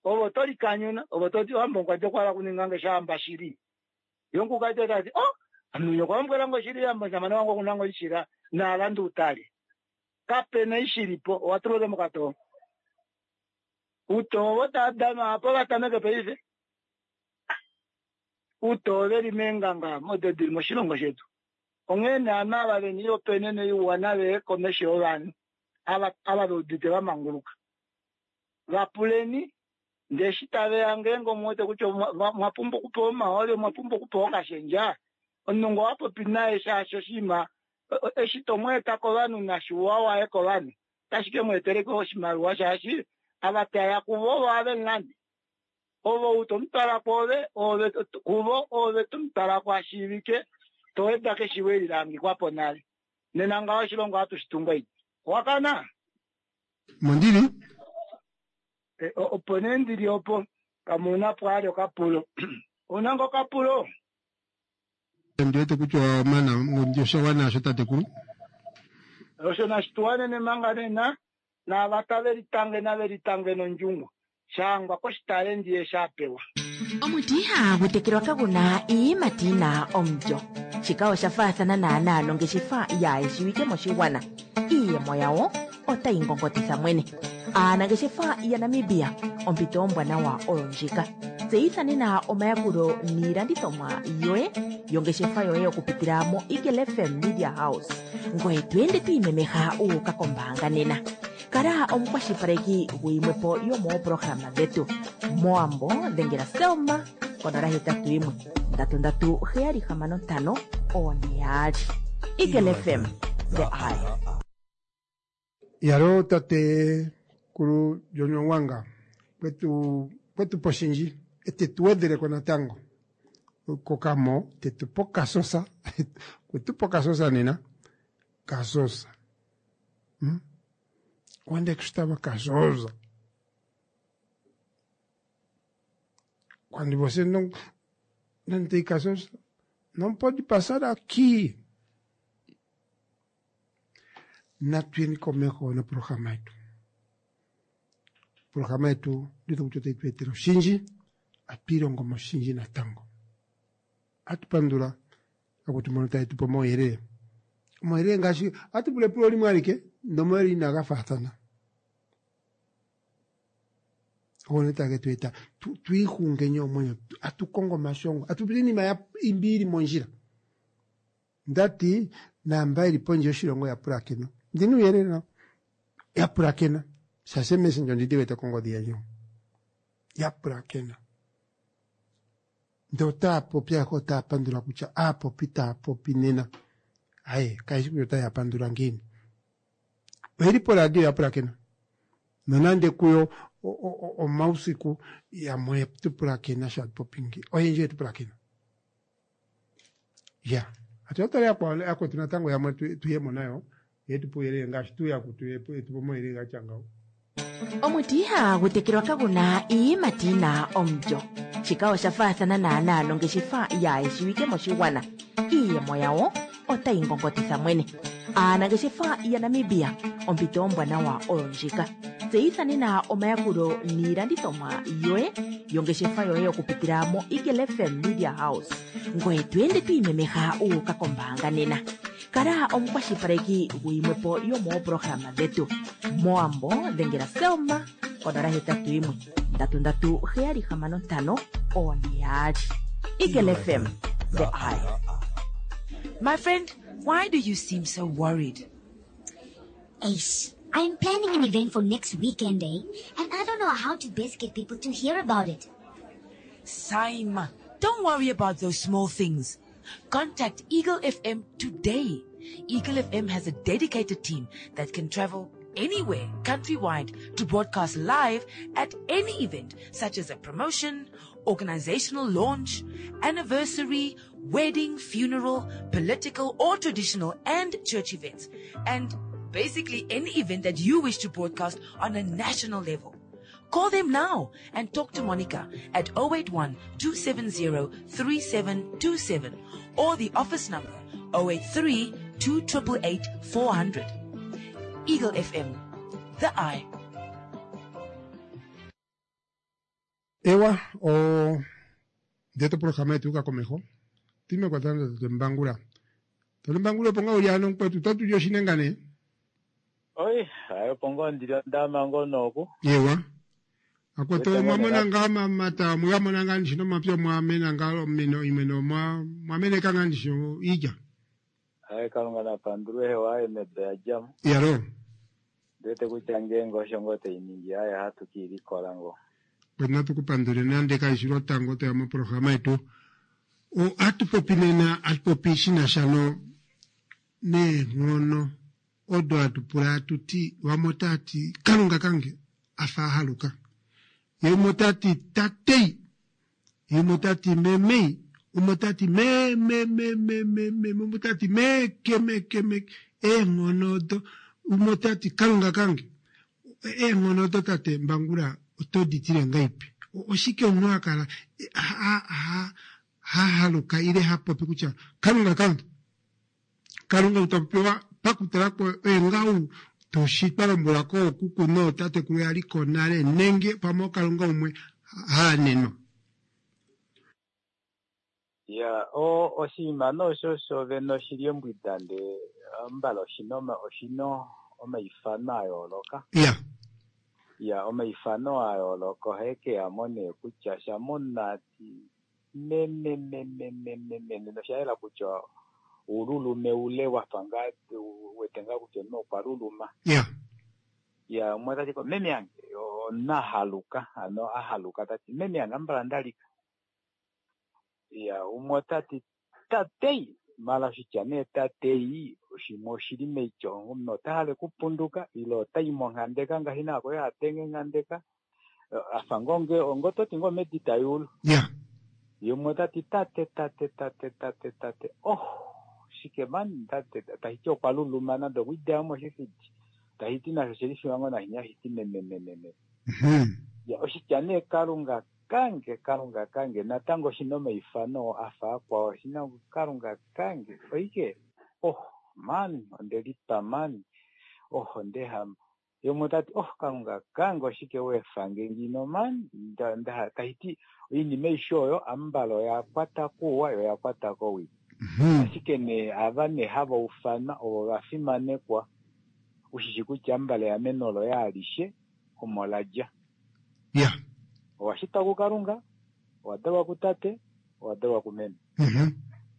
N: ove oto likanyuna ove ototi ohamba omukulukadi okwa hala okuninga nge shahamba shili. Ye omukulukadi otati oh ame okwa lombwela nge oshili hamba omushamane wange okuna ngo omushila naalande utale. Kapena ishilipo owa tulwa ashike mokatoo. Utoo ovo tava danwa apo vatameke paife. Utoo veli meenganga odo dili moshilongo shetu. Onghee nee ovanhu ava vena oihopaenenwa iwa nave komesho yovanhu ava ava veudite vamanguluka. Vapuleni ndee eshi taveya ngeenge omuwete kutya mwa pumbwa okupewa omahooli, omwa pumbwa okupewa okashendja, omunhu ngoo wapopi naye shaashi oshinima eshi tomweeta kovanhu nashiwa waye kovanhu otashi ke mweetela ashike oshimaliwa shaashi ava taya kuvo ovo have mulande. Ovo ou tomutwala kwoove ove kuvo ove tomutwala ko ashiivike toweda keshivo eli lahangikwapo nale. Nena ngaho oshilongo ohatu shi tungu aiti. Owakana?
A: Mondili?
N: Opo nee ndili opo pamwe ouna pwaali okapulo. Ouna ngoo okapulo?
A: Ndi wete kutya owa mana osha wana osho tatekulu.
N: Osho nashi tuwanene manga nena naava tave litange nave litange nondjungu shahangwa koshitalendi eshi a pewa.
C: Omuti ihagu tekelwa kagu na iiyimati yi na omulyo. Shika osha faathana naanaa nongeshefa yaayeshiwike moshigwana. Iiyemo yawo otayi ngongotitha mwene. Aanangeshefa yaNamibia, ompito ombwanawa oyo ndjika. Tseyitha nena omayakulo niilandithomwa yoye yongeshefa yoye okupitila mo Eagle F M Media House. Ngoye to ende to imemeha u uka kombaanga nena. Kala omukwashilipaleki guyimwepo yomooprograma dhetu. Moambo dhengela Selma konola hetatu yimwe ndatu ndatu heyali hamano ntano one yaali. Eagle F M, the eye.
A: Yalo tate kulu John Wanga kwetu kwetu poshinji ete tuwedheleko natango kokamo tetupo kasosa kwetupo kasosa nena kasosa hmm? Onde é que estava Casosa? Quando você não, não tem Casosa, não pode passar aqui. Natu komeho no programa yetu. Programa yetu ndito kutya tuetera oshinji, atuilongo moshinji natango. Atupandula akutumona taitupa omauyelele. Omauyelele ngaashi atupula epulo limwe alike nomauyelele inaga faathana. One tage tueta tuihungenye omwenyo, atukongo omashongo, atupula iinima ya imbi ili mondjila. Ndati namba ili pondje yoshilongo ya pulakena. Ndina uuyelele nawo. Ya pulakena. Shashe messenger ndidi wete kongodhi yandje. Ya pulakena. Ndee otaa popi ayehe otaa pandula kutya aapopi taa popi nena. Aye, kayishi kutya otaya pandula ngiini. Oyeli poradio ya pulakena. Nonande kuyo omausiku yamwe tu pulakena sho atupopi ngi. Oyendji yetu pulakena. Ya. Atu tala yakwetu natango yamwe tuyemo nayo. Yetu puyelele ngaashi tuya kutu omauyelele gatya ngawo.
C: Omuti ihagu tekelwa kaguna iiyimati yina omulyo. Shika osha faathana naanaa nongeshefa yaayeshiwike moshigwana. Iiyemo yawo otayi ngongotitha mwene. Aanangeshefa yaNamibia, ompito ombwanawa oyo ndjika. Tseyitha nena omayakulo niilandithomwa yoye yongeshefa yoye okupitila mo Eagle F M Media House. Ngoye to ende to imemeha u uka kombaanga nena. Kala omukwashilipaleki guyimwepo yomooprograma dhetu. Moambo dhengela Selma konola hetatu yimwe ndatu ndatu heyali hamano ntano one yaali. Eagle F M, the eye.
D: My friend, why do you seem so worried?
E: Ace, I'm planning an event for next weekend, eh? And I don't know how to best get people to hear about it.
D: Saima, don't worry about those small things. Contact Eagle F M today. Eagle F M has a dedicated team that can travel anywhere countrywide to broadcast live at any event, such as a promotion, organizational launch, anniversary, wedding, funeral, political or traditional and church events, and basically any event that you wish to broadcast on a national level. Call them now and talk to Monica at oh eight one, two seven zero, three seven two seven or the office number oh eight three, two triple eight, four hundred. Eagle F M, the eye.
A: Ewa, o ndeto programa yetu uka komeho. Time kwa tanda tutembangula. Tutembangula ponga uliano kwetu tatu yoshinengane.
O: Oi, ayo pongo ndiri ndama ngonoku.
A: Yewa. Akweto mwamona nga mata mwamona nga ndishino mapya mwamena nga mino imeno mwa mwamene kanga ndishino ija.
O: Ayo kalunga na pandurwe hewa mebe ya jamu.
A: Yaro.
O: Ndete kuchange ngo shongote iningi aya hatukiri kolango.
A: Kwena tukupandule nande kaishiro tango te mo programa yetu. O atupopi nena atupopi shina shano ne ngono odo atupula atuti wamotati kalunga kange afa haluka. Yemotati tatei yemotati memei umotati me me me me me me umotati me ke me ke me e ngono do umotati kalunga kange e ngono do tate mbangula otoditire ngaipi oshike omunhu akala ha ha ha haluka ile hapopi kutya kalunga kange kalunga utapewa pakutala ko engau toshitwa lombwela ko kuku no tatekulu yali ko nale nenge pamwe kalunga umwe haanenwa.
O: Ya o oshinima nosho shovene oshili ombwida nde mbala oshina oshina omaifano a yooloka.
A: Ya.
O: Ya, omaifano a yooloka ohae ke ya mo nee kutya shamonati meme meme meme meme nosha yela kutya uululume ule wafa ngaa u wete ngaa kutya omunhu okwa luluma.
A: Ya.
O: Ya, umwe tati ko meme yange omunhu a haluka, hano a haluka tati meme yange ambala ndalika. Ya, umwe otati tatei, mala oshitya nee tatei shimwe oshili meityo omunhu ota hale okupunduka ile otai monghandeka ngaashi naako ye adenge nghandeka afa ngoo nge ongo toti ngoo medi tayulu.
A: Ya.
O: Yumwe otati tate tate tate tate tate oh shike man tate tahiti okwa luluma nande okwiidea moshifidi tahiti nasho shili shiwango nashinya hiti meme meme meme. Ya, oshitya nee kalunga kange kalunga kange natango oshina omaifano afa akwao oshina kalunga kange oike oh man ondelipa man oh ondehama yomwe otati oh kalunga kange oshike weefange ngino man nda, nda, tahiti oinima aishe oyo ambala oya kwata kuwa yo oya kwata kowii. Ashike nee ava nee hava ufanwa ovo va fimanekwa ushishi kutya ambala eameno loye alishe omo la dja.
A: Ya.
O: Owa shitwa kuKalunga, owa dalwa kutate, owa dalwa kumeme.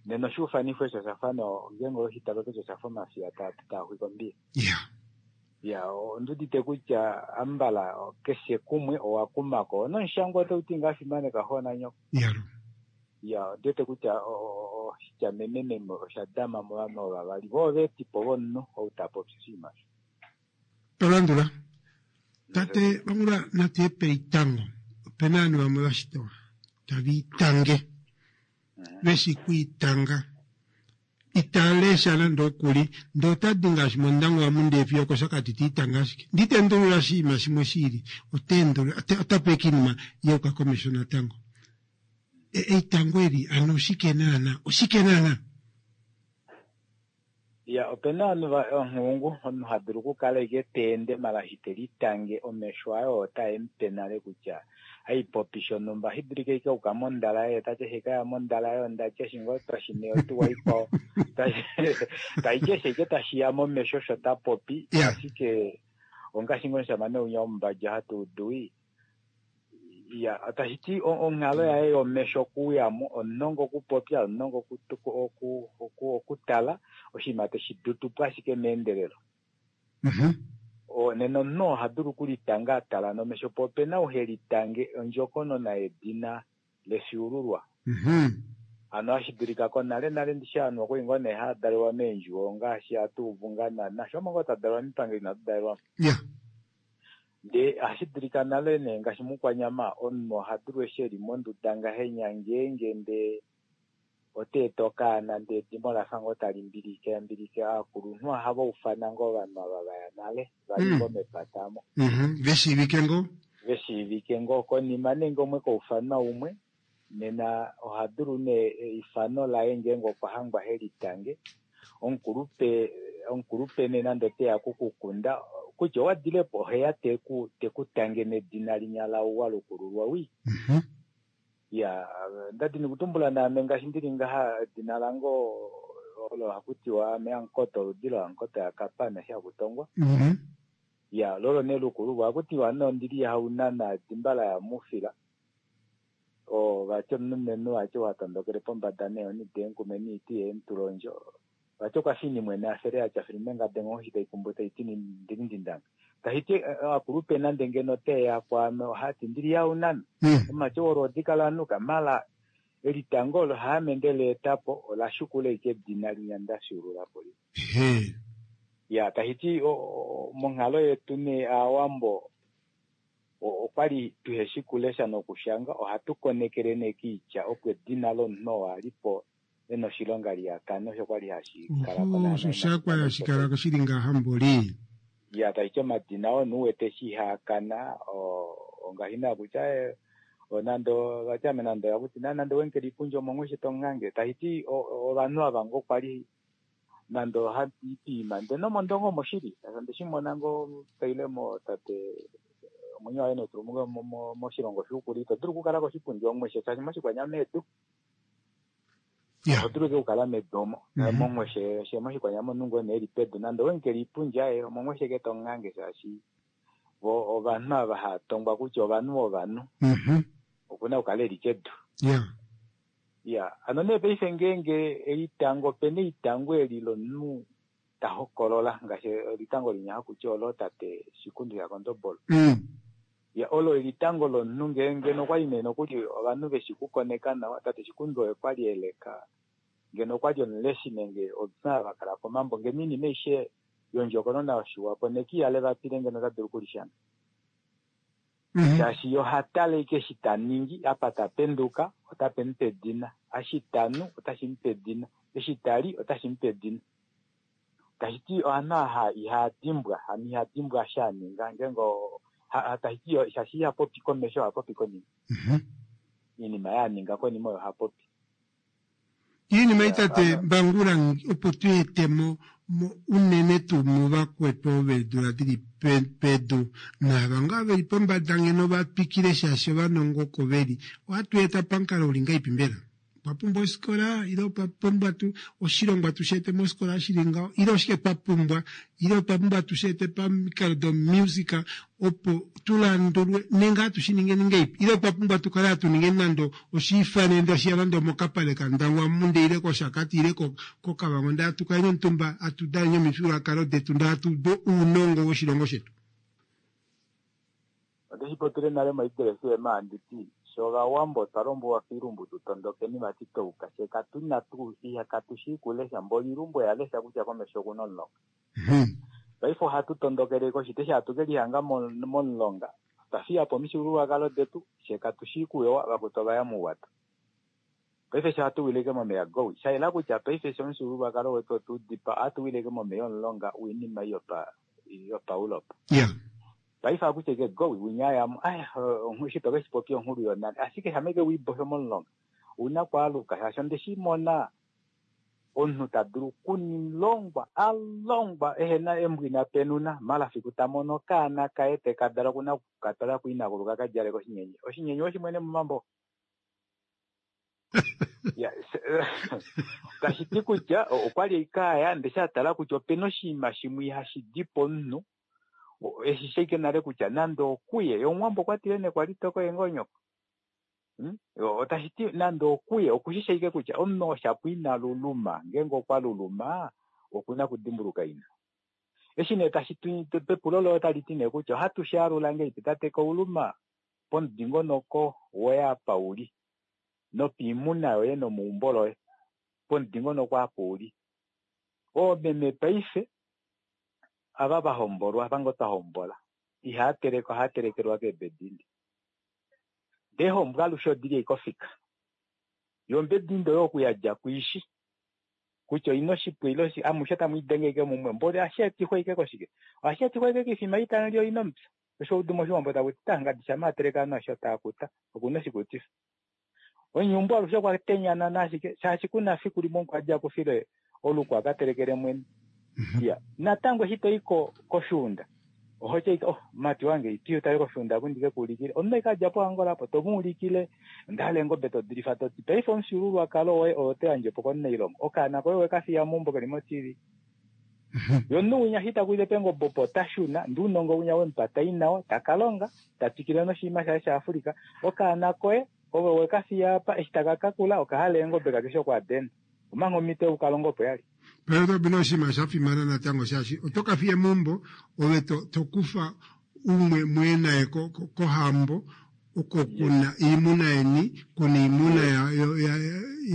O: Nena oshuufanifo osho osha fa no ngeenge oweshi tale kutya osha fa omafiya taa taa xwike ombiya.
A: Ya.
O: Ya, ondi udite kutya ambala keshe kumwe owa kumako nomushangwa otau ti ngaa fimaneka xo nanyoko.
A: Ya.
O: Ya, ondi wete kutya oshitya meme meme osha dama movanhu ova vavali vo oveetipo vomunhu ou ta popi oshinima osho.
A: Tolandula. Tate Bangula natu ye peitango. Opena ovanhu vamwe vashitwa tava itange. Veshi kwiitanga. Ita lesha nande okuli, ndee otadi ngaashi mondangwa amu ndee fiyo okOshakati ta itanga ashike. Ndi tendulula oshinima shimwe shiili, ota endulula, ota peke oinima yayuka komesho natango. Eitango eli ano oshike naana? Oshike naana?
O: Ya, opena ovanhu va onghulungu, omunhu ha dulu okukala ashike ta ende mala eshi te litange omesho aye oo otae mupe nale kutya haipopi shonhumba ohashi dulika ashike auka mondala yaye tati eshi kaya mondala yaye ondati eshi ngoo twashine otuwa ikwao taiti eshi ashike tashiya momesho osho ta popi ashike ongaashi ngoo omushamane winya womumbadja hatu udu ya tashiti onghalo yaye yomesho okuuyamo omunongo okupopya omunongo okutala oshinima teshi dutupo ashike meendelelo. Nena omunhu oha dulu okulitanga atala nomesho po opena ou helitange ondjokonona yedina lefyuululwa. Hano hashi dulika konale nale ndishi ovanhu okwali ngoo nee hava dalelwa meendjuwo ngaashi hatu uvu ngaa naana sho ngoo twa dalelwa mipangelo inatu dalelwamo. Ndee ohashi dulika nale nee ngaashi mukwanyama omunhu oha dulu eshi eli monduda ngahenya ngeenge ndee ota eta okaana ndee edimo lafa ngoo tali mbilike mbilike aakulunhu ohava ufana ngoo ovanhu ava vaya nale vali ngoo mepata amo.
A: Veshiivike ngoo?
O: Veshiivike ngoo konima nenge umwe kaufanwa umwe nena oha dulu nee eifano laye ngeenge okwa hangwa helitange omukulupe omukulupe nee nande oteya kukukunda kutya owa dilepo oheya teku tekutange nedina linya lauwa lukululwa wii. Ya, ndadini okutumbula naame ngaashi ndili ngaha edina lange olo hakutiwa ame Amukoto oludi loAmukoto yaKapana eshi hakutongwa. Ya, lolo nee lukululwa ohakutiwa nee ondili yahaunana edimba layamufila. O vati omulumenhu vati watondokele pombada neehoni deenkume niiti yeemutulondjo. Vati okwa fini mwene afele atya filume ngade nghoshi taikumbu taiti ndili ndindanga. Tahiti akulupe nande ngeno teya kwaame ohati ndili yaunana. Omati olwoodi kalanuka mala elitango olo haame ndele etapo ola shukula ashike edina linya ndafyuulula po li. Ya, tahiti monghalo yetu nee aawambo okwali tuheshi kulesha nokushanga ohatu konekele nee kiitya opo edina lomunhu oo alipo ena oshilonga liyakana osho kwali hashi kala ko
A: Oho, osho shakwali hashi kala ko shili ngaha mboli.
O: Ya, tahiti omadina oo nuuwete eshi ihaakana ongaashi naa kutya nande vati ame nande oyakuti nande wenkela iipundja omonghoshi tonghange tahiti ovanhu ava ngoo kwali nande ohandi ndee nomondongo omo shili ondeshi mona ngoo tailemo tate omwenyo waye netulumuko moshilongo shuukuli ito dulu okukala koshipundi omweshe shaashi moshikwanyama edu oto dulu okukala medu omo momweshe she moshikwanyama omunhu ngoo nee eli pedu nande owenkela iipundja ye omomweshe ke tonghange shaashi Vo ovanhu ava hava tongwa kutya ovanhu vovanhu
A: Mhm.
O: okuna okukala eli kedu.
A: Ya.
O: Ya, hano nee paife ngeenge elitango opena eitango eli lomunhu ta hokolola ngaashi elitango linya hakuti olo tate Shikundu yaKondobolo.
A: Mm.
O: Ya, olo elitango lomunhu ngeenge nokwali nee nokuli ovanhu veshi kukoneka nawa tate Shikundu oye kwali eleka ngeno okwali omuleshi nenge omunhu ava kala komambo ngeno oinima aishe yondjokonona yoshiwapo nekiya levapile ngeno ota dulu okulishanga. Shaashi ye oha tale ashike eshi ta ningi apa ta penduka otape mu pe edina, eshi ta nu otashi mu pe edina, eshi ta li otashi mu pe edina. Tashi ti ovanhu aha ihaa dimbwa, hano iha dimbwa eshi a ninga ngeenge o- ha- ha- tashi ti yo- shaashi iha popi komesho oha popi konima. Oinima oyo a ninga konima oyo ha popi.
A: Iinima ei tate Mbangula opo tu ete mo mo unene tuu muvakwetu ovo veedula dili pedu naava ngaa veli pombada ngeno va twikile shaashi ovanongo oko veli ohatu eta pamukalo uli ngahelipi mbela? Otwa pumbwa ofikola ile otwa pumbwa tu oshilongwa tu shi ete mofikola shili ngaho ile oshike twa pumbwa ile otwa pumbwa tu shi ete pamikalo domusic opo tu landulwe nenge hatu shi ningeni ngahelipi ile otwa pumbwa tu kale hatu ningeni nande oshiifanene tashiya nande omokapale kaNdangwa munde ile kOshakati ile koKavango ndee hatu kaleni omutumba hatu daneni omifyuululwakalo detu ndee hatu udu ounongo woshilongo shetu.
O: Onde shi popile nale moEagle FM handi ti, Fye Ovawambo otwa lombwelwa koilumbu tu tondokeni vati touka, fye katu na tuu katu shii kulesha, mboli oilumbu oya lesha kutya komesho oku na omulonga. Paife ohatu tondokele koshiti eshi hatu ke lihanga momulonga, otwa fiya po omifyuululwakalo detu, fye katu shii kuyowa, vakwetu ova ya mouwato. Paife eshi ohatu wile ashike momeya gowi, sha yela kutya paife eshi omufyuululwakalo wetu otwe u dipaa, ohatu wile ashike momeya omulonga woinima ei yopa yopaEurope. Paife ohaku ti ashike gowi, winya a ya mo, ai, eshi to ke shi popya onghulu yonale, ashike shamha ashike we ibosho momulonga, ou na okwaaluka, shaashi onde shi mona omunhu ta dulu okulongwa, a longwa ehe na embo ina penuna, mala fiku ta mono okaana kaye te ka dala oku na oku ka twala kuinakulu ka ka djale koshinyenye. Oshinyenye owe shi mwene momambo? Ya, tashi ti kutya okwa li ashike a ya ndele eshi a tala kutya ope na oshinima shimwe ihashi di pomunhu, eshi shi ashike nale kutya nande okuye, ye Omuwambo okwa tile nee kwali toko ye ngoo nyoko. Hmm? Otashi ti nande okuye okushi shi ashike kutya omunhu oo shapo ina luluma, ngeenge okwa luluma oku na okudimbuluka ina. Eshi nee tashi tu pepulo loye otali ti nee kutya ohatu shi alula ngahelipi tate Kauluma pomudingonoko woye apa u li nopiimuna yoye nomeumbo loye pomudingonoko apa u li. Oomeme paife ava va hombolwa, ava ngoo twa hombola, ihava teleke, ohava telekelwa keebedindi. Ndee eehombo alushe odi li ashike ofika. Yo ombedindi oyo oku ya dja kuishi kutya oina oshipwe ile oshi, amushe tamu i denge ashike mumwe. Mboli ohashi etifwa ashike koshike? Ohashi etifwa ashike koifima ei tamu li oina omupya. Osho udu mOshiwambo taku ti, Tangadi shamha a teleke ovanhu aveshe otava kuta, oku na oshikutifa. Omunyumbu alushe okwa tenyanana ashike shaashi ku na fiku limwe omukwadi a kufile oluko a ka telekele mwene. Iya, natango eshi to i ko koshuunda oho ti ashike oh mumati wange ito i u tale koshuunda oku ndi ke ku ulikile. Omunhu ashike a dja poAngola apo to mu ulikile onda hala eengobe to di lifa to ti paife omufyuululwakalo woye owo to yandje po komunailongo. Okaana koye owe ka fiya meumbo ke li mo-TV. Ye omunhu winya eshi ta kulile peengobe opo ota shuna ndee ounongo winya we mu pa ta i nao ta ka longa ta twikile noshinima shaye shaAfrica. Okaana koye Ove we ka fiya apa, eshi taka ka kula, oka hala eengobe kake shi okuadena. Omanga omhito yoku ka longa opo ya li.
A: Paife ope na oshinima sha fimana natango shaashi oto ka fiya meumbo ove to, to kufa umwe muye naye ko, ko, kohambo oko kuna oimuna yeni, kuna oimuna ya, ya, ya,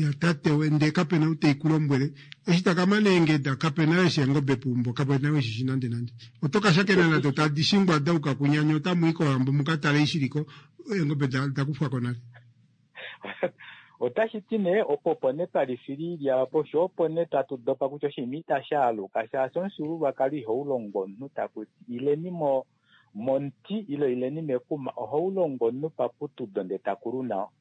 A: ya tate we, ndee kape na ou tei ku lombwele. Eshi taka mana eengeda, kape na eshi eengobe peumbo, kape na eshi shi nande nande. Oto ka shakena nado tadi shingwa da yuka kunyanya, otamu i kohambo mu ka tale eshi li ko, eengobe da, da kufwa ko nale.
O: Otashi ti nee, opo opo nee twa lifila iilya opo, sho opo nee tatu dopa kutya oshinima itashi aluka, shaashi omufyuululwakalo ihau longwa omunhu taku ti ileni mo, momuti ile ileni mekuma, ohau longwa omunhu paputudo ndee ta kulu nao.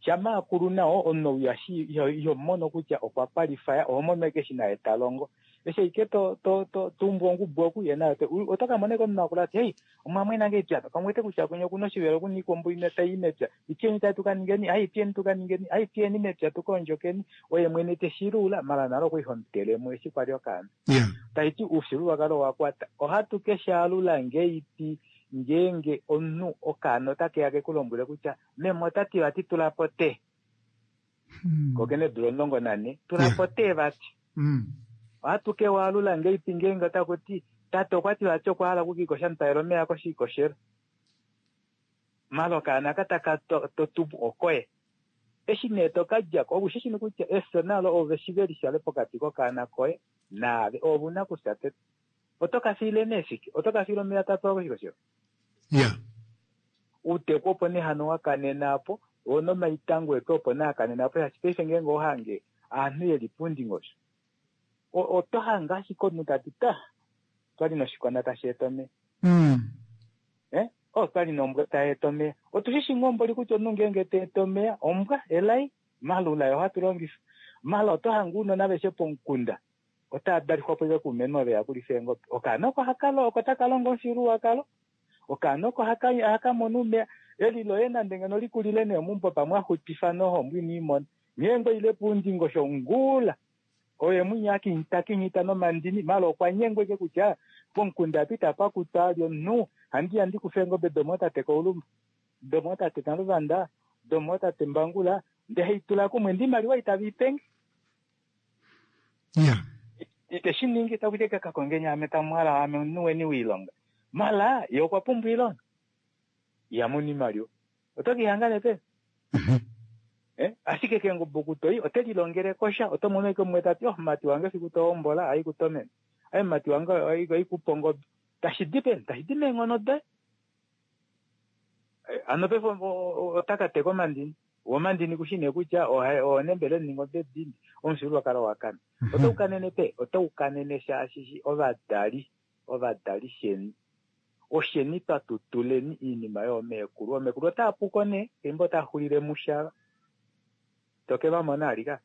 O: Shamha a kulu nao, omunhu ou ihashi, iho, iho mono kutya okwa kwalifaya, oho mono ashike eshi naye ta longo. Eshi ashike to to to tumbu ongubu oku ye nayo oto ka mona omunhu akula ati hei omwamwena nge epya kamwete kutya kwenye okuna oshivelo okuna iikombo imwe tai i mepya ityeni tai tukaningeni ai tyeni tukaningeni ai tyeni mepya tukaondjokeni oye mwene teshiluula mala nale okwali homutelemo eshi kwali okaana taiti oufyuululwakalo owa kwata ohatu keshaalula ngeipi ngeenge omunhu okaana otakeya kekulombwele kutya meme otati vati tulapo te kokene eedula omulongo nane tulapo te vati ohatu kewaalula ngeipi ngeenge otakuti tate okwati vati okwa hala okukiikosha mutalela omeya koshiikoshelo mala okaana aka taka totubu okoye eshi nee tokadjako oushishi kutya efyo nalo ove shi velishale pokati kokaana koye naave ove una kufya tete oto ka fiile nee shike oto ka fiile omeya tapewa koshikoshelo
A: yeah
O: outeku opo nee hano wakanena apo oo nomaitango etu opo nee akanena apo shaashi paife ngeenge ohange aanhu yeli puundingosho oto hange ashike omunhu tati ta otwali noshikonda tashi eta omeya eh otwali nombwa tai eta omeya otushishi ngoo mboli kutya omunhu ngeenge ta eta omeya ombwa elai malula ohatu longifa mala oto hange ounona aveshe pomukunda otava dalifwa po kuumeme veya kulifa eengobe okaana oko oko taka longo omufyuululwakalo okaana oko haka mono omeya eli loye nande ngeno likulile nee meumbo pamwe axutifa nohombo ino imona ngeenge oile puundingosho ngula oye mwinya takinyita nomandini mala okwa nyengwa ike kutya pomukunda apa itapa kutwa ali omunhu handiya ndikufe eengobe domootate Kauluma domootate Naluvanda domootate Mbangula ndee haitula kumwe ndee oimaliwa itave ipenge ite shi ningi takuti kakakongeni ame tamuhala ame omunhu weni woilonga mala ye okwa pumbwa oilonga ihamoni oimaliwa oto keihanga nee peni eh ashike keengobe oku toyi ote lilongele kosha oto mono ike umwe tati oh mumati wange efiku tohombola haikutomene ai mumati wange haikupa ongobe tashi di peni tashi di meenghono doye hano paife otaka teka omandini womandini kushi nee kutya oonembele ningobe dini omufyuululwakalo wakana otau kanene pe otau kanene shaashi ovadali ovadali sheni osheni twatutuleni iinima yoomekulu oomekulu otaa puko nee fimbo taa xulile mushala toke vamona alika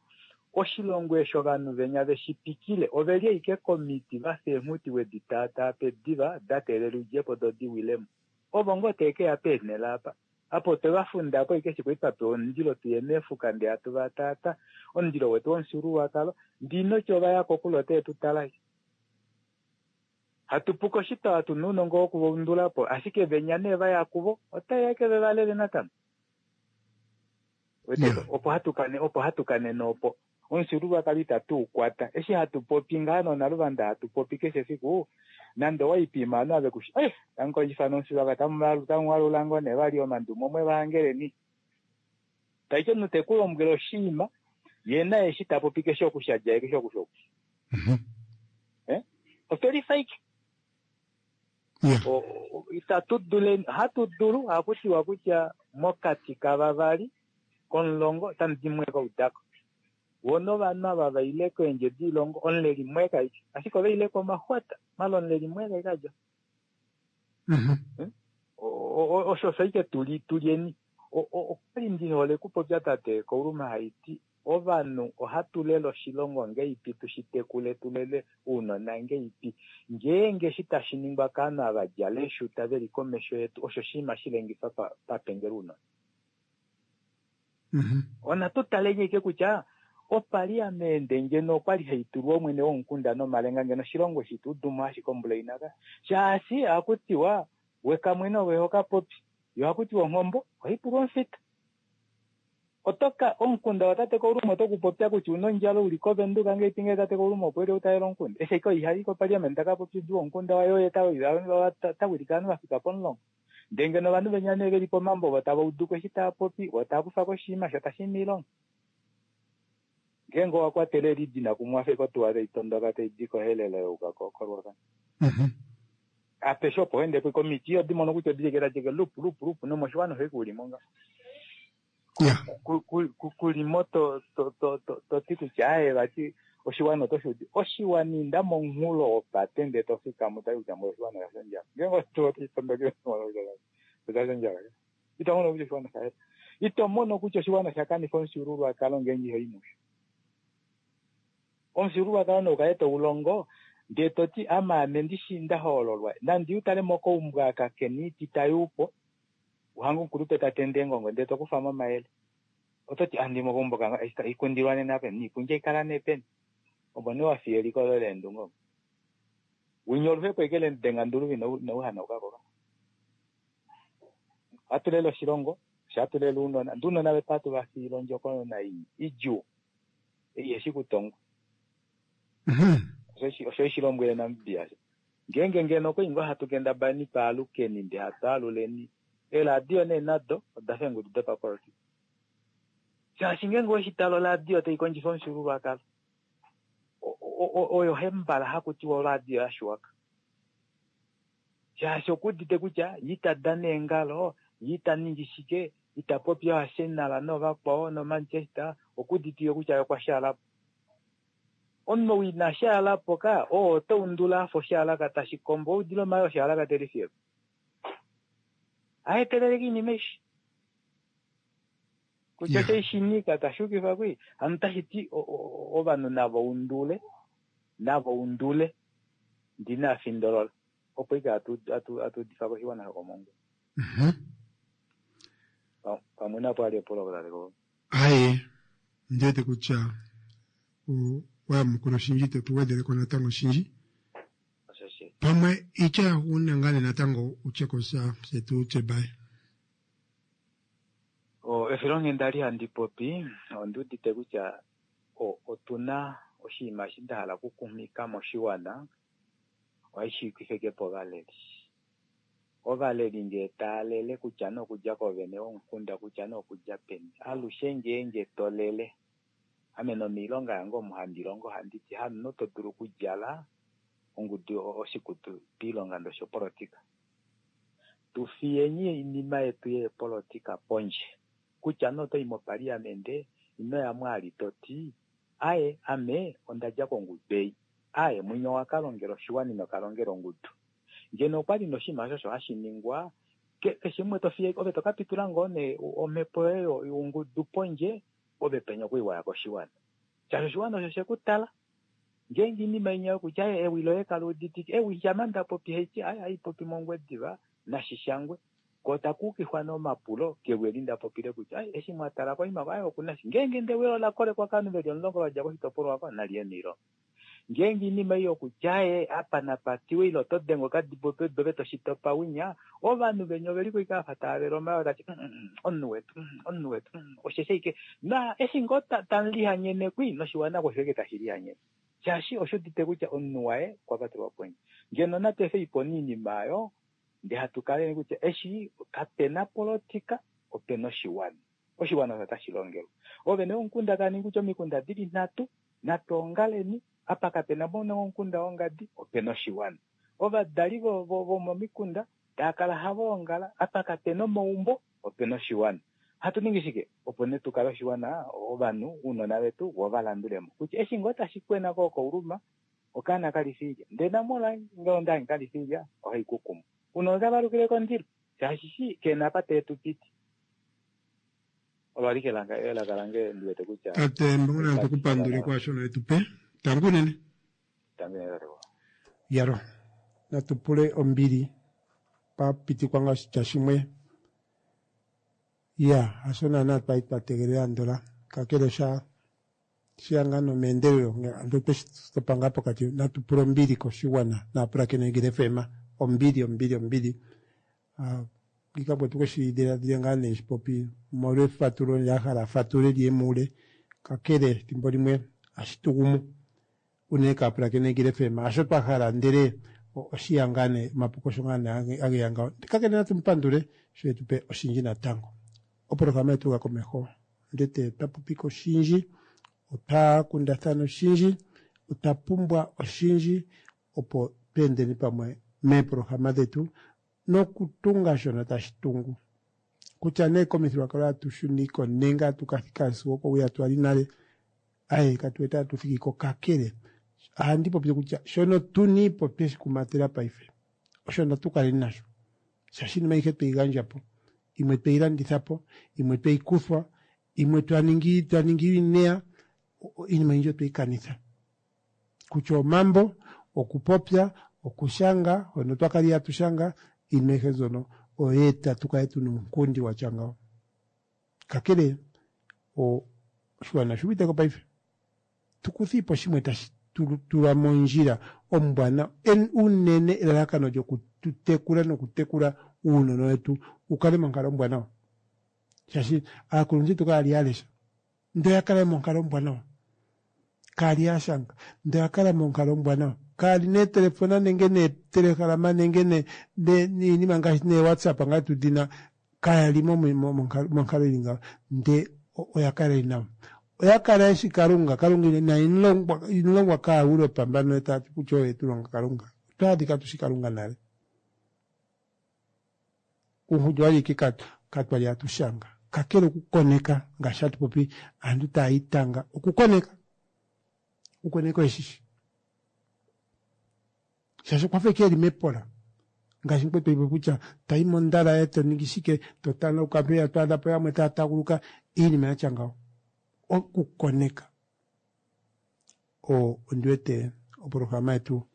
O: oshilongo eshi ovanhu venya veshipikile oveli ashike komiti vafa eenghuti wedi taataa pediva da teelela udjepo do diwilemo ovo ngoo teekeya peenhele apa apo otwe vafundapo ashike eshi kwali twapewa omundilo tuye meefuka ndee hatu vataata omundilo wetu womufyuululwakalo ndinoti ovaya kokule ote tu tala hatu puka oshitwa tuna ounongo wokuvaundulapo ashike venya nee vaya kuvo otaeya ke vevalele natango opo hatu opo hatu kanene opo omufyuululwakalo itatu ukwata eshi hatu popi ngaa nonaluvanda hatu popi keshe efiku nande owaipima ovanhu ave kushi eh tamukondjifa nomufyuululwakalo tamuwalula ngoo nee vali omandumo omwe vahangeleni taiti omunhu tekulombwele oshinima ye naye eshi tapopi keshe oku shadja keshe oku shoku eh otwelifa ike itatu duleni hatu dulu hakutiwa kutya mokati kavavali komulongo otamu di mwe kaudako wona ovanhu ava vaile koendje diilongo omuleli mweka ike ashike ovaileko omaxwata mala omuleli mweka ike adja osho osho ike tuli tulyeni okwali ndihole kupopya tate Kauluma haiti ovanhu ohatu lele oshilongo ngeipi tushitekule tulele ounona ngeipi ngeenge eshi tashi ningwa kaanhu ava djala eeshuta veli komesho yetu osho oshinima shilengifa papengela ounona ona tutaleni ike kutya opaliamende ngeno okwali haitulwa omwene womukunda nomalenga ngeno oshilongo shitudumo ashike ombula inaka shaashi ohakutiwa wekamwene ove hokapopi yo ohakutiwa onghombo ohaipulwa omufita otoka omukunda watate Kauluma otokupopya kutya una ondjala uli kovenduka ngeipi ngee tate Kauluma opo eli utalela omukunda eshi ashike ihali kopaliamende takapopi diwa omukunda waye oye tawilike ovanhu vafika pomulongo ndee ngeno ovanhu venya nee veli pomambo vo tava uduko eshi taapopi vo taakufa koshinima sho tashi miilonga ngeenge owakwatele elidina kumwe wafa otuwa taitondoka taidi kohelelo yauka koRuacana apeshe opo wendepo komiti odimono kutya odili tadike lupu lupu lupu nomoshiwana osho ulimo nga kulimo to to to to ti kutya aye vati oshiwana otoshi oshiwana inda momunghulo wopate ndee tofikamo tali kutya mo oshiwana osha ondjala ngeenge otuwa taitondokele osha ondjala ito mono kutya oshiwana osha ito mono kutya oshiwana osha kanifa omufyuululwakalo ngeenge iho i musho Omufyuululwakalo nou kale toulongo ndee toti ame ame ndishi ndahoololwa nandi utale mokaumbwa aka kena oiti tayuupo uhange omukulupe tatende eengongo ndee tokufamo omayele ototi andi mokaumbo kange ikundilwa nena peni niikulya ikala nee peni opo nee wafiya eliko loye leendunge omo winya oluhepo ashike lemudenga nduluvi inauhanaukako ohatu lele oshilongo osho hatu lele ounona ndee ounona vetu ohatu vafiile ondjokonona ii idjuu ei iheshi kutongwa osho ishilombwele Namibia ngeenge ngeno okwali ngoo hatu kendabaleni twaalukeni ndee hatu aluleni eeradio nee nado odafa eengudu dopapolitika shaashi ngeenge oweshitala oradio taikondjifa omufyuululwakalo oyo hembala hakutiwa oradio yashiwaka shaashi okuudite kutya ye ita dana eengalo ye ita ningi shike ita popi oArsenal noovakwao noManchester okuuditike kutya ye okwa shaalapo omunhu ou ina shaalapo ka oo otaundula afa oshaalaka tashi kombo oudile omayoo oshaalaka telifiyeko aeteleleke oinima eshi kutya osho ishinika tashuukifa kwii hano otashiti ovanhu nava undule nava undule ndina afindolola opo ike hatu udifa koshiwana shokomongula pamwe napo ali epulo laleko
A: aye ndiwete kutya wayamukula oshindji tetu natango oshindji pamwe itya yaxuuninwa ngaa nee natango utye kosha fye tutye baye
O: efilonghenda ali handi popi ondiudite kutya otuna oshinima eshi ndahala okukumika moshiwana ohashi yukifike ovaleli ovaleli ngee taalele kutya nee okudja koovene vomukunda kutya nee okudja peni alushe ngeenge tolele ame nomiilonga yange omu handi longo handiti hamunhu to dulu okudjala ongudu oshikutu piilonga ndo shopolitika tufiyeni oinima yetu yeepolitika pondje kutya nee otoyi mopaliamente inoyamo ali toti aye ame ondadja kongudu ei aye mwinya owakalongela oshiwana ino kalongela ongudu ngeno okwali noshinima osho osho hashi ningwa keshe umwe tofiye ove tokapitula ngoo nee omhepo yoye youngudu pondje ove penya okwiiwaya koshiwana shaashi oshiwana osho shekutala ngeenge oinima inya yokutya ewi loye kaluuditike ewi shama ndapopi haiti aye haipopi mongwediva nashishangwe ko takuukifwa nee omapulo kewi eli ndapopile kutya aye eshi mwatala koima aye okuna shi ngeenge ndewi ola kolekwa kovanhu veli omulongo vadja koshitopolwa oko naliye miilonga ngeenge oinima ei yokutya aye apa napatiwe ile oto denge okadibo pedu ove toshitopa winya ovanhu venya oveliko ashike vafa tava omayoo tati omunhu wetu omunhu wetu osheshi ashike na eshi ngoo tamulihanyene kwii noshiwana osho ashike tashi lihanyene shaashi oshuudite kutya omunhu waye okwa patelwa pondje ngeno natu efe ipo oinima oyo ndee hatu kaleni kutya eshi kapena politika opena oshiwana oshiwana osho tashi longelwa oovene vomukunda tava ningi kutya omikunda dili nhatu natu ongaleni apa kapena mwene womukunda wongadi opena oshiwana ovadali vomomikunda tava kala hava ongala apa kapena omaumbo opena oshiwana hatu ningi shike opo nee tukale oshiwana ovanhu ounona vetu vo valandulemo kutya eshi ngoo tashi kwena ko kouluma okaana kalifi ilya ndee namola ngee ondange kalifi ilya ohaikukumu unona otava alukile kondilo shaashi shi kena apa teetupiti olo alike elaka lange ndiwete kutya
A: tate mbongona tukupandule kwaashono etupe tangu unene yalo natu pule ombili papitikwa nga oshitya shimwe ya hasho naana twali twa tegelela andola kakele osha shiya ngaa nomeendelelo ando tweshi topa ngaa pokati natu pule ombili koshigwana naapulakeni Eagle FM ombili ombili ombili ngika po tukeshi dhiladhile ngaa nee shipopi molwa efatulo ya hala fatule liye muule kakele ethimbo limwe ohashi tugumu unene kaapulakeni Eagle FM hasho twa hala ndele oshiya ngaa nee omapuko osho ngaa nee ageya ngawo kakele natu mupandule sho etupe oshindji natango opolohalama yetu yuka komeho ndete twa popika oshindji otwa kundathana oshindji otwa pumbwa oshindji opo tweendeni pamwe meepolohalama dhetu nokutunga shono tashi tungu kutya nee komithigululwakalo atu shuniko nenge atu kathika sigo kowuya twali nale aye katuwete atu thikiko kakele ohandi popile kutya shono tuniipo tweshi kumatela paife osho natu kaleni nasho shaashi iinima ayihe tweyi gandja po imwe tweyi landitha po imwe tweyi kuthwa imwe twaningi twaningi iineya iinima oyindji otweyi kanitha Kutya omambo, okupopya, okushanga, hono twakali hatu shanga, iinima ayihe mbyono oya eta tukale tuna uunkundi watya ngawo. Kakele oshiwana oshuuviteko paife. Tukuthiipo shimwe tashi tula mondjila ombwanawa unene elalakano lyokutekula nokutekula uunona wetu ukale monkalo ombwanawa. Shaashi aakuluntu yetu kaya li ya lesha ndele oya kala monkalo ombwanawa. Kaya li ya shanga ndele oya kala monkalo ombwanawa. Kaya li neetelefona nenge neetelehalama nenge niinima ngaashi neewhatsapp ngaa tudina kaya li monkalo ili ngawo ndee oya kala ili nawa. Oya kala yeshi Kalunga, Kalunga ina inolongwa kaaEuropa mbano tayati kutya oyo yetulonga Kalunga. Otwa adhika tushi Kalunga nale. Uunkundi owali ike katwali hatu shanga. Kakele okukoneka ngaashi hatu popi aantu taya itanga okukoneka. Okukoneka oyeshishi. Shaashi okwafa ike eli mepola. Ngaashi mukwetu aipopi kutya tayi mondalaye toningi shike totanauka mpeya twaadhapo yamwe taya taaguluka iinima yatya ngawo. Okukoneka. Ondi wete opolohalama yetu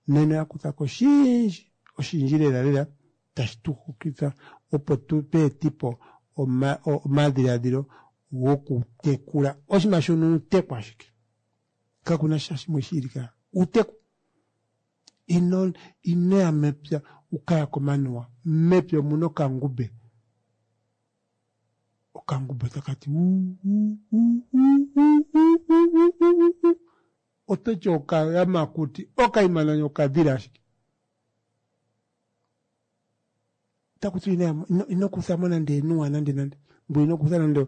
A: nena oya kuthako oshindji oshindji lela lela tashi tu hokitha opo tu eetipo omadhiladhilo gokutekula. Oshinima shono uuteku ashike. Kakuna sha shimwe shiili ka. Uuteku. Ino inoya mepya ukaya komanuwa. Mepya omuna okangube. Okangube otakati ototi okayamakuti okaima nani okadhila ashike. Takuti ino kuthamo nande enuwa nande nande. Ngoye ino kutha nande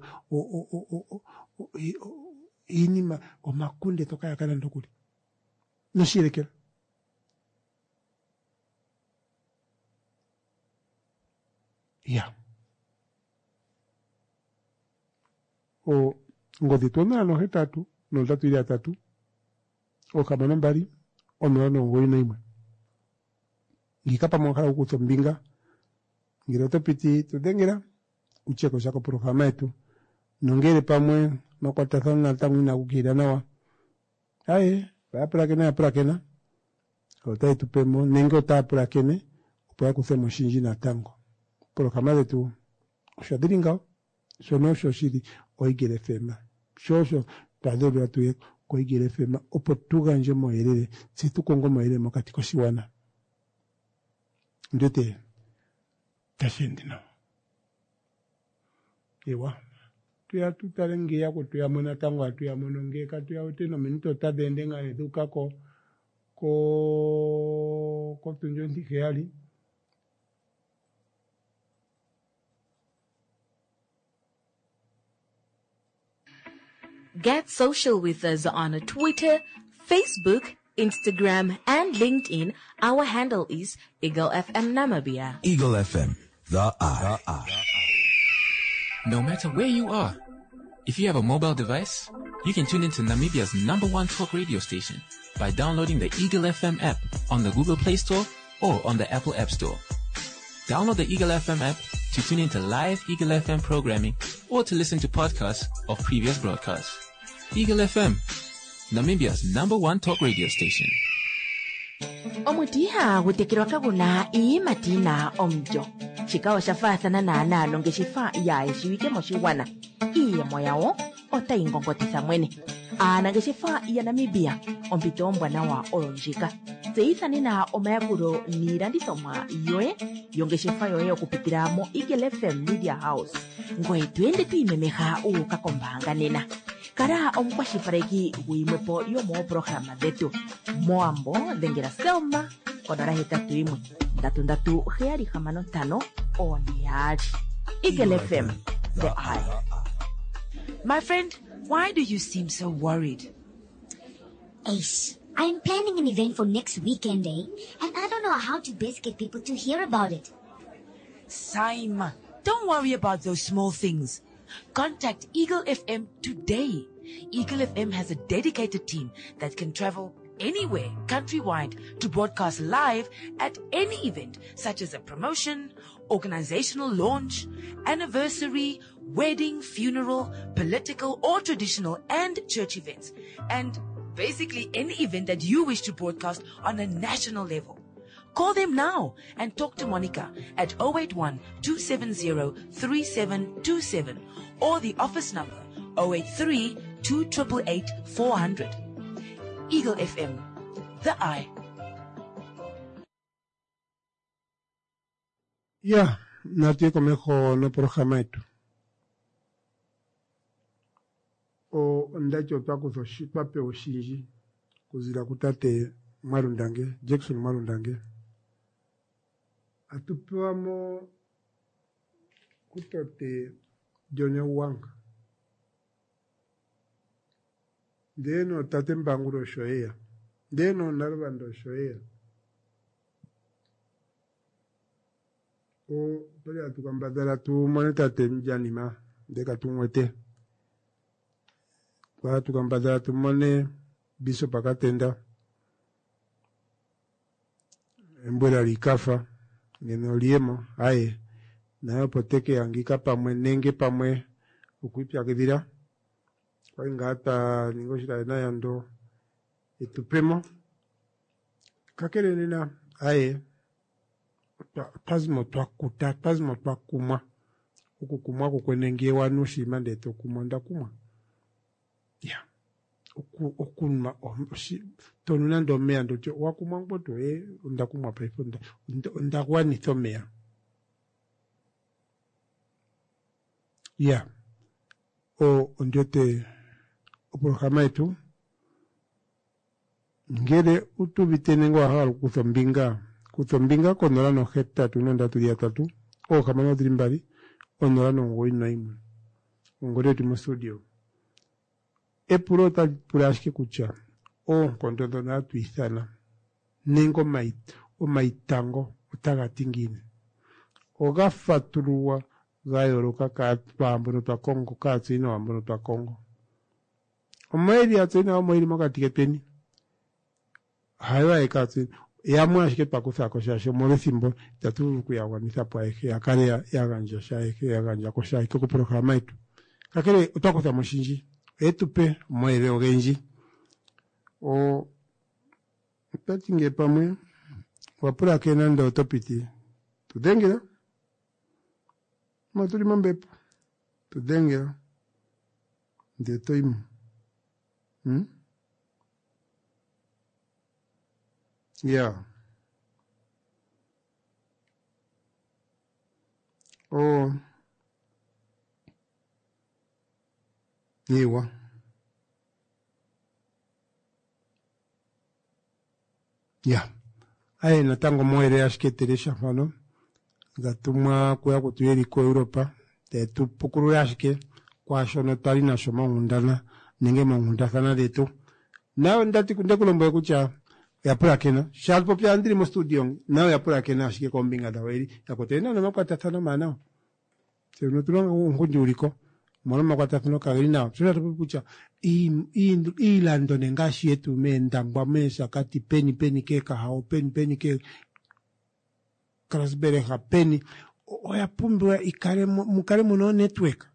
A: iinima omakunde toka yaka nande okuli. Noshiyelekela. Ya. Ongodhi yetu onola nohetatu nondatu ili yatatu oohamano mbali onola nomugoyi noyimwe. Ngiika pamwe owa hala okukutha ombinga ngele oto piti tu dhengela utye ko sha kopolohalama yetu nongele pamwe omakwatathano natango inaga ukilila nawa aye oya pulakena ya pulakena otayi tu pemo nenge otaya pulakene opo ya kuthemo oshindji natango. Opolohalama dhetu osho dhili ngawo shono osho shili oEagle F M. Sho osho twa dheulilwa tuye koEagle F M opo tu gandje omauyelele tse tu konge omauyelele mokati koshigwana. Ndiwete tashi ende nawa. Ewa tuya tu tale nge yakwetu yamwe natango hatu ya mono nge katu ya wete nominute otadhi ende ngaa nee dhuuka ko ko kotundi ontiheyali.
F: Get social with us on Twitter, Facebook, Instagram, and LinkedIn. Our handle is Eagle F M Namibia.
G: Eagle F M, the eye. The eye.
B: No matter where you are, if you have a mobile device, you can tune into Namibia's number one talk radio station by downloading the Eagle F M app on the Google Play Store or on the Apple App Store. Download the Eagle F M app to tune into live Eagle F M programming or to listen to podcasts of previous broadcasts. Eagle F M, Namibia's number one talk radio station.
C: Omuti ihagu tekelwa kaguna iiyimati yina omulyo. Shika osha faathana naanaa nongeshefa yaayeshiwike moshigwana. Iiyemo yawo otayi ngongotitha mwene. Aanangeshefa yaNamibia, ompito ombwanawa oyo ndjika. Tseyitha nena omayakulo niilandithomwa yoye yongeshefa yoye okupitila mo Eagle F M Media House. Ngoye to ende to imemeha u uka kombaanga nena. Kala omukwashilipaleki guyimwepo yomoopolohalama dhetu. Moambo dhengela Selma konola hetatu yimwe ndatu ndatu heyali hamano ntano one yaali. Eagle F M, the eye.
D: My friend, why do you seem so worried?
E: Ace, I'm planning an event for next weekend, eh? And I don't know how to best get people to hear about it.
D: Saima, don't worry about those small things. Contact Eagle F M today. Eagle F M has a dedicated team that can travel anywhere countrywide to broadcast live at any event, such as a promotion, organizational launch, anniversary, wedding, funeral, political or traditional and church events. And Basically, any event that you wish to broadcast on a national level. Call them now and talk to Monica at oh eight one, two seven zero, three seven two seven or the office number oh eight three, two triple eight, four hundred. Eagle F M, the eye.
A: Ya, natu ye komeho noprograma yetu. O ondati otwa kutha oshi-, twa pewa oshindji okuzila kutate Mwalundange, Jackson Mwalundange. Atu pewa mo kutate John Wanga. Ndee no tate Mbangula osho eya. Ndee no Nalubanda osho eya. O twali hatu kambadhala tu mone tate Mjanima, ndee katumwete. Twali hatu kambadhala tu mone Bishop Akatenda. Embwela likafa, ngeno oliemo, aye. Naye opo teke yangika pamwe nenge pamwe okwipyakidhila. Kwali ngaa twa ninga oshilale nayando etupemo. Kakele nena, aye, twa-, twazimo twakuta, twazimo twakumwa. Okukumwa kukwene ngee wanu oshinima ndee tokumwa, onda kumwa. Ya. Oku-, okunwa, oshi-, tonu nande omeya ndotya, wakumwa ngoo tuu, eh, onda kumwa paife, onda-, onda-, onda gwanitha omeya. Ya. O, ondiote oprograma yetu. Ngele utuvite nenge wa hala okukutha ombinga, kutha ombinga konola nohetatu nondatu yatatu, oohamano dhili mbali, onola nomugoyi nayimwe. Ongodhi yetu mostudio. Epulo otali pula ashike kutya oonkondo ndhono hatu ithana nenge omai-, omaitango otaga ti ngiini? Oga fatululwa ga yooloka kwaambono twa kongo, kaatseyi nawa mbono twa kongo. Omaeli atseyi nawa omaeli mokati ketweni. Hayo ayeke atseyi. Yamwe ashike twa kutha ko shaashi omolwethimbo itatu vulu okuya gwanitha po ayehe, ya kale ya-, ya gandja sha ayehe, ya gandja ko sha ayehe koprograma yetu. Kakele otwa kutha mo oshindji, oye tu pe omayele ogendji. O, otati ngele pamwe owa pulakena nande oto piti, tu dhengela. Mo tuli mombepo, tu dhengela. Ndele to yi mo. Hmm? Yeah. Oh. Iwa. Yeah. Aye, natango moere ashike teresha mfano. Gatumwa kuya kutuyeli ko Europa. Te tupukulula ashike kwaashono twali nasho monkundana nenge moonkundathana dhetu. Nawe ndati ndekulombwele kutya oya pulakena. Sha popya ndili mo studio, nawe oya pulakena ashike kombinga dhawo eli. Yakotele nawa nomakwatathano omawanawa. Tse otuna uunkundi uliko. Omolwa omakwatathano kageli nawa. Tse otatu popi kutya ii-, ii-, iilando ne ngaashi yetu meendangwa, meeshakati, peni, peni keekahao, peni, peni ke Karasburg, peni, oya pumbiwa ikale mo-, mukale muna onetwork.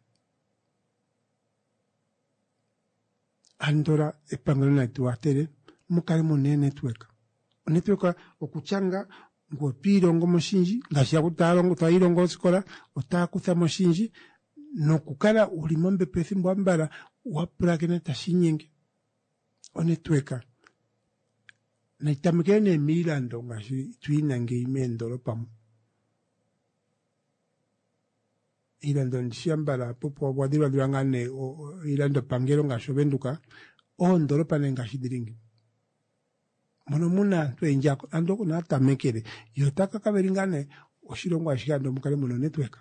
A: Andola epangelo nali tu wathele, mukale muna eenetwork. Onetwork okutyanga ngu otwiilongo moshindji, ngaashi yaku taya longo, taya ilongo osikola, otaya kutha moshindji, nokukala uli mombepo ethimbo ambala, wa pulakena tashi inyenge. Onetwork. Nayi tamekele nee miilando ngaashi tuyina ngeyi meendolopa mu. Iilando ndishi ambala popo wa dhilwadhilwa ngaa nee, o-, o-, iilando pangelo ngaashi Ovenduka, oondolopa nee ngaashi dhili ngeyi. Mono muna aantu oyendji ako-, aantu oko naa tamekele. Yo otaka kaveli ngaa nee oshilongo ashihe ando mukale muna onetwork.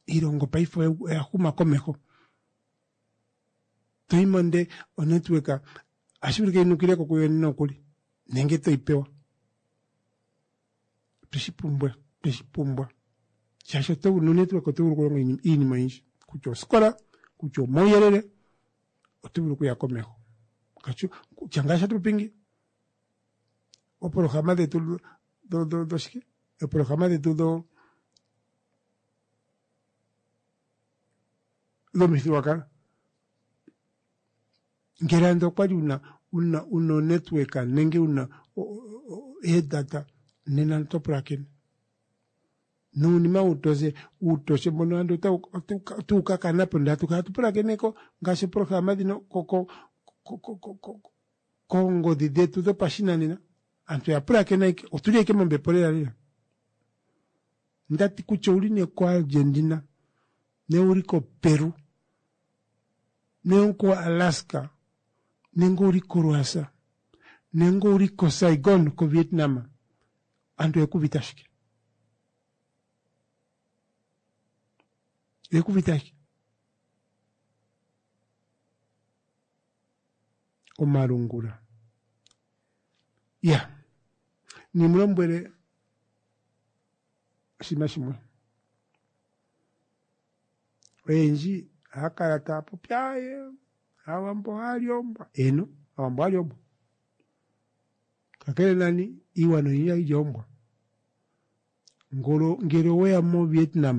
A: Iilongo paife oya, oya huma komeho. Toyi monde onetwork, ohashi vulika yi nukile ko kuyo nokuli. Nenge toyi pewa. Tweshi pumbwa, tweshi pumbwa. Shaashi oto vulu nonetwork oto vulu okulonga iinima, iinima oyindji. Kutya osikola, kutya omauyelele, oto vulu okuya komeho. Kutya, kutya ngaashi hatu popi ngeyi, oopolohalama dhetu dho, dho, dho shike? Oopolohalama dhetu dho, dhomithigululwakalo. Ngele ando okwali una una una onetwork nenge una eedata nena oto pulakene nuunima uutoshe uutoshe mbono ando otawu ka kanapo ndele hatu kala hatu pulakeneko ngaashi oprograma dhino koongodhi dhetu dhopashinanena aantu oya pulakena ashike otuli ashike mombepo lela lela ndati kutya ouli nee ko Argentina nee ouli ko Peru nee oko Alaska nenge ouli ko Russia nenge ouli ko Saigon ko Vietnam aantu oyekuuvite ashike oyekuuvite ashike omalungula ya nimulombwele oshinima shimwe oyendji ohaya kala taya popi aye aawambo ohaya li oombwa eeno aawambo ohaya li oombwa kakele nani iigwana oyindji ohayi li oombwa ngolo ngele oweya moVietnam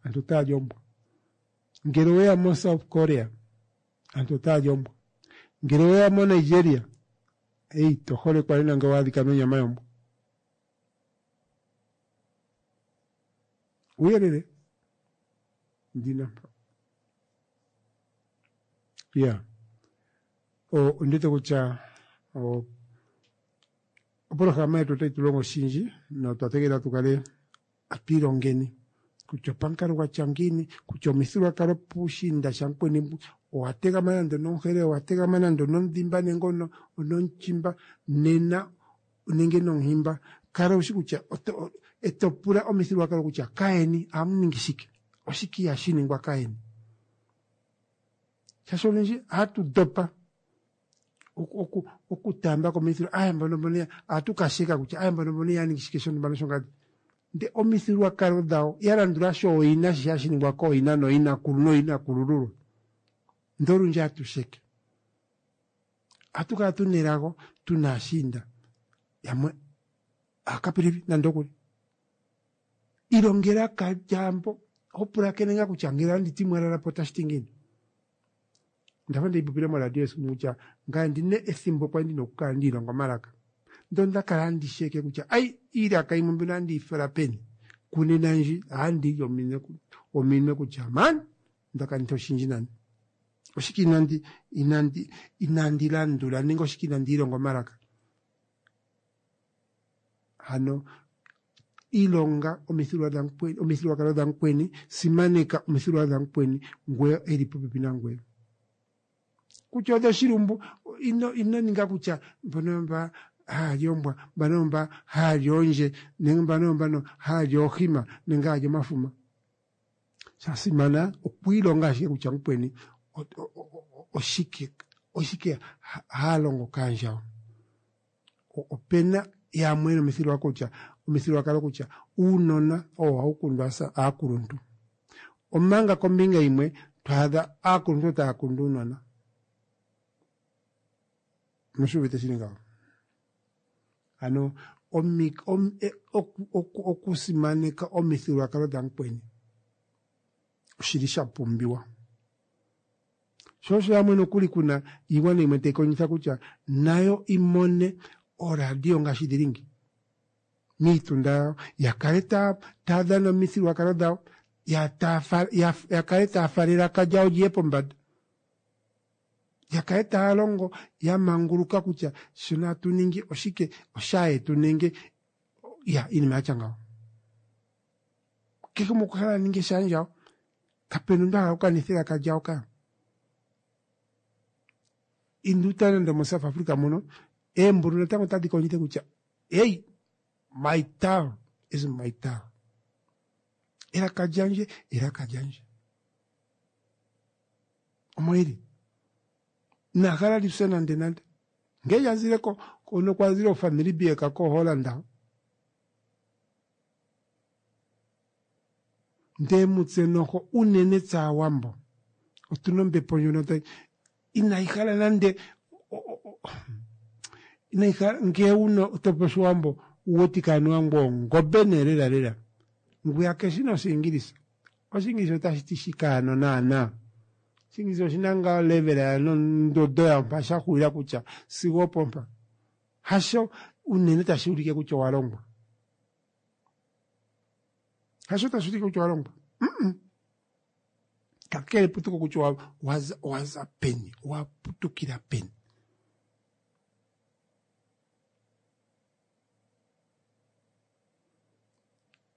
A: aantu otaya li oombwa ngele oweya moSouth Korea aantu otaya li oombwa ngele oweya moNigeria ei to holekwa nena ngele owa adhika nonyama yombwa uuyelele ndina mpa ya ondiwete kutya opolohalama yetu otayi tu longo oshindji notwa tegelela tu kale atu ilongeni kutya opamukalo gwatya ngiini kutya omithigululwakalo puushiinda shamukweni owa tegama nande onomuherero owa tegama nande onomudhimba nenge onomuchimba nena nenge nomuhimba kala ushi kutya eto pula omithigululwakalo kutya kaeni ohamu ningi shike oshike ihashi ningwa kaeni shaashi olundji ohatu dopa okutaamba ko omithigululwakalo aya mbono mbono ohatu ka sheka kutya aya mbono mbono ihaya ningi shike shontumba noshongadi ndee omithigululwakalo dhawo ya landula sho ooyina shi hashi ningwa kooyina nooyinakulu nooyinakulululwa ndee olundji ohatu sheke ohatu kala tuna elago tuna aashiinda yamwe aakapilivi nande okuli ilonga elaka lyaambo ho pulakene ngaa kutya ngele anditi mwalala po otashi ti ngiini ndafa ndeyi popile moradio esiku limwe kutya ngaye ondina ethimbo kwali ndina okukala ndiilonga omalaka ndee onda kala handi sheke kutya ai iilaka yimwe mbino ohandi yi fala peni kunena ndji ohandi li ominwe kutya man onda kanitha oshindji nani oshike inandi inandi inandi landula nenge oshike inandi ilonga omalaka hano ilonga omithigululwakalo dhamukweni simaneka omithigululwakalo dhamukweni ngweye eli popepi nangweye kutya odhoshilumbu ino ino ninga kutya mbono mba haya li ombwa mbano mba haya li oondje nenge mbano mbano haya li oohima nenge haya li omafuma shasimana okwiilonga ashike kutya mukweni oshike oshike haalongo kaandjawo opena yamwe yena kutya omithigululwakalo kutya uunona owo hawu kundwa aakuluntu omanga kombinga yimwe twaadha aakuluntu taya kundu uunona mushuuvite shili ngawo ano okusimaneka omithigululwakalo dhamukweni oshili sha pumbiwa sho osho yamwe nokuli kuna iigwana yimwe tayi kondjitha kutya nayo imone oradio ngaashi dhili ngi miitunda yawo yakale taya dhana omithigululwakalo dhawo yakale taya fala elaka lyawo liye pombanda yakale taya longo ya manguluka kutya shono hatu ningi oshike oshayetu nenge ya iinima yatya ngawo kehe gumwe okwa hala aninge shaandjawo kapena omuntu ahala okukanitha elaka lyawo ka indu tale nande omoSouth Africa muno eembulu natango otadhi kondjitha kutya hey my town is my town elaka lyandje elaka lyandje omo ili inahala lifye nande nande ngee lyazile hono kwazile ofamily bieka koHolland ndee mutse noho unene tse aawambo otuna ombepo ndjono tayi inayi hala nande inayi hala ngee una topopi oshiwambo uwetike anuwa ngweye ongobe nee lela lela ngwiya keshi noshiingilisa oshiingilisa otashi ti shike ano naana Oshingilisa oshina ngaa olevel yayo nondodo yayo mpa sha xulila kutya sigo opo mpa. Hasho unene tashi ulike kutya owa longwa. Hasho tashi ulike kutya owa longwa. Mm-mm. Kakele eputuko kutya owa- owaza owaza peni, owa putukila peni.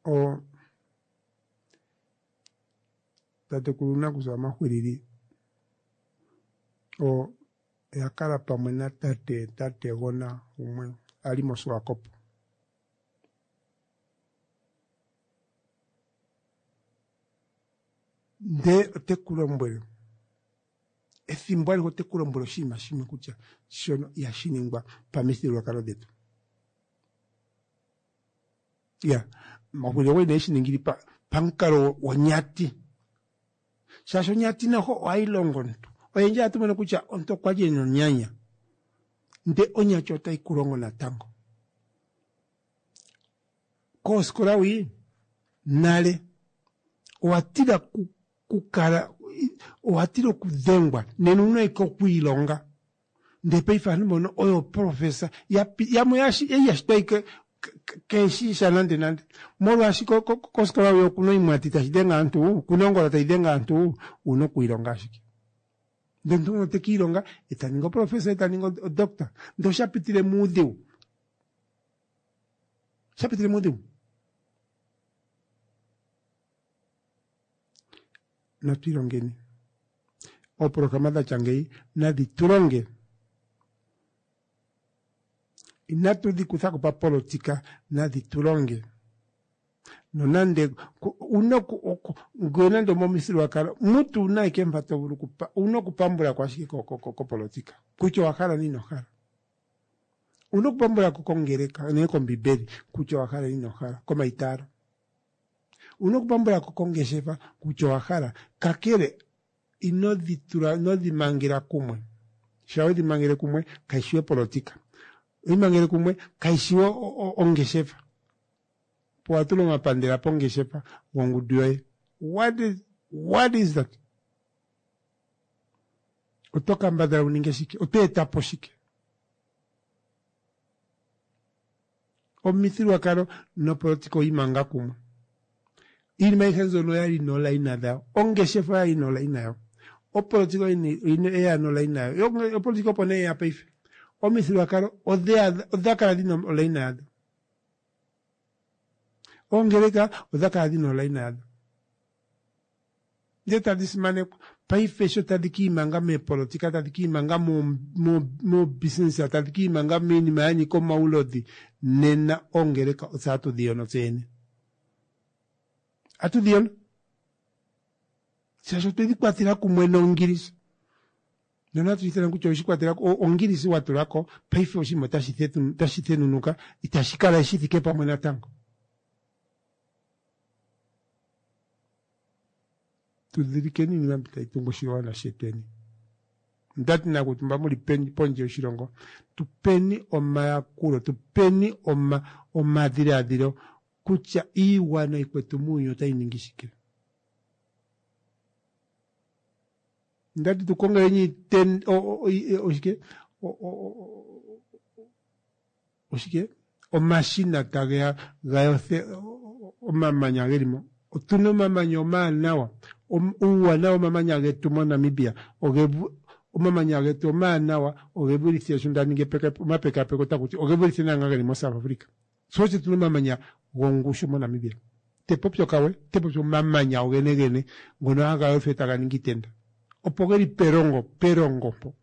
A: O tatekulu nakusa Maxwilili o oya kala pamwe natate tategona umwe ali moSwakopo. Ndee ote ku lombwele efimbo alihe ote ku lombwele oshinima shimwe kutya shono ihashi ningwa pamifyuululwakalo detu. Ya, Maxwilili okwali nee eshiningili pamukalo wonyati shaashi onyati noho ohayi longo omuntu. Oyendji ohatu mono kutya omuntu okwali ena onyanya ndee onyati otayi ku longo natango. Kooskola wii nale owa tila kukala owa tila okudengwa nena ouna ashike okwiilonga ndee paife ovanhu mbono oyo professor yamwe ei yashitwa ashike keeshiisha nande nande molwaashi kofikola oyo okuna oimwati tashi denge ovanhu okuna ongola tai denge ovanhu ouna okwiilonga ashike. Ndee omunhu ngono tekiilonga etaningi oprofessor etaningi odoctor ndee oshapitile moudhigu oshapitile moudhigu. Natu ilongeni ooprograma datya ngeyi nadi tulonge inatu dhi kuthako papolitika nadhi tulonge nonande una ngee nande omomifyuululwakalo mutu ouna ashike mpa tovulu ouna okupambulako ashike kopolitika kutya owahala ile inohala. Ouna okupambulako kongeleka nenge kombibeli kutya owahala ile inohala komaitaalo. Ouna okupambulako kongeshefa kutya owahala kakele ino ditula ino dimangela kumwe shaa wedhi mangele kumwe kaishi we opolitika oimangele kumwe kaishi we ongeshefa. Opo watula omapandela pongeshefa gongudu yoye. What is, what is that? Oto kambadhala wu ninge shike? Oto etapo shike? Omithigululwakalo nopolitika oyiimanga kumwe. Iinima ayihe mbyono oyali noolaina dhayo. Ongeshefa oyali nolaina yayo. Opolitika oyeya nolaina yayo. Opolitika opo nee yeya paife. Omithigululwakalo odha kala dhina olaina yadho. Oongeleka odha kala dhina olaina yadho. Ndee tadhi simanekwa. Paife sho tadhi kiimanga meepolitika, tadhi kiimanga moobusiness, tadhi kiimanga miinima ya nyika omaulodhi, nena oongeleka otse hatu dhi yono tse yene. Ohatu dhi yono. Shaashi otwedhi kwatela kumwe nongilisa. Nonatu ithana kutya oweshi kwatela ongilisi wa tulako, paife oshinima otashi thenunuka, itashi kala shi thike pamwe natango. Tudhilikeni iinima mbi tayi tungu oshigwana shetweni. Ndati nakutumba muli pondje yoshilongo, tupeni omayakulo, tupeni oma omadhiladhilo kutya iigwana ikwetu muuyuni otayi ningi shike. Ndati tukongeleni oshike oshike omashina tageya ga yothe omamanya gelimo. Otuna omamanya omawanawa. Uuwanawa womamanya getu moNamibia omamanya getu omawanawa oge vulithe sho nda ningi omapekapeko otakuti oge vulithe naanga geli moSouth Africa. Sho osho tuna omamanya gongushu moNamibia. Te popi okawe, te popi omamanya ogenegene ngono haga yothwa taga ningi iitenda. Opo geli perongo, perongo mpo.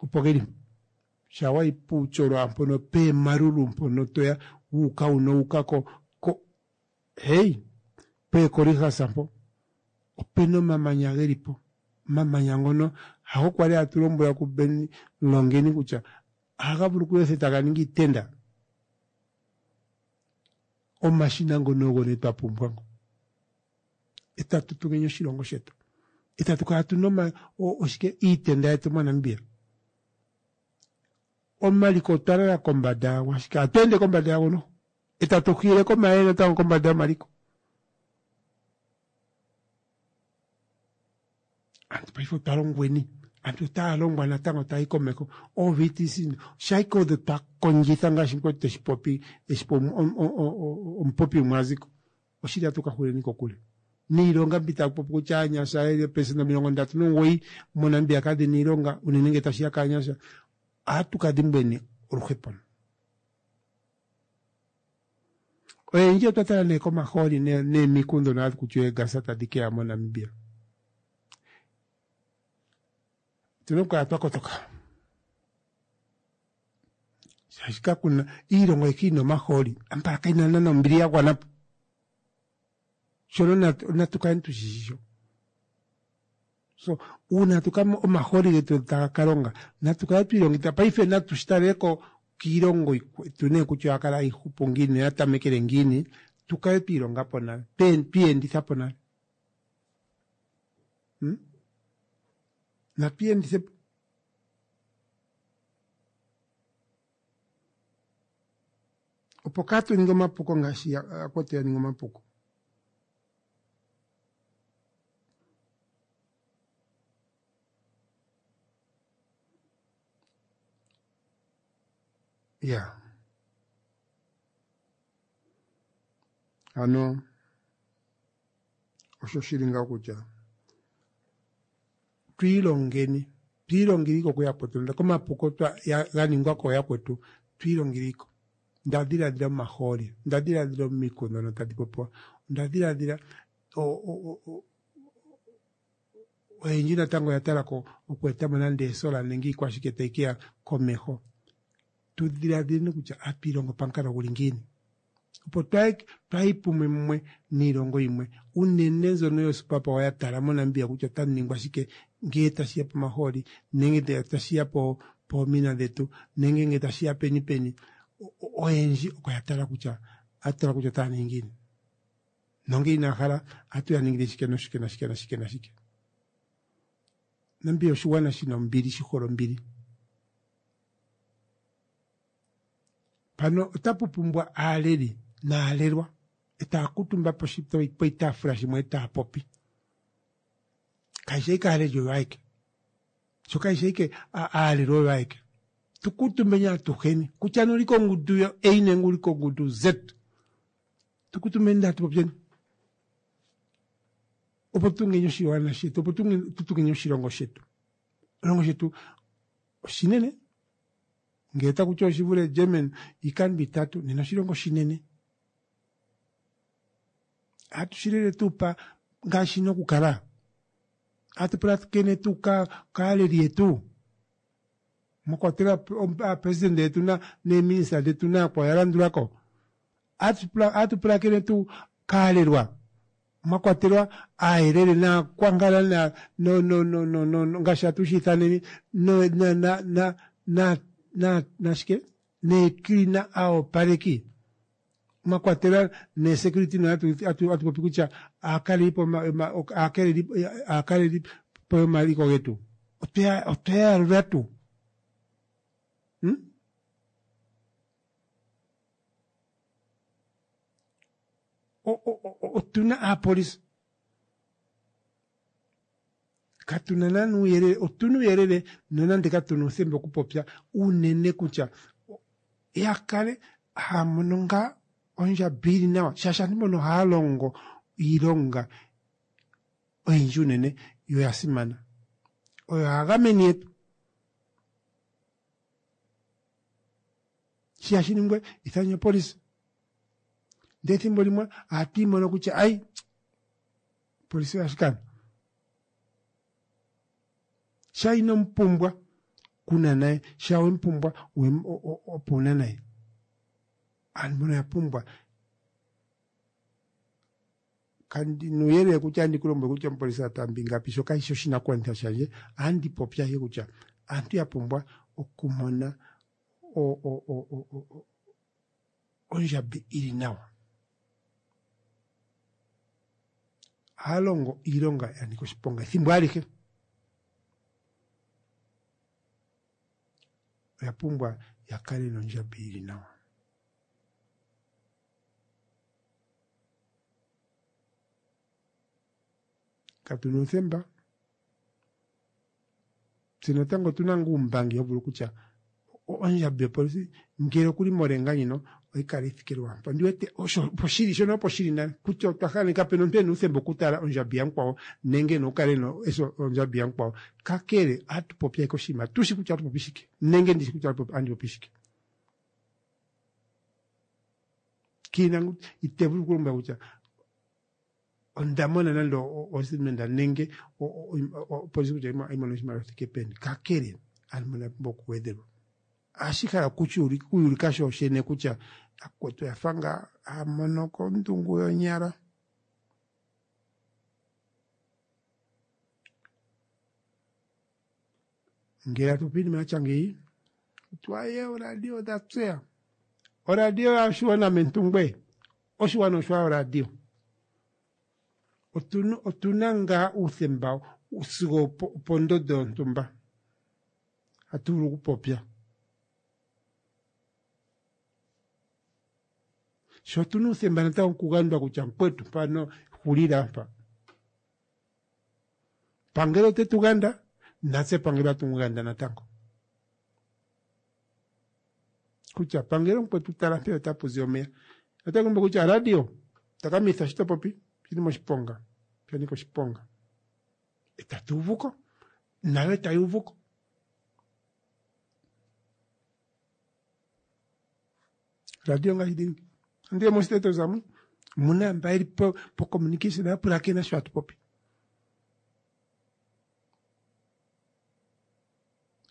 A: Opo geli shaa wayi puutjolwa mpono peemaruru mpono toya wuuka wuno wuuka ko ko hey peekorihas mpo opena omamanya geli po. Omamanya ngono hago kwali hatu lombwelwa kuBen Longeni kutya ohaga vulu okuyothwa taga ningi iitenda. Omashina ngono ogo nee twa pumbwa ngo. Etatu tungeni oshilongo shetu. Etatu kala tuna oshike iitenda yetu moNamibia. Omaliko otwa lala kombada yago ashike ohatu ende kombada yago noho. Etatu hiile komayele natango kombada yomaliko. Aantu paife otwa longweni, aantu otaya longwa natango taya yi komeho. Oo-V T C shaike odho twa kondjitha ngaashi mukwetu teshi popi, eshi po omupopi umwe a ziko. Oshili atu ka huleni kokule. Niilonga mbi taku popi kutya aanyasha yeli oopelesenda omilongo ndatu nomugoyi moNamibia kadhi na iilonga unene ngele tashi ya kaanyasha, ohatu ka dhimbweni oluhepo. Oyendji otwa tala nee komahooli neemiku ndhono hadhi kutya eegasa tadhi keya moNamibia. Otuna okukala twa kotoka. Shaashi kakuna iilongo ayihe ina omahooli, ambala kaina naana ombili ya gwana po. Shono natu kaleni tushishi sho. So uuna tuka omahooli getu taga ka longa, natu kale twiilongekidha paife natu shi taleleko kiilongo ikwetu nee kutya oya kala hayi hupu ngiini noya tamekele ngiini, tu kale twiilonga po nale, twiiyenditha po nale. Hmm? Natu iyendithe po. Opo kaatu ninge omapuko ngaashi yakwetu ya ninga omapuko. Ya. Ano osho shili ngawo kutya twiilongeni, twiilongeliko kuyakwetu, komapuko ga ningwa kooyakwetu, twiilongeliko. Nda dhiladhila omahooli, nda dhiladhila omiku ndhono tadhi popiwa, onda dhiladhila oyendji natango oya tala ko okweeta mo nande eesola nenge iikwashike tayi keya komeho. Tu dhiladhileni kutya ohatu ilongo pamukalo guli ngiini opo twaayi pumwe mumwe niilongo yimwe unene mbyono yosuperpower ya tala moNamibia kutya otamu ningwa shike ngele tashi ya pomahooli nenge ngele tashi ya poomina dhetu nenge ngele tashi ya peni peni. Oyendji oko ya tala kutya ohatu tala kutya otaya ningi ngiini nongele inaya hala ohatu ya ningile shike noshike nashike nashike nashike. Namibia oshigwana shina ombili, shi hole ombili. Pano otapu pumbwa aaleli naalelwa etaya kuutumba poshitaafula shimwe etaya popi. Kayishi ashike aaleli oyo ayeke, sho kayishi ashike aalelwa oyo ayeke. Tu kuutumbeni atuheni kutya nee uli kongundu yo A nenge uli kongundu Z, tu kuutumbeni ndele tatu popyeni opo tu tungeni oshigwana shetu, opo tu tungeni oshilongo shetu. Oshilongo shetu oshinene, ngele otaku tiwa oshi vule German iikando itatu, nena oshilongo oshinene. Ohatu shi lele tuu pa ngaashi shina okukala? Ohatu pulakene tuu kaaleli yetu, mwa kwatelwa aapresidente yetu neeminista dhetu nayakwawo ya landulako? Ohatu pulakene tuu kaalelwa, mwa kwatelwa aayelele naakwankala ngaashi hatu shi ithaneni nashike neecleaner aaopaleki, mwa kwatelwa neesecurity nohatu popi kutya aakalelipo yomaliko getu. Otweya yalula tuu? Otuna aapolisi, katuna naana uuyelele, otuna uuyelele nonande katuna uuthemba okupopya unene kutya ya kale haya mono ngaa ondjambi ili nawa, shaashi aantu mbono ohaya longo iilonga oyindji unene yo oya simana, oyo aagameni yetu. Shi hashi ningwe ithanye opolisi, ndele ethimbo limwe ohatu imono kutya ayi opolisi oya shikana, sha ino mupumbwa kuna naye, sha wemupumbwa opo una naye. Aantu mbono oya pumbwa kandi nuuyelele kutya andi ku lombwele kutya omupolisi a taamba ingapi, sho kashi shi oshinakugwanithwa shandje. Ohandi popi ashike kutya aantu ya pumbwa okumona ondjambi ili nawa. Ohaya longo iilonga ya nika oshiponga ethimbo alihe. Oya pumbwa ya kale nondjambi ili nawa. Katu na uuthemba Tse natango otuna ngaa uumbangi ho vulu kutya ondjambi yopolisi ngele okuli morenga ndjino oyi kala ithike lwaampo. Ondi wete osho opo shili shono opo shili nale kutya otwa hala kapena omuntu ena uuthemba okutala ondjambi yamukwawo nenge ena okukala ena eso ondjambi yamukwawo. Kakele ohatu popi ashike oshinima tushi kutya ohatu popi shike nenge ndishi kutya andi popi shike. Kiina ite vulu okulombwela kutya onda mona nande ostatement nenge opolisi kutya oyi mona oshimaliwa shithike peni. Kakele aantu mbono oya pumbwa okugwedhelwa. Ohashi hala okuyulika sho shene kutya akwetu oya fa ngaa haya mono kondungu yonyala. Ngele atu popi iinima yatya ngeyi, twaye oradio odha tseya. Oradio yoshiwana mentungwe, oshiwana osho oradio. Otuna, otuna ngaa uuthemba sigo opondondo yontumba hatu vulu okupopya. Sho otuna uuthemba natango okugandwa kutya mukwetu mpano hulila mpa. Pangelo ote tu ganda, natse pangelo atu mu ganda natango. Kutya pangelo mukwetu tala mpeya otapu zi omeya. Otaku lombwele kutya radio takamitha shi to popi shili moshiponga, sha nika oshiponga. Etatu uvuko, nayo etayi uvuko. Radio ngaashi dhili andiye mostate zamu muna mba yeli po, po communication ya pulakena sho hatu popi.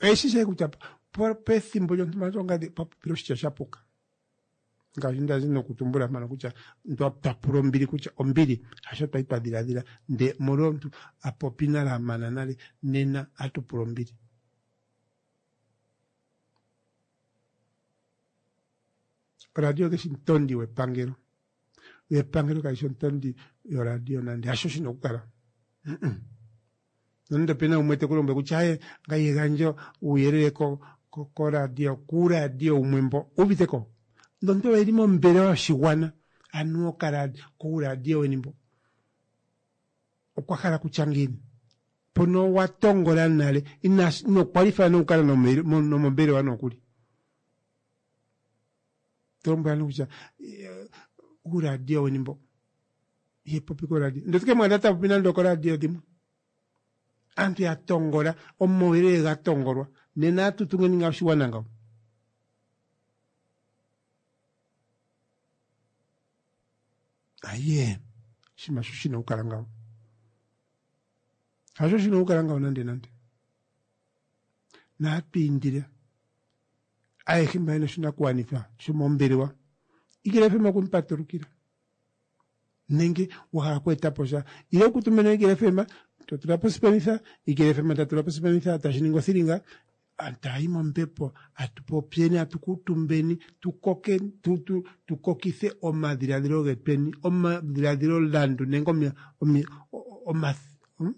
A: Oyeshi shi kutya pethimbo lyontumba ongadhi pwa popile oshitya sha puka. Ngaashi ndazi nokutumbula mpano kutya twa pula ombili kutya ombili hasho twali twa dhiladhila nde molwa omuntu a popi nale a mana nale nena atu pula ombili. Oradio keshi omutondi wepangelo. Epangelo kali shi omutondi yoradio nande hasho shina okukala. Nonande opena umwe te ku lombwele kutya aye ngaye gandja uuyelele ko koradio kuuradio umwe mbo uviteko. Nonande oyeli mombelewa yoshigwana anuwa okaradio kuuradio weni mbo okwa hala kutya ngiini mpono wa tongola nale ina ino kwalify nokukala nomombelewa nokuli. To lombwela kutya uuradio weni mbo ye popi koradio ndele ke mwana ta popi nande okoradio dhimwe. Aantu ya tongola omauyelele ga tongolwa nena atu tungeni ngaa oshigwana ngawo. Aye, oshinima sho shina okukala ngawo. Hasho shina okukala ngawo nande nande. Natu indile ayehe mba yena oshinakugwanithwa shomombelewa Eagle F M okumupatulukila nenge wa hala okweeta po sha ile okutumena Eagle F M to tula po sipenitha Eagle F M ta tula po sipenitha tashi ningi othilinga tayi mombepo atu popyeni atu kuutumbeni tukoke tu, tu, tukokithe omadhiladhilo getweni omadhiladhilo landu nenge omi, omi, oma, hmm?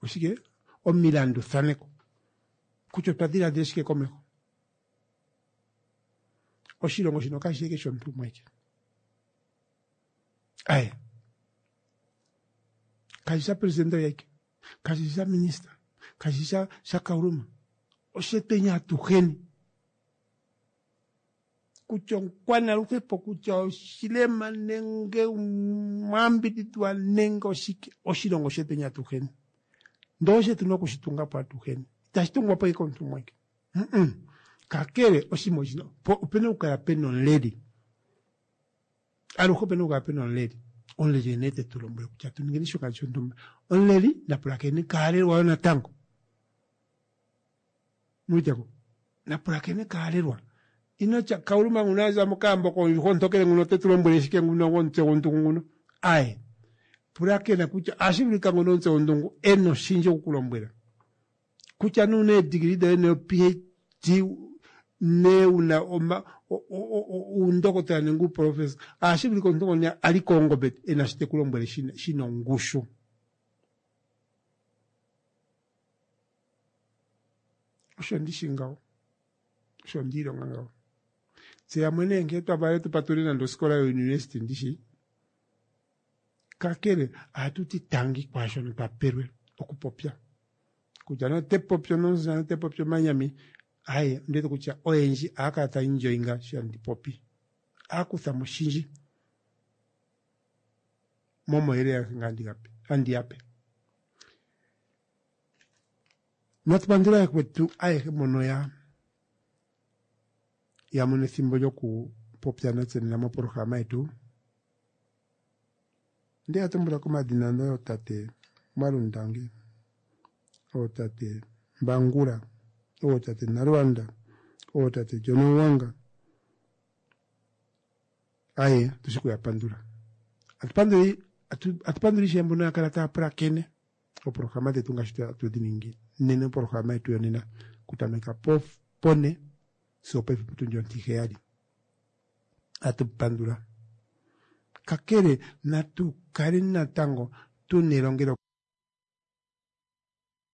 A: Oshike omilanduthaneko kutya otwa dhiladhila shike komeho. Oshilongo shino kashi shi shomuntu umwe eke. Aye, kashi sha presidente yeke, kashi sha minista, kashi sha sha Kauluma. Oshetweni atuheni kutya omukwanaluhepo kutya oshilema nenge omwambidhidhwa nenge oshike, oshilongo shetweni atuheni ndoo shetu nokushitunga po atuheni. Itashi tungwa po ike komuntu umwe eke. Kakele oshinima oshino opena okukala pena omuleli. Aluhe opena okukala pena omuleli. Omuleli ene te tu lombwele kutya tu ningeni shoka shontumba. Omuleli napulakene kaalelwa yo natango. Mwiteko napulakene kaalelwa. Ino tya Kauluma nguno aza mokaambo kondjuhwa ontokele nguno te tu lombwele shike nguno gwomutse gwondungu nguno. Aye, pulakena kutya ohashi vulika ngono omutse gwondungu ena oshindji okukulombwela. Kutya nuuna eedigili dhoye ne P H D ne una oma uundokotola nenge uuprofesa, ohashi vulika omuntu ngono a li koongombe ena shi te ku lombwele shina ongushu. Osho ndishi ngawo, osho ndiilonga ngawo. Tse yamwe nee ngele twa valele tu patulule nande osikola youniversity ndishi, kakele ohatu ti tangi kwaashono twa pelwe okupopya. Kutya nee ote popi onomusamane ote popi omanyami aye ondiwete kutya oyendji ohaya kala taya enjoyinga eshi handi popi. Ohaya kutha mo oshindji momauyelele agehe nga handi gape handi yape. Natu pandule yakwetu ayehe mbono ya ya mono ethimbo lyokupopya natse nena mopolohalama yetu. Nde ya tumbula komadhina ootate Mwalundange, ootate Mbangula, ootate Nalwanda, ootate John Owanga. Aye, tushi kuya pandula. Atupanduli atupanduli ishewe mbono ya kala taya pulakene oopolohalama dhetu ngaashi tatu dhi ningi nena opolohalama yetu yonena kutameka po pone sigo paife potundi ontiheyali. Atu pandula. Kakele natu kale natango tuna elongelo